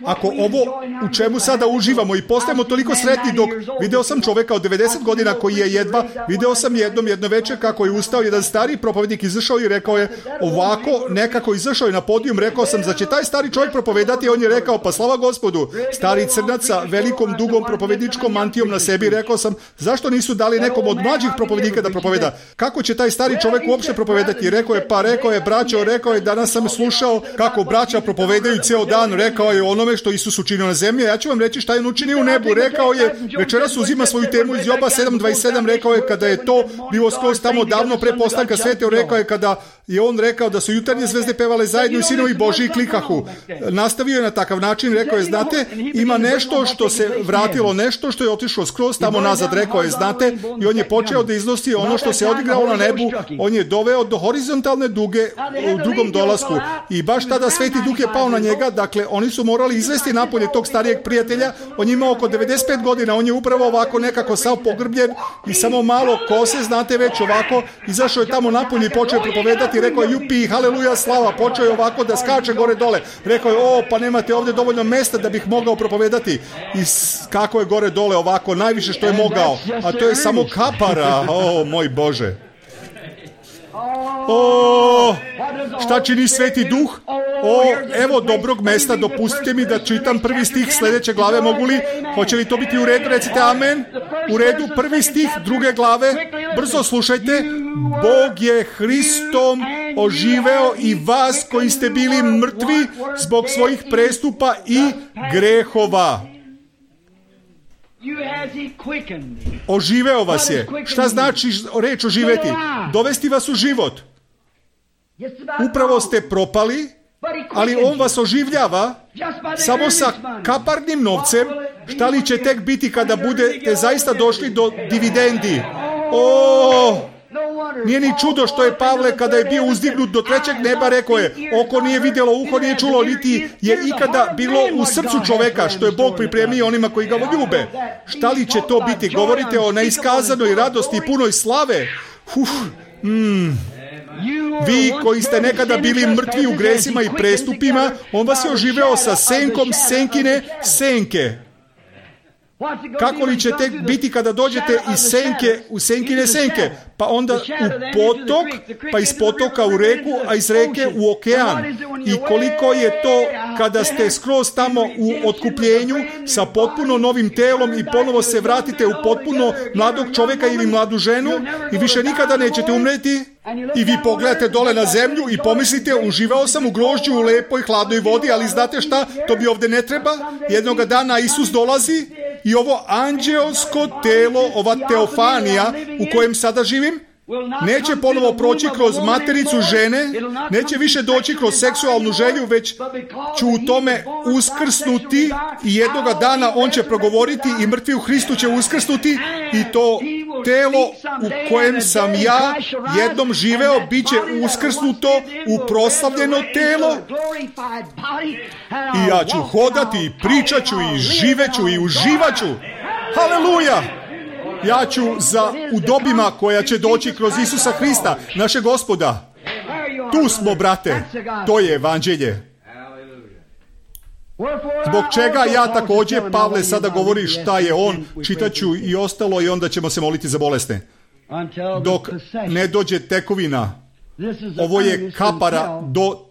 Ako ovo u čemu sada uživamo i postajemo toliko sretni dok video sam čoveka od 90 godina koji je video sam jedno večer kako je ustao jedan stari propovednik, izašao i rekao je ovako, nekako izašao je na podijum, rekao sam da će taj stari čovjek propovedati, on je rekao pa slava Gospodu, stari crnac sa velikom dugom propovedničkom mantijom na sebi, rekao sam zašto nisu dali nekom od mlađih propovednika da propoveda, kako će taj stari čovjek uopšte propovedati, rekao je braćo, danas sam slušao kako braća propovedaju ceo dan, rekao je onome što Isus učinio na zemlji, ja ću vam reći šta je on učinio u nebu, rekao je, večeras uzima svoju temu iz Joba 7.27, rekao je kada je to bilo skroz tamo davno pre postanka sveta, rekao je kada je on rekao da su jutarnje zvezde pevale zajedno i sinovi Božji klikahu. Nastavio je na takav način, rekao je, znate, ima nešto što se vratilo, nešto što je otišlo skroz tamo nazad, rekao je, znate, i on je počeo da iznosi ono što se odigralo na nebu, on je doveo do horizontalne duge u drugom dolasku i baš tada Sveti Duh je pao na njega, dakle, oni su morali izvesti napolje tog starijeg prijatelja, on je imao oko 95 godina, on je upravo ovako nekako sav pogrbljen i samo malo kose, znate već ovako, izašao je tamo napolje i počeo propovedati, rekao je jupi, haleluja, slava, počeo je ovako da skače gore dole, rekao je, pa nemate ovdje dovoljno mesta da bih mogao propovedati i kako je gore dole ovako, najviše što je mogao, a to je samo kapara, moj Bože. Šta čini Sveti Duh? Evo dobrog mesta, dopustite mi da čitam prvi stih sljedeće glave, mogu li? Hoće li to biti u redu? Recite amen. U redu, prvi stih druge glave, brzo slušajte. Bog je Hristom oživeo i vas koji ste bili mrtvi zbog svojih prestupa i grehova. Oživeo vas je. Šta znači reč oživeti? Dovesti vas u život. Upravo ste propali, ali on vas oživljava samo sa kaparnim novcem. Šta li će tek biti kada budete zaista došli do dividendi? Nije ni čudo što je Pavle kada je bio uzdignut do trećeg neba rekao je, oko nije vidjelo, uho nije čulo, niti je ikada bilo u srcu čoveka što je Bog pripremio onima koji ga ljube. Šta li će to biti? Govorite o neiskazanoj radosti i punoj slave. Vi koji ste nekada bili mrtvi u gresima i prestupima, on vas je oživeo sa senkom senkine senke. Kako li će tek biti kada dođete iz senke u senkine senke, pa onda u potok, pa iz potoka u reku, a iz reke u okean. I koliko je to kada ste skroz tamo u otkupljenju sa potpuno novim telom i ponovo se vratite u potpuno mladog čovjeka ili mladu ženu i više nikada nećete umreti. I vi pogledate dole na zemlju i pomislite, uživao sam u grožđu u lepoj hladnoj vodi, ali znate šta, to bi ovdje ne treba. Jednoga dana Isus dolazi i ovo anđeosko telo, ova teofanija u kojem sada živim, neće ponovo proći kroz matericu žene, neće više doći kroz seksualnu želju, već ću u tome uskrsnuti i jednoga dana on će progovoriti i mrtvi u Hristu će uskrsnuti i to telo u kojem sam ja jednom živeo bit će uskrsnuto u proslavljeno telo i ja ću hodati i pričat ću i živeću i uživat ću. Haleluja! Ja ću za udobima koja će doći kroz Isusa Hrista, naše Gospoda. Tu smo, brate. To je evanđelje. Zbog čega ja također, Pavle sada govori šta je on, čitat ću i ostalo i onda ćemo se moliti za bolesne. Dok ne dođe tekovina, ovo je kapara do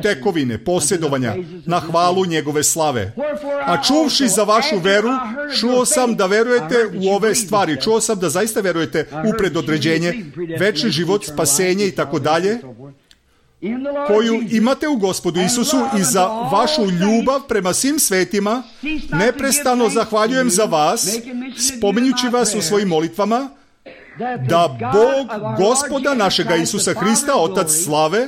tekovine, posjedovanja, na hvalu njegove slave. A čuvši za vašu veru, čuo sam da verujete u ove stvari. Čuo sam da zaista verujete u predodređenje, večni život, spasenje i tako dalje, koju imate u Gospodu Isusu i za vašu ljubav prema svim svetima. Neprestano zahvaljujem za vas, spominjući vas u svojim molitvama, da Bog Gospoda našega Isusa Hrista, Otac slave,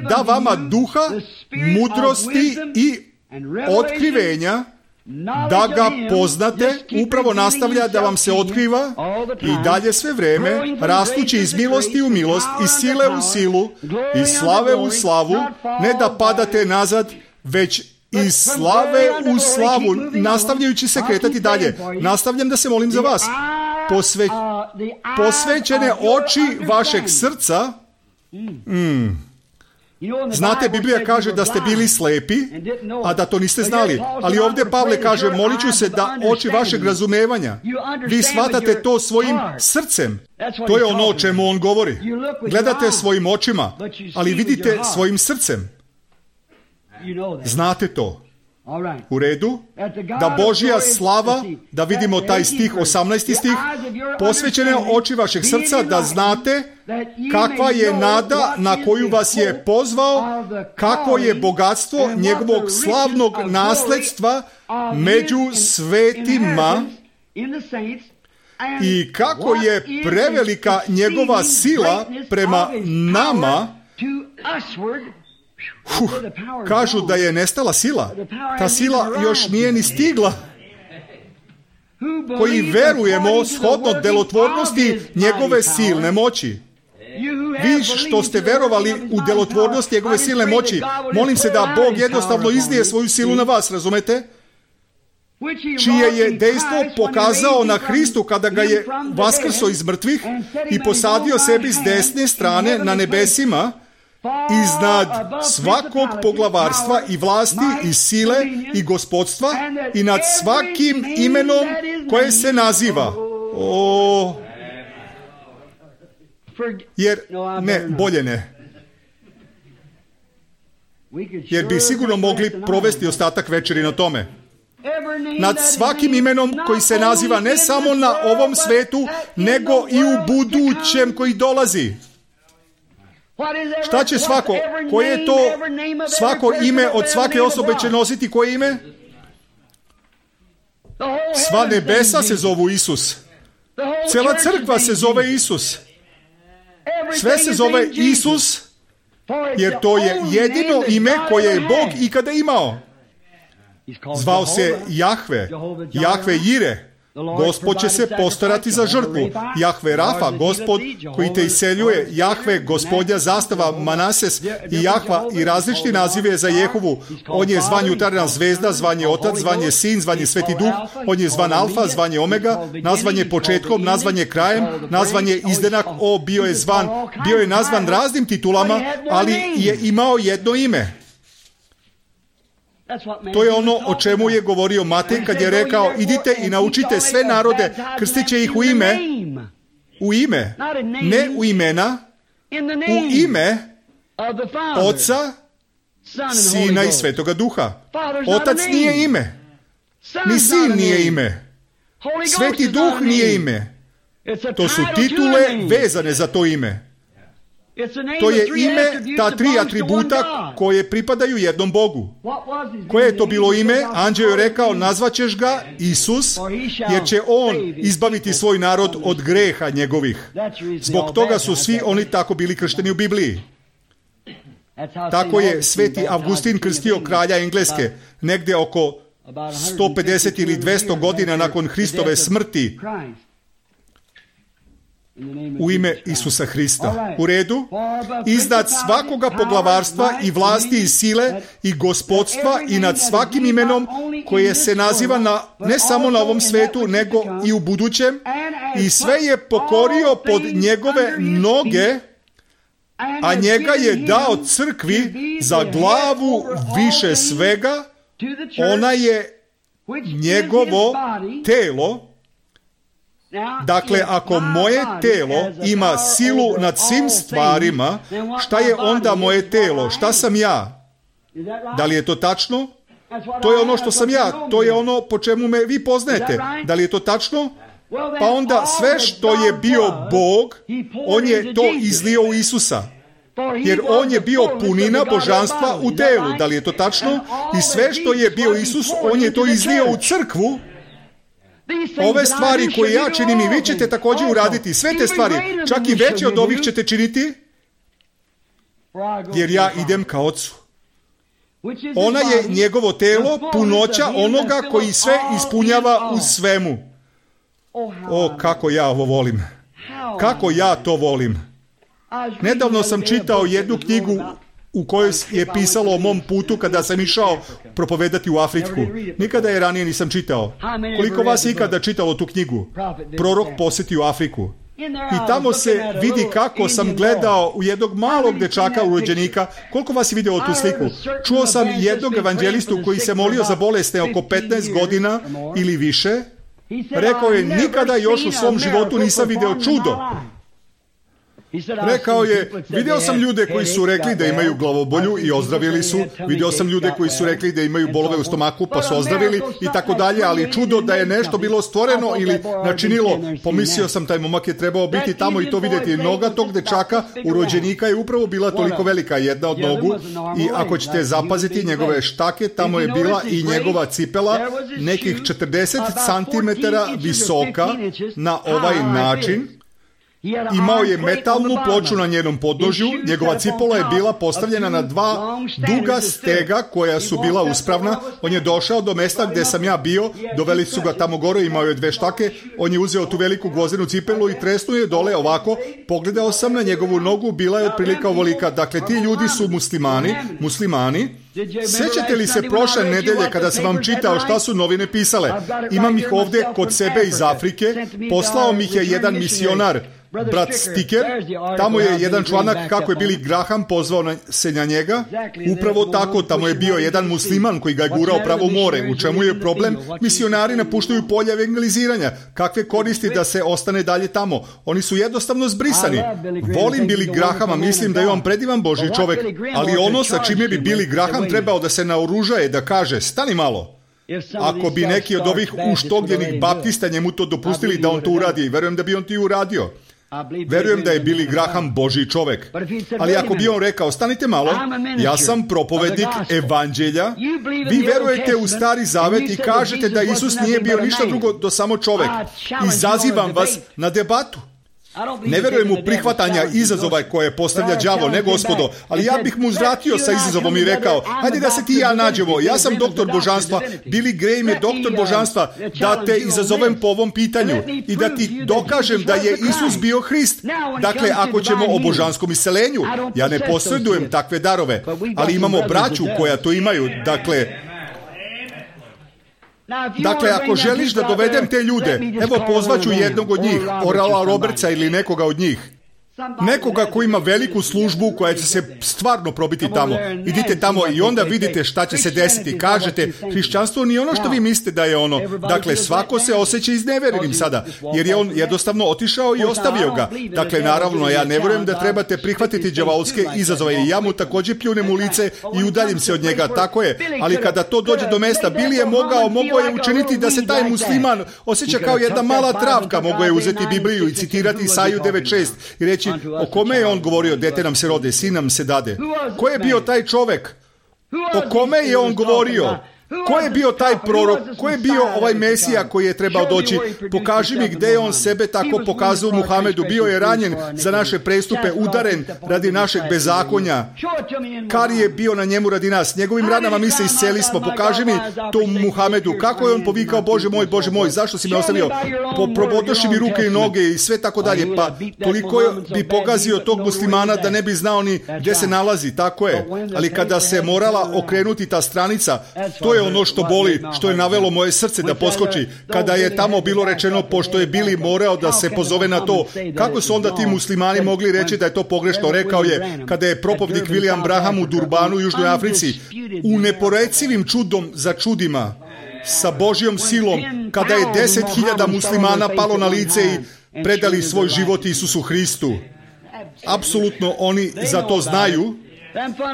da vama duha, mudrosti i otkrivenja, da ga poznate, upravo nastavlja da vam se otkriva i dalje sve vreme, rastući iz milosti u milost, iz sile u silu, iz slave u slavu, ne da padate nazad, već iz slave u slavu, nastavljajući se kretati dalje. Nastavljam da se molim za vas. Posvećene oči vašeg srca. Znate, Biblija kaže da ste bili slepi, a da to niste znali. Ali ovdje Pavle kaže, molit ću se da oči vašeg razumevanja. Vi shvatate to svojim srcem. To je ono o čemu on govori. Gledate svojim očima, ali vidite svojim srcem. Znate to. U redu, da Božja slava, da vidimo taj stih, 18. stih, posvećene oči vašeg srca, da znate kakva je nada na koju vas je pozvao, kako je bogatstvo njegovog slavnog nasledstva među svetima i kako je prevelika njegova sila prema nama. Kažu da je nestala sila. Ta sila još nije ni stigla. Koji verujemo shodno delotvornosti njegove silne moći. Vi što ste verovali u delotvornost njegove silne moći, molim se da Bog jednostavno izlije svoju silu na vas, razumete? Čije je dejstvo pokazao na Hristu kada ga je vaskrso iz mrtvih i posadio sebi s desne strane na nebesima, iznad svakog poglavarstva i vlasti i sile i gospodstva i nad svakim imenom koje se naziva. Bolje ne. Jer bi sigurno mogli provesti ostatak večeri na tome. Nad svakim imenom koji se naziva ne samo na ovom svetu, nego i u budućem koji dolazi. Šta će svako? Koje je to svako ime od svake osobe će nositi koje ime? Sva nebesa se zovu Isus. Cijela crkva se zove Isus. Sve se zove Isus, jer to je jedino ime koje je Bog ikada imao. Zvao se Jahve, Jahve Jire. Gospod će se postarati za žrtvu. Jahve Rafa, Gospod koji te iseljuje. Jahve, Gospodja zastava Manases i Jahva i različiti nazive za Jehovu. On je zvan jutarnja zvezda, zvan je Otac, zvan je Sin, zvan je Sveti Duh. On je zvan Alfa, zvan je Omega, nazvan je početkom, nazvan je krajem, nazvan je izdenak. Bio je nazvan raznim titulama, ali je imao jedno ime. To je ono o čemu je govorio Matej kad je rekao, idite i naučite sve narode, krstiće ih u ime, ne u imena, u ime Oca, Sina i Svetoga Duha. Otac nije ime, ni Sin nije ime, Sveti Duh nije ime. To su titule vezane za to ime. To je ime, ta tri atributa koje pripadaju jednom Bogu. Koje je to bilo ime? Anđeo je rekao, nazvaćeš ga Isus, jer će on izbaviti svoj narod od greha njegovih. Zbog toga su svi oni tako bili kršteni u Bibliji. Tako je Sveti Avgustin krstio kralja Engleske, negdje oko 150 ili 200 godina nakon Hristove smrti, u ime Isusa Hrista. U redu? Iznad svakoga poglavarstva i vlasti i sile i gospodstva i nad svakim imenom koje se naziva ne samo na ovom svetu, nego i u budućem, i sve je pokorio pod njegove noge, a njega je dao crkvi za glavu više svega. Ona je njegovo telo. Dakle, ako moje telo ima silu nad svim stvarima, šta je onda moje telo? Šta sam ja? Da li je to tačno? To je ono što sam ja. To je ono po čemu me vi poznajete. Da li je to tačno? Pa onda sve što je bio Bog, on je to izlio u Isusa. Jer on je bio punina božanstva u telu. Da li je to tačno? I sve što je bio Isus, on je to izlio u crkvu. Ove stvari koje ja činim i vi ćete također uraditi. Sve te stvari, čak i veće od ovih ćete činiti, jer ja idem ka Ocu. Ona je njegovo telo, punoća onoga koji sve ispunjava u svemu. O, kako ja ovo volim. Kako ja to volim. Nedavno sam čitao jednu knjigu u kojoj je pisalo o mom putu kada sam išao propovedati u Afriku. Nikada je ranije nisam čitao. Koliko vas je ikada čitalo tu knjigu? Prorok posjetio Afriku. I tamo se vidi kako sam gledao u jednog malog dečaka urođenika. Koliko vas je vidjelo tu sliku? Čuo sam jednog evanđelistu koji se molio za bolesne oko 15 godina ili više. Rekao je, nikada još u svom životu nisam vidio čudo. Rekao je, vidio sam ljude koji su rekli da imaju glavobolju i ozdravili su, vidio sam ljude koji su rekli da imaju bolove u stomaku pa su ozdravili i tako dalje, ali čudo da je nešto bilo stvoreno ili načinilo, pomislio sam taj momak je trebao biti tamo i to vidjeti. Noga tog dečaka, urođenika, je upravo bila toliko velika, jedna od nogu, i ako ćete zapaziti njegove štake, tamo je bila i njegova cipela nekih 40 cm visoka na ovaj način. Imao je metalnu ploču na njenom podnožju, njegova cipola je bila postavljena na dva duga stega koja su bila uspravna. On je došao do mesta gdje sam ja bio, doveli su ga tamo gore, imao je 2 štake, on je uzeo tu veliku gvozdenu cipelu i tresnuo je dole ovako, pogledao sam na njegovu nogu, bila je otprilike ovolika. Dakle, ti ljudi su muslimani. Sjećate li se prošle nedelje kada sam vam čitao šta su novine pisale? Imam ih ovdje kod sebe iz Afrike, poslao mi ih je jedan misionar, brat Sticker. Tamo je jedan članak kako je Billy Graham pozvao se na njega. Upravo tako, tamo je bio jedan musliman koji ga je gurao pravo u more. U čemu je problem? Misionari napuštaju polja evangeliziranja. Kakve koristi da se ostane dalje tamo? Oni su jednostavno zbrisani. Volim Billy Grahama, mislim da je on predivan Božji čovjek, ali ono sa čime bi Billy Graham trebao da se naoružaje, da kaže, stani malo. Ako bi neki od ovih uštogljenih baptista njemu to dopustili da on to uradi, verujem da bi on to i uradio. Verujem da je Billy Graham Božji čovjek. Ali ako bi on rekao, stanite malo, ja sam propovednik evanđelja, vi verujete u Stari Zavet i kažete da Isus nije bio ništa drugo do samo čovjek. Izazivam vas na debatu. Ne verujem u prihvatanja izazova koje postavlja đavo, ne gospodo, ali ja bih mu uzvratio sa izazovom i rekao, hajde da se ti i ja nađemo, ja sam doktor božanstva, Billy Graham je doktor božanstva, da te izazovem po ovom pitanju i da ti dokažem da je Isus bio Hrist. Dakle, ako ćemo o božanskom iseljenju, ja ne posjedujem takve darove, ali imamo braću koja to imaju, Dakle, ako želiš da dovedem te ljude, evo pozvaću jednog od njih, Orala Robertsa ili nekoga od njih. Nekoga ko ima veliku službu koja će se stvarno probiti tamo. Idite tamo i onda vidite šta će se desiti. Kažete, hrišćanstvo nije ono što vi mislite da je ono. Dakle, svako se osjeća izneverenim sada, jer je on jednostavno otišao i ostavio ga. Dakle, naravno, ja ne vjerujem da trebate prihvatiti đavolske izazove i ja mu također pljunem u lice i udaljim se od njega. Tako je, ali kada to dođe do mesta, Bili je mogao je učiniti da se taj musliman osjeća kao jedna mala travka. Mogao je uzeti Bibliju i citirati Isaju 9.6 i reći, o kome je on govorio, dete nam se rode, sin nam se dade. Ko je bio taj čovjek? O kome je on govorio? Ko je bio taj prorok? Ko je bio ovaj Mesija koji je trebao doći? Pokaži mi gdje je on sebe tako pokazao Muhamedu. Bio je ranjen za naše prestupe, udaren radi našeg bezakonja. Kar je bio na njemu radi nas. Njegovim ranama mi se isceli smo. Pokaži mi to Muhamedu. Kako je on povikao, Bože moj, zašto si me ostavio? Probodoši mi ruke i noge i sve tako dalje. Pa toliko bi pogazio tog muslimana da ne bi znao ni gdje se nalazi. Tako je. Ali kada se morala okrenuti ta stranica, to je ono što boli, što je navelo moje srce da poskoči. Kada je tamo bilo rečeno, pošto je Bili morao da se pozove na to, kako su onda ti muslimani mogli reći da je to pogrešno? Rekao je, kada je propovnik William Branham u Durbanu u Južnoj Africi, u neporecivim čudom za čudima, sa Božjom silom, kada je 10.000 muslimana palo na lice i predali svoj život Isusu Hristu. Apsolutno oni za to znaju.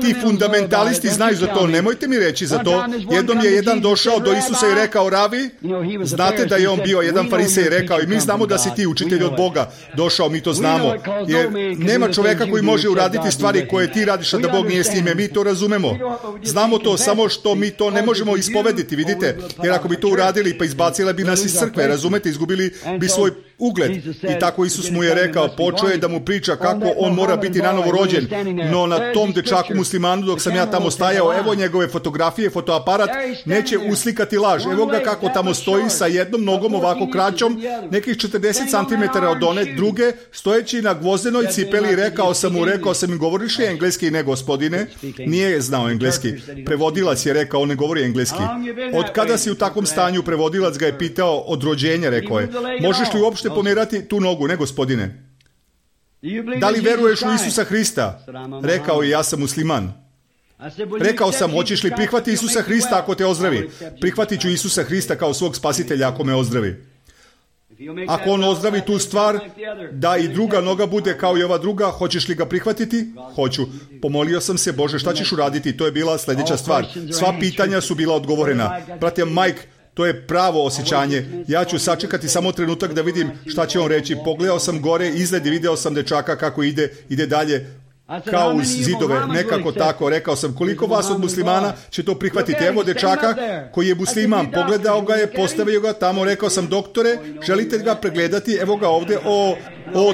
Ti fundamentalisti znaju za to, nemojte mi reći za to. Jednom je jedan došao do Isusa i rekao, Ravi, znate da je on bio jedan farisej i rekao, i mi znamo da si ti učitelj od Boga. Došao, mi to znamo. Jer nema čovjeka koji može uraditi stvari koje ti radiš, a da Bog nije s njime. Mi to razumemo. Znamo to, samo što mi to ne možemo ispovediti, vidite. Jer ako bi to uradili, pa izbacile bi nas iz crkve, razumete, izgubili bi svoj ugled. I tako Isus mu je rekao, počeo je da mu priča kako on mora biti nanovo rođen. No na tom dečaku muslimanu, dok sam ja tamo stajao, evo njegove fotografije, fotoaparat, neće uslikati laž. Evo ga kako tamo stoji sa jednom nogom ovako kraćom, nekih 40 cm od one druge, stojeći na gvozdenoj cipeli. Rekao sam im, govoriš li engleski? Ne, gospodine. Nije znao engleski. Prevodilac je rekao, on ne govori engleski. Od kada si u takvom stanju? Prevodilac ga je pitao. Od rođenja, rekao je. Možeš li uopšte pomerati tu nogu? Ne, gospodine. Da li veruješ u Isusa Hrista? Rekao je, ja sam musliman. Rekao sam, hoćeš li prihvati Isusa Hrista ako te ozdravi? Prihvatit ću Isusa Hrista kao svog spasitelja ako me ozdravi. Ako on ozdravi tu stvar, da i druga noga bude kao i ova druga, hoćeš li ga prihvatiti? Hoću. Pomolio sam se, Bože, šta ćeš uraditi? To je bila sljedeća stvar. Sva pitanja su bila odgovorena. Brate Mike, to je pravo osjećanje. Ja ću sačekati samo trenutak da vidim šta će on reći. Pogledao sam gore izgled i video sam dečaka kako ide dalje kao uz zidove, nekako tako. Rekao sam, koliko vas od muslimana će to prihvatiti? Evo dečaka koji je musliman, pogledao ga je, postavio ga tamo. Rekao sam, doktore, želite ga pregledati? Evo ga ovdje.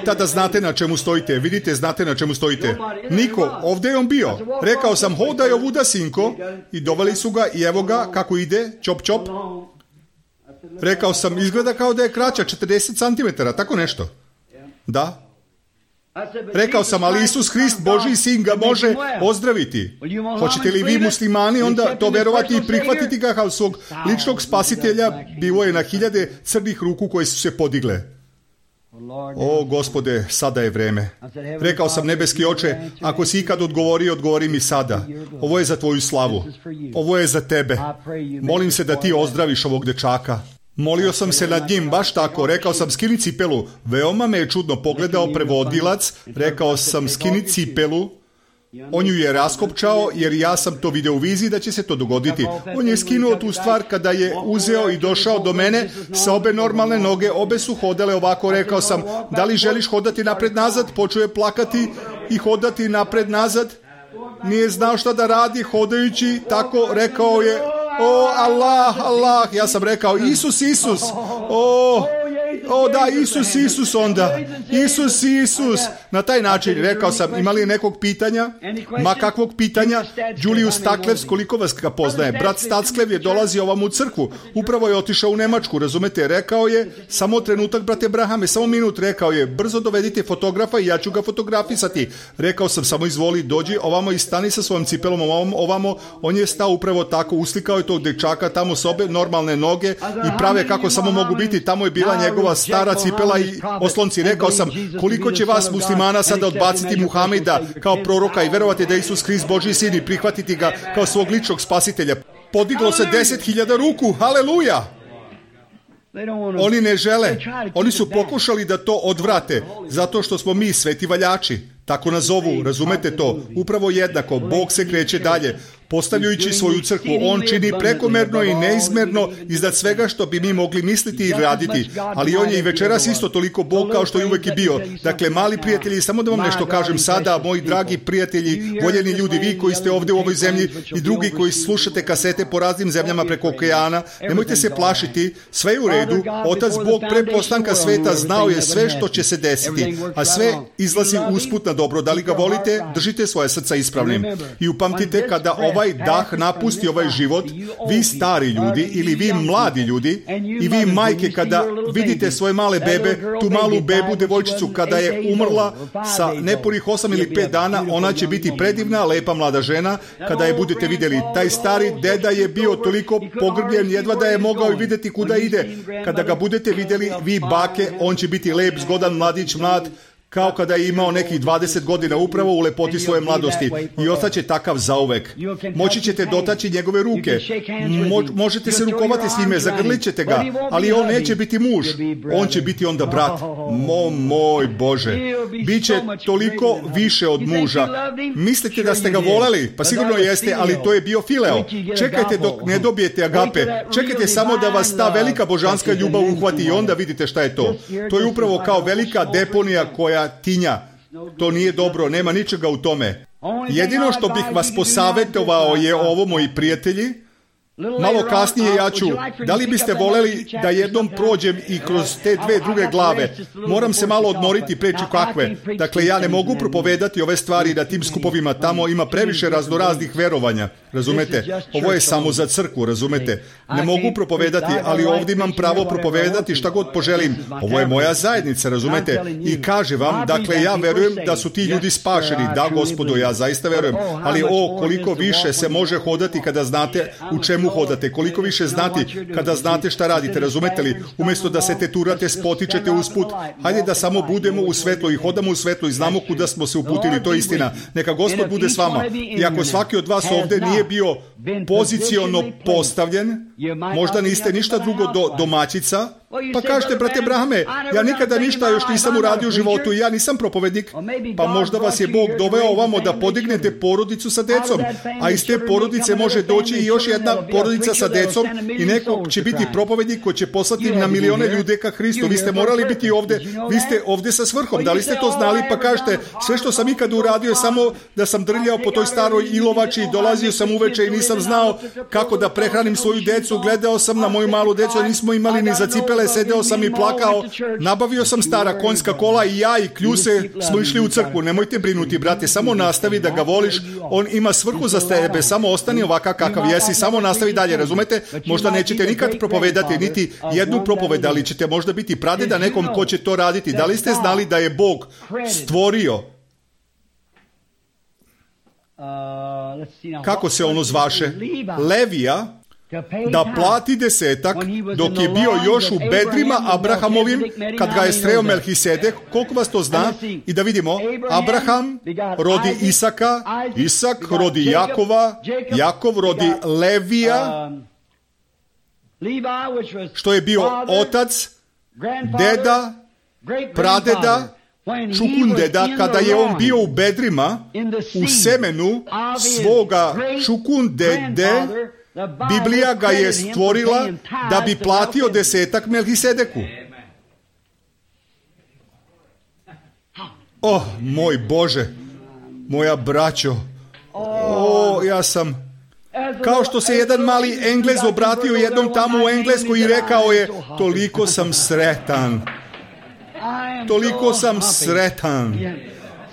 Tada znate na čemu stojite. Vidite, znate na čemu stojite. Niko, ovdje je on bio. Rekao sam, hodaj ovuda, sinko. I doveli su ga i evo ga kako ide, čop čop. Rekao sam, izgleda kao da je kraća, 40 cm, tako nešto. Da. Rekao sam, ali Isus Hrist, Božji sin, ga može ozdraviti. Hoćete li vi muslimani onda to verovati i prihvatiti ga kao svog ličnog spasitelja? Bilo je na 1000 crnih ruku koje su se podigle. O, Gospode, sada je vreme. Rekao sam, nebeski oče, ako si ikad odgovori mi sada. Ovo je za tvoju slavu. Ovo je za tebe. Molim se da ti ozdraviš ovog dečaka. Molio sam se nad njim, baš tako. Rekao sam, skini cipelu. Veoma me je čudno pogledao prevodilac. Rekao sam, skini cipelu. On ju je raskopčao, jer ja sam to video u viziji da će se to dogoditi. On je skinuo tu stvar kada je uzeo i došao do mene sa obe normalne noge. Obe su hodale ovako. Rekao sam, da li želiš hodati napred-nazad? Počeo je plakati i hodati napred-nazad. Nije znao šta da radi hodajući. Tako rekao je, o Allah. Ja sam rekao, Isus. Da, Isus onda. Isus. Na taj način rekao sam, ima li nekog pitanja? Ma kakvog pitanja? Julius Staklevs, koliko vas ga poznaje? Brat Stacklev je dolazio ovam u crkvu. Upravo je otišao u Nemačku, razumete? Rekao je, samo trenutak, brate Brahame, samo minut. Rekao je, brzo dovedite fotografa i ja ću ga fotografisati. Rekao sam, samo izvoli, dođi ovamo i stani sa svojom cipelom ovamo. On je stao upravo tako, uslikao je tog dečaka tamo s obe normalne noge i prave kako samo mogu biti. Tamo je bila njegova ova stara cipela i oslonci. Rekao sam, koliko će vas muslimana sada odbaciti Muhameda kao proroka i verovati da je Isus Krist Božji sin i prihvatiti ga kao svog ličnog spasitelja. Podiglo se 10.000 ruku, haleluja! Oni ne žele, oni su pokušali da to odvrate, zato što smo mi sveti valjači. Tako nas zovu, razumete to? Upravo jednako, Bog se kreće dalje, postavljajući svoju crkvu. On čini prekomerno i neizmerno iznad svega što bi mi mogli misliti i raditi. Ali on je i večeras isto toliko Bog kao što je uvek i bio. Dakle, mali prijatelji, samo da vam nešto kažem sada, moji dragi prijatelji, voljeni ljudi, vi koji ste ovdje u ovoj zemlji i drugi koji slušate kasete po raznim zemljama preko okeana, nemojte se plašiti, sve je u redu. Otac Bog pre postanka sveta znao je sve što će se desiti, a sve izlazi usput na dobro. Da li ga volite, držite svoje srca ispravnim. I upamtite, kada ovaj dah napusti ovaj život, vi stari ljudi ili vi mladi ljudi i vi majke, kada vidite svoje male bebe, tu malu bebu, devojčicu, kada je umrla sa nepunih 8 ili 5 dana, ona će biti predivna, lepa mlada žena. Kada je budete vidjeli, taj stari deda je bio toliko pogrbljen, jedva da je mogao i vidjeti kuda ide. Kada ga budete vidjeli, vi bake, on će biti lep, zgodan mladić, mlad, kao kada je imao nekih 20 godina upravo u lepoti svoje mladosti i ostaće takav zauvek. Moći ćete dotaći njegove ruke, možete se rukovati s njime, zagrlit ćete ga, ali on neće biti muž, on će biti onda brat. Moj Bože, biće toliko više od muža. Mislite da ste ga voleli? Pa sigurno jeste, ali to je bio fileo. Čekajte dok ne dobijete agape, čekajte samo da vas ta velika božanska ljubav uhvati i onda vidite šta je to. To je upravo kao velika deponija koja tinja. To nije dobro, nema ničega u tome. Jedino što bih vas posavjetovao je ovo, moji prijatelji. Malo kasnije ja ću, da li biste voleli da jednom prođem i kroz te dve druge glave? Moram se malo odmoriti, preći kakve. Dakle, ja ne mogu propovedati ove stvari na tim skupovima, tamo ima previše raznoraznih verovanja, razumete? Ovo je samo za crkvu, razumete? Ne mogu propovedati, ali ovdje imam pravo propovedati šta god poželim. Ovo je moja zajednica, razumete? I kaže vam, dakle, ja verujem da su ti ljudi spašeni. Da, Gospodo, ja zaista verujem. Ali koliko više se može hodati kada znate u čemu hodate, koliko više znati kada znate šta radite, razumete li? Umjesto da se teturate, spotičete usput, hajde da samo budemo u svetlu i hodamo u svetlu i znamo kuda smo se uputili, to je istina. Neka Gospod bude s vama. I ako svaki od vas ovdje nije bio poziciono postavljen, možda niste ništa drugo domaćica, pa kažete, brate Brahame, ja nikada ništa još nisam uradio u životu i ja nisam propovednik, pa možda vas je Bog doveo ovamo da podignete porodicu sa decom, a iz te porodice može doći i još jedna porodica sa decom i neko će biti propovednik koji će poslati na milione ljude ka Hristu. Vi ste morali biti ovdje, vi ste ovdje sa svrhom. Da li ste to znali? Pa kažete, sve što sam ikad uradio je samo da sam drljao po toj staroj ilovači, dolazio sam uveče i nisam znao kako da prehranim svoju decu, gledao sam na moju malu decu, nismo imali ni za cipele, sedeo sam i plakao, nabavio sam stara konjska kola i ja i Kljuse smo išli u crkvu. Nemojte brinuti, brate, samo nastavi da ga voliš, on ima svrhu za tebe, samo ostani ovakav kakav jesi, samo nastavi dalje, razumete? Možda nećete nikad propovedati niti jednu propoved, ali ćete možda biti pradeda nekom ko će to raditi. Da li ste znali da je Bog stvorio, kako se ono zvaše, Levija, da plati desetak dok je bio još u bedrima Abrahamovim kad ga je sreo Melhisedek? Koliko vas to zna? I da vidimo, Abraham rodi Isaka, Isak rodi Jakova, Jakov rodi Levija, što je bio otac, deda, pradeda, čukundeda, kada je on bio u bedrima, u semenu svoga čukundede. Biblija ga je stvorila da bi platio desetak Melhisedeku. Moj Bože, moja braćo, ja sam, kao što se jedan mali Englez obratio jednom tamo u Engleskoj i rekao je, toliko sam sretan. Toliko sam sretan.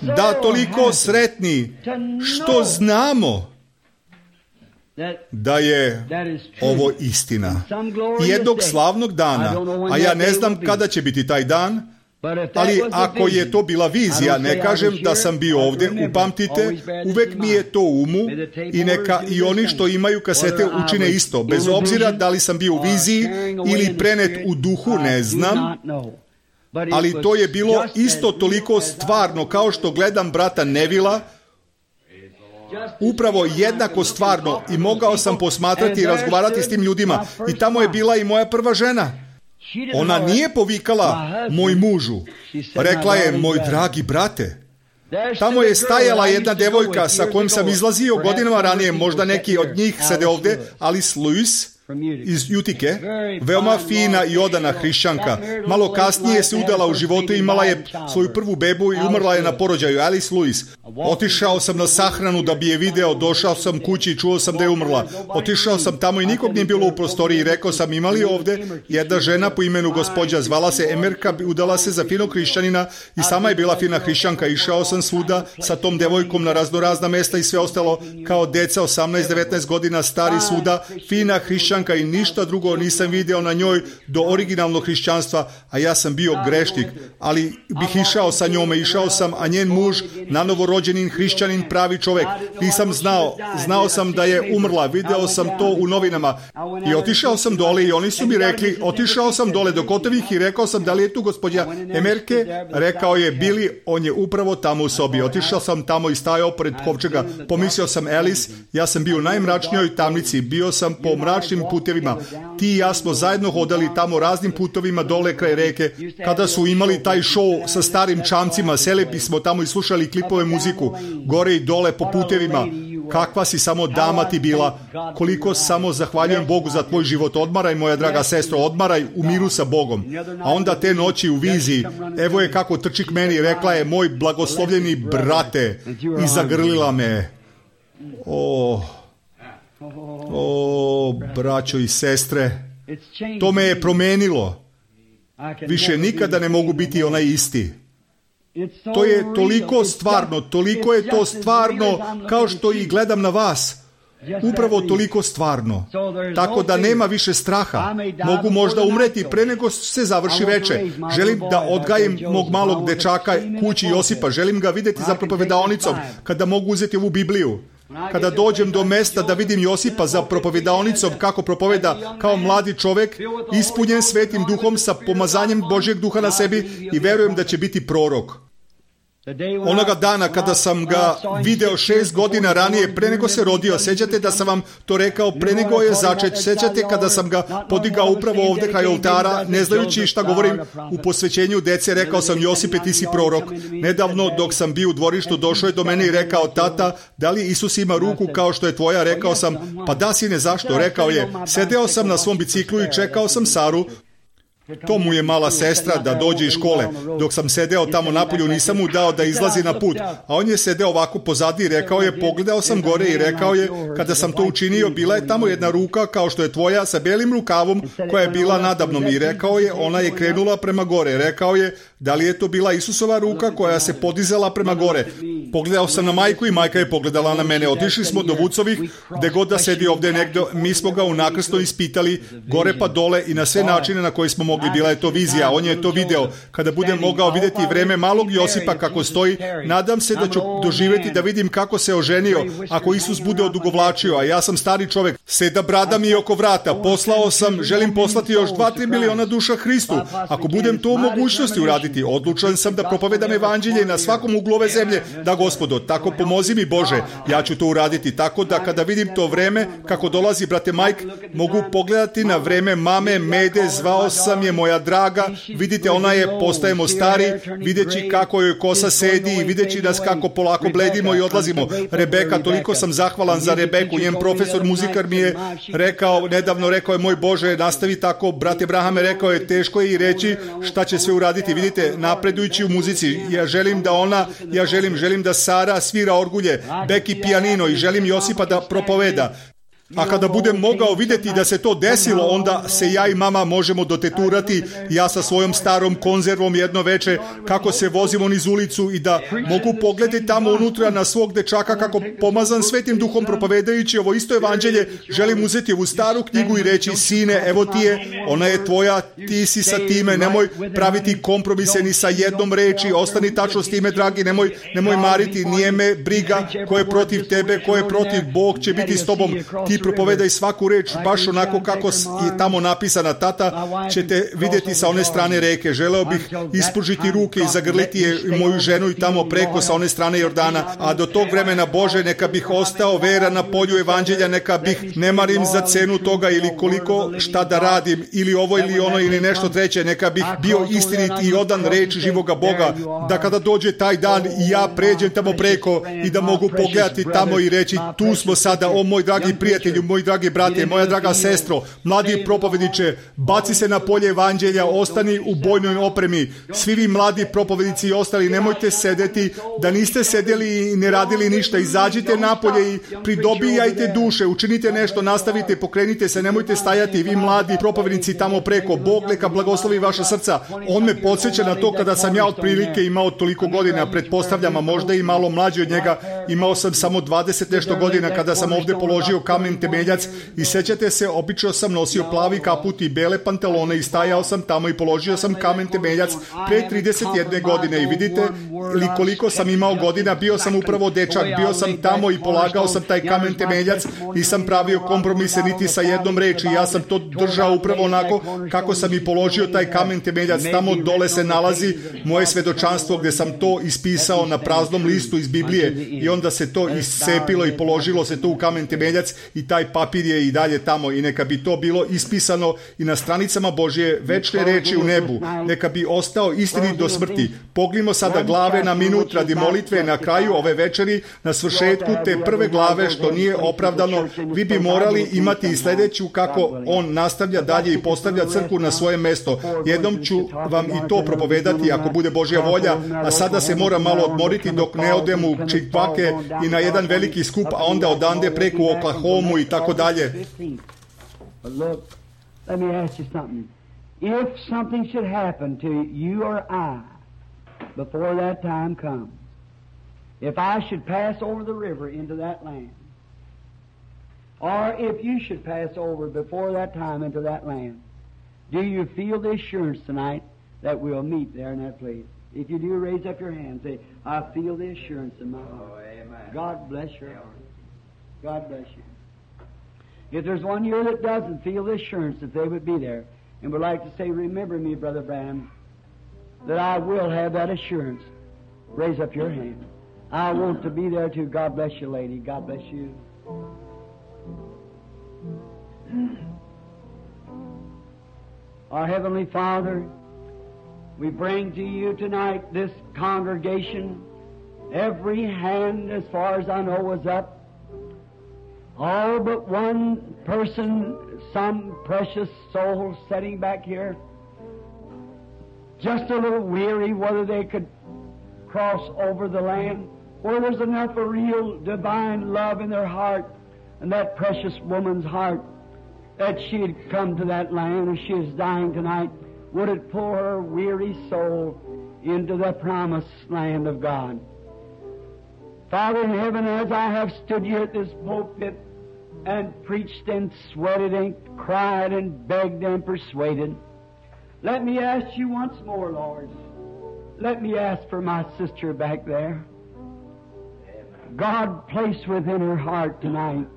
Da, toliko sretni što znamo da je ovo istina. Jednog slavnog dana, a ja ne znam kada će biti taj dan, Ali ako je to bila vizija, ne kažem da sam bio ovdje, upamtite, uvek mi je to u umu i neka i oni što imaju kasete učine isto, bez obzira da li sam bio u viziji ili prenet u duhu, ne znam, ali to je bilo isto toliko stvarno kao što gledam brata Nevila, upravo jednako stvarno, i mogao sam posmatrati i razgovarati s tim ljudima, i tamo je bila i moja prva žena. Ona nije povikala moj mužu, rekla je moj dragi brate. Tamo je stajala jedna devojka sa kojom sam izlazio godinama ranije, možda neki od njih sede ovdje, Alice Lewis iz Jutike, veoma fina i odana hrišćanka. Malo kasnije se udala u životu, imala je svoju prvu bebu i umrla je na porođaju, Alice Lewis. Otišao sam na sahranu da bi je video, došao sam kući i čuo sam da je umrla. Otišao sam tamo i nikog nije bilo u prostoriji i rekao sam, imali ovdje jedna žena po imenu gospođa, zvala se Emerka, udala se za finog hrišćanina i sama je bila fina hrišćanka. Išao sam svuda sa tom devojkom na raznorazna mesta i sve ostalo, kao deca 18-19 godina stari svuda, fina hrišćanka i ništa drugo nisam video na njoj do originalnog hrišćanstva, a ja sam bio grešnik, ali bih išao sa njome, išao sam, a njen muž, nanovorođenin hrišćanin, pravi čovjek, nisam znao sam da je umrla, video sam to u novinama i otišao sam dole i oni su mi rekli, otišao sam dole do Kotovih i rekao sam, da li je tu gospođa Emerke? Rekao je Billy, on je upravo tamo u sobi. Otišao sam tamo i stajao pored kovčega, pomislio sam Alice, ja sam bio u najmračnijoj tamnici, bio sam po mračnim putevima. Ti i ja smo zajedno hodali tamo raznim putovima dole kraj reke. Kada su imali taj show sa starim čamcima, seli bismo tamo i slušali klipove muziku, gore i dole po putevima. Kakva si samo dama ti bila. Koliko samo zahvaljujem Bogu za tvoj život. Odmaraj, moja draga sestro, odmaraj u miru sa Bogom. A onda te noći u viziji, evo je kako trči k meni, rekla je moj blagoslovljeni brate i zagrlila me. O, braćo i sestre, to me je promenilo. Više nikada ne mogu biti onaj isti. To je toliko stvarno, toliko je to stvarno kao što i gledam na vas. Upravo toliko stvarno. Tako da nema više straha. Mogu možda umreti pre nego se završi veče. Želim da odgajim mog malog dečaka kući Josipa. Želim ga vidjeti za propovedaonicom kada mogu uzeti ovu Bibliju. Kada dođem do mesta da vidim Josipa za propovedaonicom kako propoveda kao mladi čovjek, ispunjen Svetim Duhom sa pomazanjem Božjeg Duha na sebi i verujem da će biti prorok. Onoga dana kada sam ga video 6 godina ranije, pre nego se rodio, sjećate da sam vam to rekao, pre nego je začet, sjećate kada sam ga podigao upravo ovdje kraj oltara, ne znajući šta govorim u posvećenju dece, rekao sam, Josipe, ti si prorok. Nedavno dok sam bio u dvorištu, došao je do mene i rekao, tata, da li Isus ima ruku kao što je tvoja? Rekao sam, pa da, sine, zašto? Rekao je, sedeo sam na svom biciklu i čekao sam Saru. To mu je mala sestra da dođe iz škole. Dok sam sedeo tamo napolju, nisam mu dao da izlazi na put, a on je sedeo ovako pozadi i rekao je, pogledao sam gore i rekao je, kada sam to učinio, bila je tamo jedna ruka kao što je tvoja sa belim rukavom koja je bila nadamnom i rekao je, ona je krenula prema gore. Rekao je, da li je to bila Isusova ruka koja se podizala prema gore? Pogledao sam na majku i majka je pogledala na mene. Otišli smo do Vucovih, gde god da sedi ovdje negdje, mi smo ga unakrsto ispitali, gore pa dole i na sve načine na koje smo mogli. Bila je to vizija, on je to video. Kada budem mogao vidjeti vreme malog Josipa kako stoji, nadam se da ću doživjeti da vidim kako se oženio ako Isus bude odugovlačio, a ja sam stari čovjek, seda brada mi je oko vrata, želim poslati još 2-3 miliona duša Hristu, ako budem to u mogućnosti uraditi. Odlučan sam da propovedam evanđelje na svakom uglu ove zemlje, da Gospodo, tako pomozi mi Bože, ja ću to uraditi, tako da kada vidim to vreme kako dolazi, brate Mike, mogu pogledati na vreme mame Mede, zvao sam je moja draga, vidite, ona je, postajemo stari, videći kako joj kosa sedi i videći nas kako polako bledimo i odlazimo. Rebeka, toliko sam zahvalan za Rebeku, njen profesor muzikar mi je nedavno rekao je, moj Bože, nastavi tako, brate Brahame, rekao je, teško je i reći šta će sve uraditi, vidite, napredujući u muzici, ja želim da Sara svira orgulje, Beki pijanino i želim Josipa da propoveda. A kada budem mogao vidjeti da se to desilo, onda se ja i mama možemo doteturati, ja sa svojom starom konzervom jedno veče, kako se vozimo niz ulicu i da mogu pogledati tamo unutra na svog dečaka kako pomazan Svetim Duhom propovedajući ovo isto evanđelje, želim uzeti ovu staru knjigu i reći, sine, evo ti je, ona je tvoja, ti si sa time, nemoj praviti kompromise ni sa jednom reči, ostani tačno s time, dragi, nemoj mariti, nije me briga ko je protiv tebe, ko je protiv, Bog će biti s tobom, ti propovedaj svaku reč baš onako kako je tamo napisana, tata ćete vidjeti sa one strane reke. Želeo bih ispružiti ruke i zagrliti je moju ženu i tamo preko sa one strane Jordana, a do tog vremena, Bože, neka bih ostao veran na polju evanđelja, neka bih, ne marim za cenu toga ili koliko šta da radim, ili ovo ili ono ili nešto treće, neka bih bio istinit i odan reči živoga Boga, da kada dođe taj dan i ja pređem tamo preko i da mogu pogledati tamo i reći, tu smo sada, o moj dragi prijatelju, moj dragi brate, moja draga sestro, mladi propovedniče, baci se na polje evanđelja, ostani u bojnoj opremi, svi vi mladi propovednici i ostali, nemojte sedeti, da niste sedeli i ne radili ništa, izađite napolje i pridobijajte duše, učinite nešto, nastavite, pokrenite se, nemojte stajati, vi mladi propovednici tamo preko, Bog neka blagoslovi vaša srca. On me podsjeća na to kada sam ja otprilike imao toliko godina, pretpostavljam, a možda i malo mlađi od njega, imao sam samo 20 nešto godina kada sam ovdje položio kamen temeljac i sećate se, obično sam nosio plavi kaput i bele pantalone i stajao sam tamo i položio sam kamen temeljac pre 31 godine i vidite li koliko sam imao godina, bio sam upravo dečak, bio sam tamo i polagao sam taj kamen temeljac, nisam pravio kompromise niti sa jednom reči, ja sam to držao upravo onako kako sam i položio taj kamen temeljac, tamo dole se nalazi moje svedočanstvo gdje sam to ispisao na praznom listu iz Biblije i onda se to iscepilo i položilo se to u kamen temeljac i taj papir je i dalje tamo i neka bi to bilo ispisano i na stranicama Božje večne reči u nebu, neka bi ostao istinit do smrti. Poglimo sada glave na minut radi molitve na kraju ove večeri, na svršetku te prve glave što nije opravdano, vi bi morali imati i sljedeću kako on nastavlja dalje i postavlja crkvu na svoje mesto. Jednom ću vam i to propovedati ako bude Božja volja, a sada se moram malo odmoriti dok ne odem u Chickpake i na jedan veliki skup, a onda odande preko Oklahomu i tako dalje. Let me ask you something. If something should happen to you or I before that time comes, if I should pass over the river into that land, or if you should pass over before that time into that land, do you feel the assurance tonight that we'll meet there in that place? If you do, raise up your hand and say, I feel the assurance in my heart. God bless your heart. God bless you. If there's one here that doesn't feel the assurance that they would be there and would like to say, remember me, Brother Branham, that I will have that assurance, raise up your hand. I want to be there too. God bless you, lady. God bless you. Our Heavenly Father, we bring to you tonight this congregation. Every hand, as far as I know, was up. All but one person, some precious soul sitting back here, just a little weary whether they could cross over the land, or there's enough of real divine love in their heart and that precious woman's heart that she'd come to that land as she is dying tonight. Would it pull her weary soul into the promised land of God? Father in heaven, as I have stood here at this pulpit and preached and sweated and cried and begged and persuaded, let me ask you once more, Lord. Let me ask for my sister back there. God, place within her heart tonight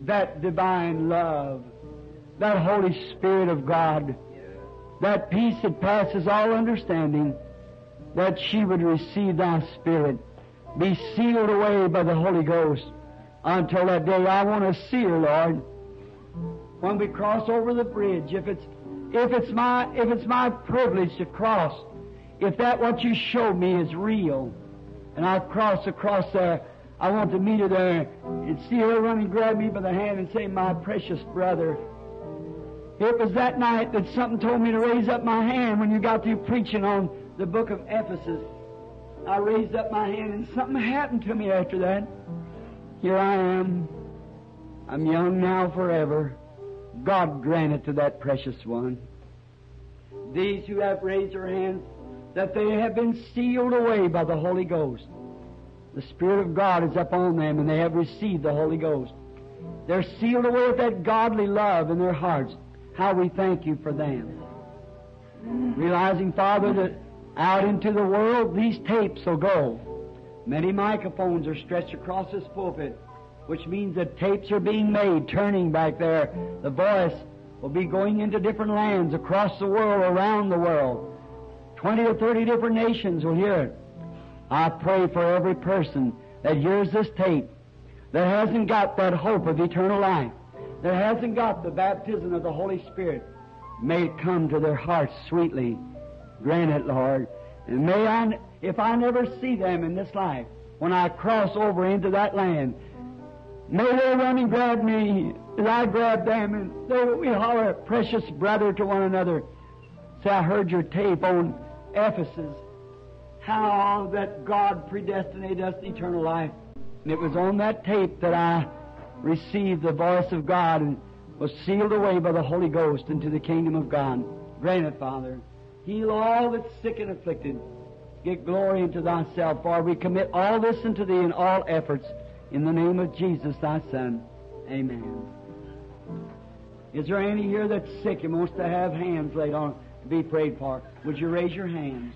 that divine love, that Holy Spirit of God, that peace that passes all understanding, that she would receive thy Spirit, be sealed away by the Holy Ghost until that day. I want to see her, Lord, when we cross over the bridge. If it's my privilege to cross, if that what you showed me is real, and I cross across there, I want to meet her there and see her run and grab me by the hand and say, my precious brother. It was that night that something told me to raise up my hand when you got through preaching on the book of Ephesus. I raised up my hand and something happened to me after that. Here I am. I'm young now forever. God grant it to that precious one. These who have raised their hands, that they have been sealed away by the Holy Ghost. The Spirit of God is upon them, and they have received the Holy Ghost. They're sealed away with that godly love in their hearts. How we thank you for them. Realizing, Father, that out into the world these tapes will go. Many microphones are stretched across this pulpit, which means that tapes are being made, turning back there. The voice will be going into different lands across the world, around the world. 20 or 30 different nations will hear it. I pray for every person that hears this tape that hasn't got that hope of eternal life, that hasn't got the baptism of the Holy Spirit. May it come to their hearts sweetly. Grant it, Lord. And may I, if I never see them in this life, when I cross over into that land, may they run and grab me as I grab them, and they will holler, precious brother, to one another. Say, I heard your tape on Ephesus, how that God predestinated us to eternal life. And it was on that tape that I received the voice of God and was sealed away by the Holy Ghost into the kingdom of God. Grant it, Father. Heal all that's sick and afflicted. Get glory into Thyself, for we commit all this unto Thee in all efforts. In the name of Jesus, Thy Son. Amen. Is there any here that's sick and wants to have hands laid on to be prayed for? Would you raise your hands?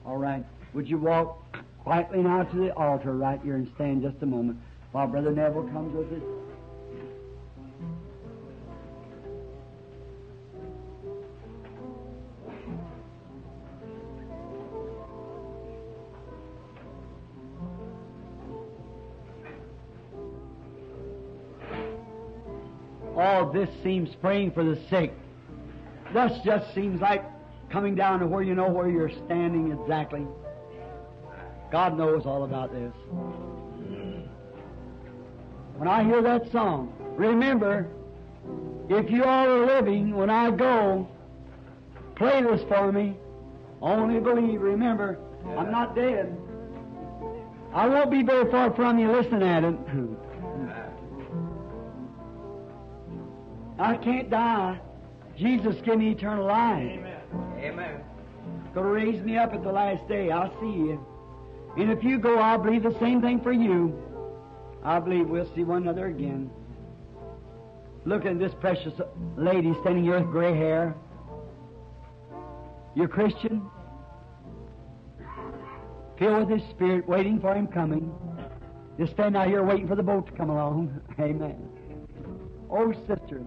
All right. Would you walk quietly now to the altar right here and stand just a moment while Brother Neville comes with us? All this seems praying for the sick. This just seems like coming down to where you know where you're standing exactly. God knows all about this. When I hear that song, remember, if you all are living, when I go, play this for me. Only believe. Remember, I'm not dead. I won't be very far from you listening at it. I can't die. Jesus give me eternal life. Amen. Amen. Going to raise me up at the last day. I'll see you. And if you go, I'll believe the same thing for you. I believe we'll see one another again. Look at this precious lady standing here with gray hair. You're Christian? Filled with His Spirit, waiting for Him coming. Just stand out here waiting for the boat to come along. Amen. Oh, sister.